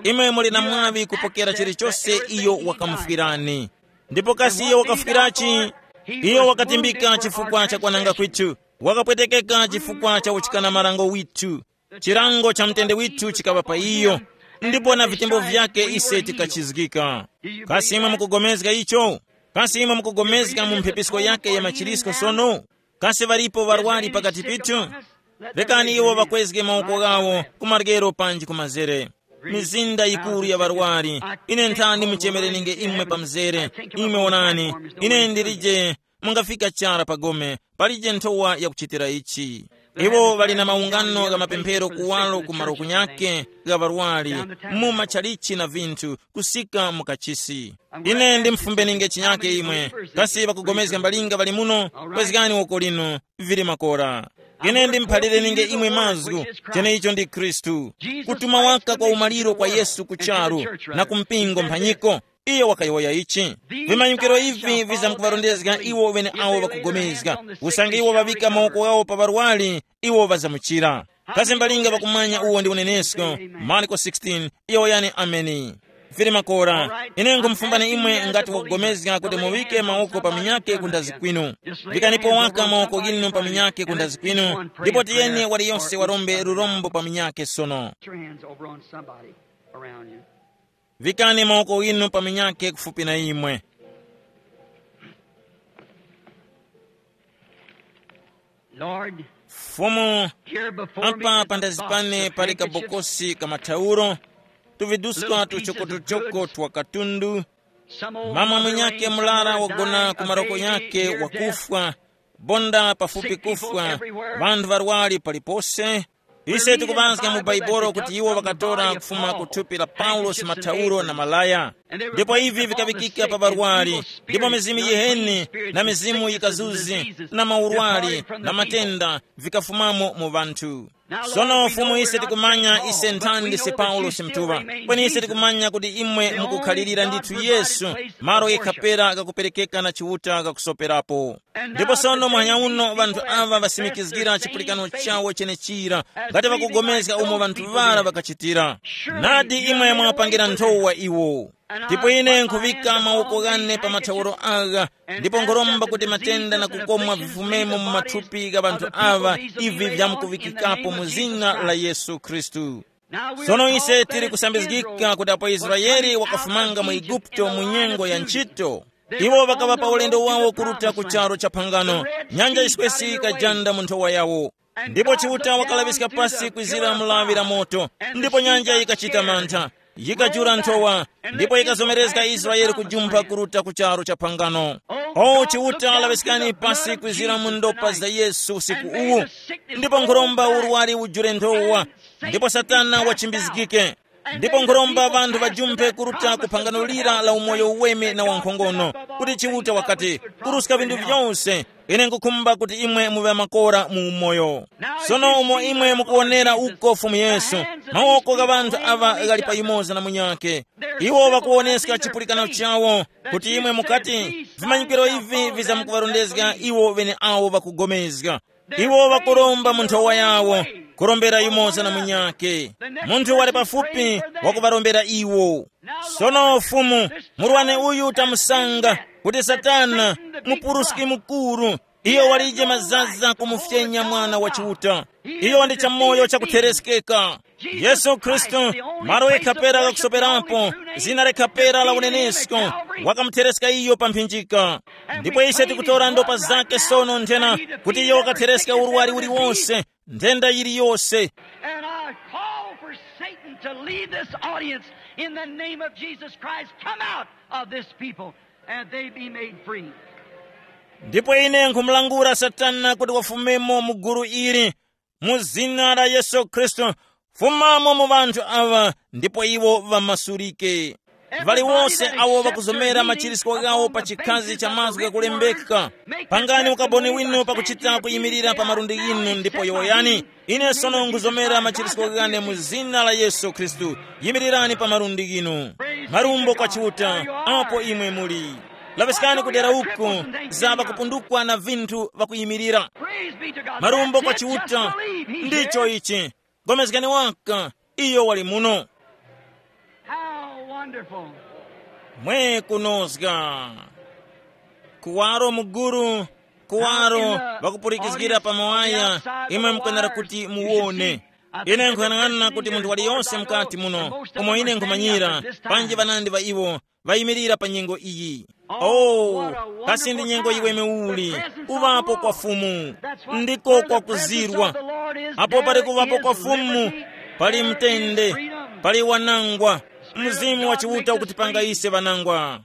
imwe muli na mwaŵi kupokera chilichose iyo wakamufwirani. Ndipo kasi iyo wakafwirachi? Iyo wakatimbika chifukwa cha kwananga kwithu, wakapwetekeka chifukwa cha uchikana marango withu, chilango cha mtende withu chikaŵa pa iyo, ndipo na vitembo vyake ise tikachizgika. Kasi imwe mukugomezga icho? Kasi imwe mukugomezga mu mphepisko yake ya machirisko sono? Kasi ŵalipo ŵarwari pakati pithu? Rekani iwo ŵakwezge mawoko ghawo ku maryero panji ku mazere. Mizinda yikuru ya ŵarwari, ine nthani muchemereninge imwe pa mzere. Imwe wonani, ine ndilije, mungafika chara pa gome, palije nthowa yakuchitira ichi. Iwo ŵali na maungano gha mapemphero kuwalo ku malo kunyake gha ŵarwari, mu matchalichi na vinthu, kusika mu kachisi. Ine ndimufumbeninge chinyake imwe, kasi ŵakugomezga mbalinga ŵali muno, kwezgani woko linu, vili makora. Ine ndimuphalireni'nge imwe mazgu, cheneicho ndi Khristu. Kutuma waka kwa umaliro kwa Yesu ku charu, na ku mpingo mphanyiko. Iyo wakayowoya ichi. Vimanyikiro ivi vizamkuŵarondezga iwo ŵeneawo ŵakugomezga. Usange iwo ŵaŵika mawoko ghawo pa ŵarwari, iwo ŵazamuchira. Kasi mbalinga ŵakumanya uwo ndi unenesko? Marko sixteen, yowoyani ameni. Vili makora, ine nkhumufumbani imwe ngati wakugomezga kuti muŵike mawoko pa minyake kundazi kwinu. Vikanipo waka mawoko ghinu pa minyake kundazi kwinu, ndipo tiyeni waliyonse warombe lurombo pa minyake sono. Your hands over on somebody around you. Vikani mawoko ghinu pa minyake kufupi na imwe. Lord, Fumu, here before me apa is a pandazi box pane of pali handkerchiefs. Kabokosi ka mathauro, tuviduska tuchokotuchoko twa katundu. Some old mama mwinyake mulara wagona ku maroko yake wakufwa. Bonda pafupi kufwa. Vanthu varwari palipose. Ise tikupanska mu Baibolo kuti iwo vakatora kufuma ku thupi la Paulosi mathauro na malaya. Ndipo ivi vikaŵikika pa ŵarwari, ndipo mizimu yiheni na mizimu yikazuzi na maurwari na matenda vikafumamo mu ŵanthu. Sono Fumu, ise tikumanya ise nthani ndise Paulosi mthuŵa, kweni ise tikumanya kuti imwe mukukhalirira ndithu Yesu, malo yekhapera ghakuperekeka na Chiuta ghakusoperapo. Ndipo sono muhanya uno ŵanthu aŵa ŵasimikizgira chipulikano chawo chenechira, ngati ŵakugomezga umo ŵanthu ŵara ŵakachitira. Nadi imwe mwapangira nthowa iwo. Ndipo ine nkhuŵika mawoko ghane pa mathauro agha, ndipo nkhuromba kuti matenda na kukomwa vifumemo mu mathupi gha ŵanthu aŵa, ivi vyamkuŵikikapo mu zina la Yesu Khristu. Sono ise tili kusambizgika kuti apo Israele wakafumanga mu Eguputo mu nyengo ya nchito, Iwo ŵakaŵa pa ulendo wawo kuruta ku charo cha phangano. Nyanja yiswesi yikajanda mu nthowa yawo. Ndipo Chiuta wakalaŵiska pasi kwizira mu lawi la moto, ndipo nyanja yikachita mantha, yikajula nthowa, ndipo yikazomerezga Israele kujumpha kuruta ku charo cha phangano. O Chiuta, laŵiskani pasi kwizira mu ndopa za Yesu usiku uwu, ndipo nkhuromba urwari ujule nthowa, ndipo Satana wachimbizgike. Ndipo nkhuromba ŵanthu ŵajumphe kuruta ku phangano lira la umoyo uweme na wankhongono, kuti Chiuta wakati, kuruska vinthu vyose, ine nkukhumba kuti imwe muŵe makora mu umoyo. Sono umo imwe mukuwonera uko Fumu Yesu, mawoko gha ŵanthu aŵa ghali pa yumoza na munyakhe. Iwo ŵakuwoneska chipulikano chawo, kuti imwe mukati, vimanyikiro ivi vizamkuŵarondezga iwo ŵeneawo ŵakugomezga. Iwo ŵakuromba mu nthowa yawo, kurombera yumoza na munyakhe. Munthu wali pafupi wakuŵarombera iwo. Sono Fumu, murwani uyu tamusanga, kuti Satana, mupuruski mukuru, iyo walije mazaza kumufyenya Mwana wa Chiuta. Iyo ndi chamoyo chakuthereskeka. Yesu Khristu, malo yekha pera ghakusoperapo, zina lekha pera la unenesko, wakamuthereska iyo pa mphinjika. Ndipo ise tikutora ndopa zake sono nthena, kuti iyo wakathereska urwari uliwonse, nthenda yiliyose. And I call for Satan to leave this audience in the name of Jesus Christ. Come out of this people and they be made free. Ndipo ine nkhumulangula Satana kuti wafumemo mu gulu ili, mu zina la Yesu Khristu, fumamo mu ŵanthu aŵa, ndipo iwo ŵamasulike. Vali wose awo ŵakuzomera machirisko ghawo pa chikhazi cha mazgu ghakulembeka, pangani ukaboni winu pakuchita kuyimirira pa malundi ghinu ndipo yowoyani, ine sono nguzomera machirisko ghane mu zina la Yesu Khristu. Yimirirani pa malundi ghinu. Marumbo kwa Chiuta, apo imwe muli. Laŵiskani kudera uku, za ŵakupundukwa na vinthu ŵakuyimirira. Marumbo kwa Chiuta, ndicho ichi. Gomezgani waka, iyo wali muno. How wonderful. Mwe kunozga. Kuwaro muguru, kuwaro, ŵakupulikizgira pa mawaya, imwe mukwenera kuti muwone. Ine nkuyang'ana kuti munthu waliyonse mukati muno, umo ine nkhumanyira, panji ŵanandi ŵa iwo, ŵayimirira pa nyengo iyi. Oh, kasi ndi nyengo yiweme uli, kuŵapo kwa Fumu, ndiko kwa kuzirwa. Apo pali kuŵapo kwa Fumu, pali mtende, pali wanangwa. Mzimu wa Chiuta ukutipanga ise ŵanangwa.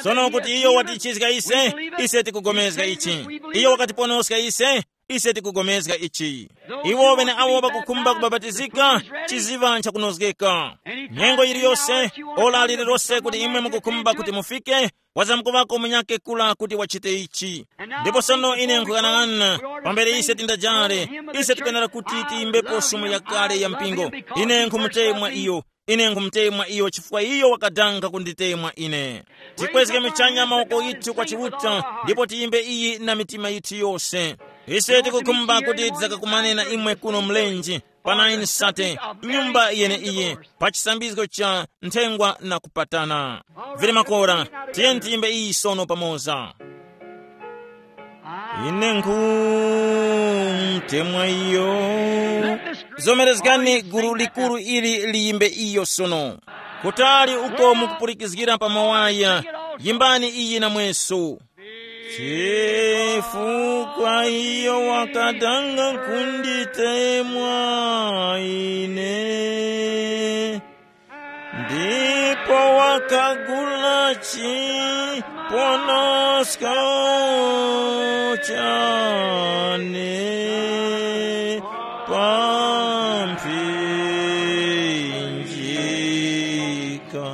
Sono kuti iyo watichizga ise, ise tikugomezga ichi. Iyo wakatiponoska ise, ise tikugomezga ichi. Iwo ŵeneawo ŵakukhumba kubapatizika, chiziŵa nchakunozgeka. Nyengo yiliyose, ora lililose kuti imwe mukukhumba kuti mufike, wazamkuŵako munyakhe kura kuti wachite ichi. Ndipo sono ine nkuyang'ana, pambere ise tindajare, ise tikwenera kuti tiyimbepo sumu yakale ya mpingo. Ine nkhumutemwa iyo, ine nkhumutemwa iyo chifukwa iyo wakadanga kunditemwa ine. Tikwezge michanya mawoko yithu kwa Chiuta, ndipo tiyimbe iyi na mitima yithu yose. Ise tikukhumba kuti tidzakakumane na imwe kuno mlenje, pa nine sate, nyumba yeneiyi, pa chisambizgo cha nthengwa na kupatana. Vili makora, tiyeni tiyimbe iyi sono pamoza. Ine nkhumtemwa iyo. Zomerezgani gulu likuru ili liyimbe iyo sono. Kutali uko mukupulikizgira pa mawaya, yimbani iyi na mweso. Chifukwa iyo wakadanga kunditemwa ine, ndipo wakagula chiponosko chane pa mphinjika.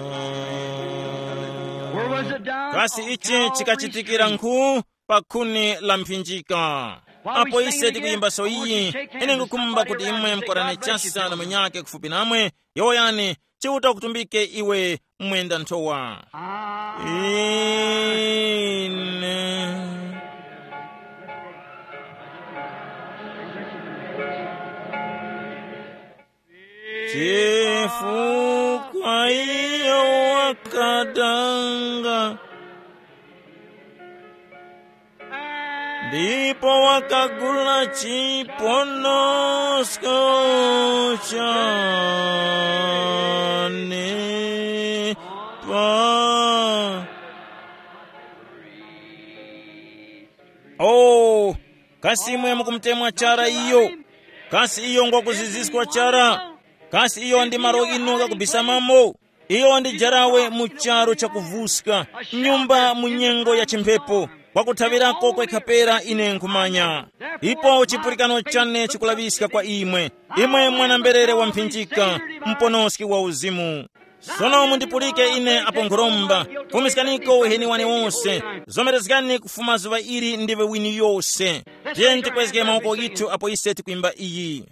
Where was it down? Kasi on ichi Calvary's chikachitikira tree. Nkhu pa khuni la mphinjika. Apo ise tikuyimba so iyi, ine ngukumba kuti imwe mukorane chasa na munyake kufupi namwe, yowoyani, Chiuta ukutumbike iwe mwenda nthowa. Ine. Chifukwa iyo wakadanga, ndipo wakagula chiponosko chane pa Kasi imwe mukumutemwa chara iyo? Kasi iyo ngwakuziziskwa chara? Kasi iyo ndi malo inu ghakubisamamo? Iyo ndi jarawe mu charu chakuvuska, nyumba mu nyengo ya chimphepo, kwakuthaŵirako kwekha pera ine nkhumanya. Ipo chipulikano chane chikulaŵiska kwa imwe, imwe mwana-mberere wamphinjika, muponoski wa uzimu. Sono mundipulike ine apo nkhuromba, fumiskaniko uheni wane wose, zomerezgani kufuma zuŵa ili ndiwe wini yose. Tiyeni tikwezge mawoko yithu apo ise tikwimba iyi.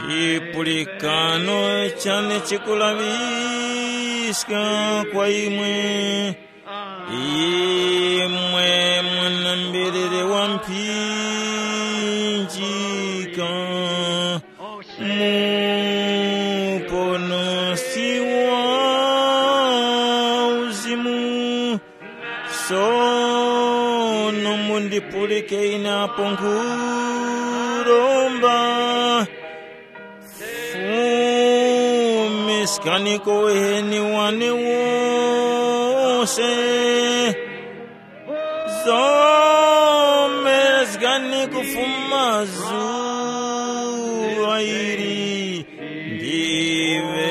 Chipulikano chane chikulaŵiska kwa imwe, imwe mwana-mberere wa mphinjika, muponosi wa uzimu. Sono mundipulike ine apo nkhuromba, fumiskaniko uheni wane wose, zomerezgani kufuma zuŵa ili ndiwe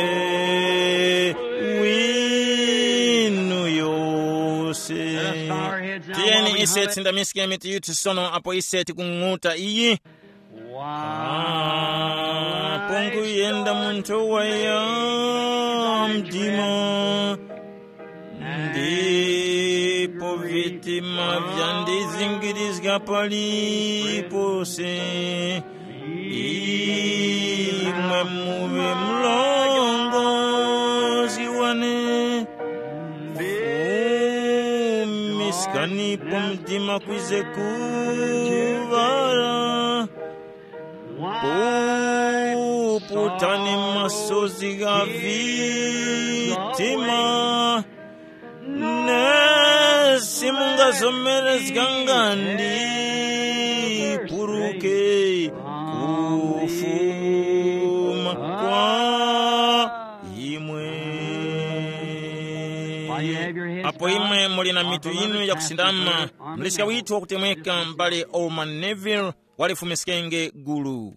winu yose. Tiyeni ise tsindamiske mitu yithu sono apo ise tikung'uta iyi. Apo nkuyenda munthu waya mdima, ndipo vitima vyandizingirizga palipose. Imwe muŵe mlongozi wane, fumiskanipo mdima kwize kuŵala. Puputani masozi gha vitima, nesi mungazomerezganga ndipuruke kufuma kwa imwe. Apo imwe muli na mitu yinu yakusindama, muliska withu wakutemweka m'bale Orman Neville, walifumiskenge gulu.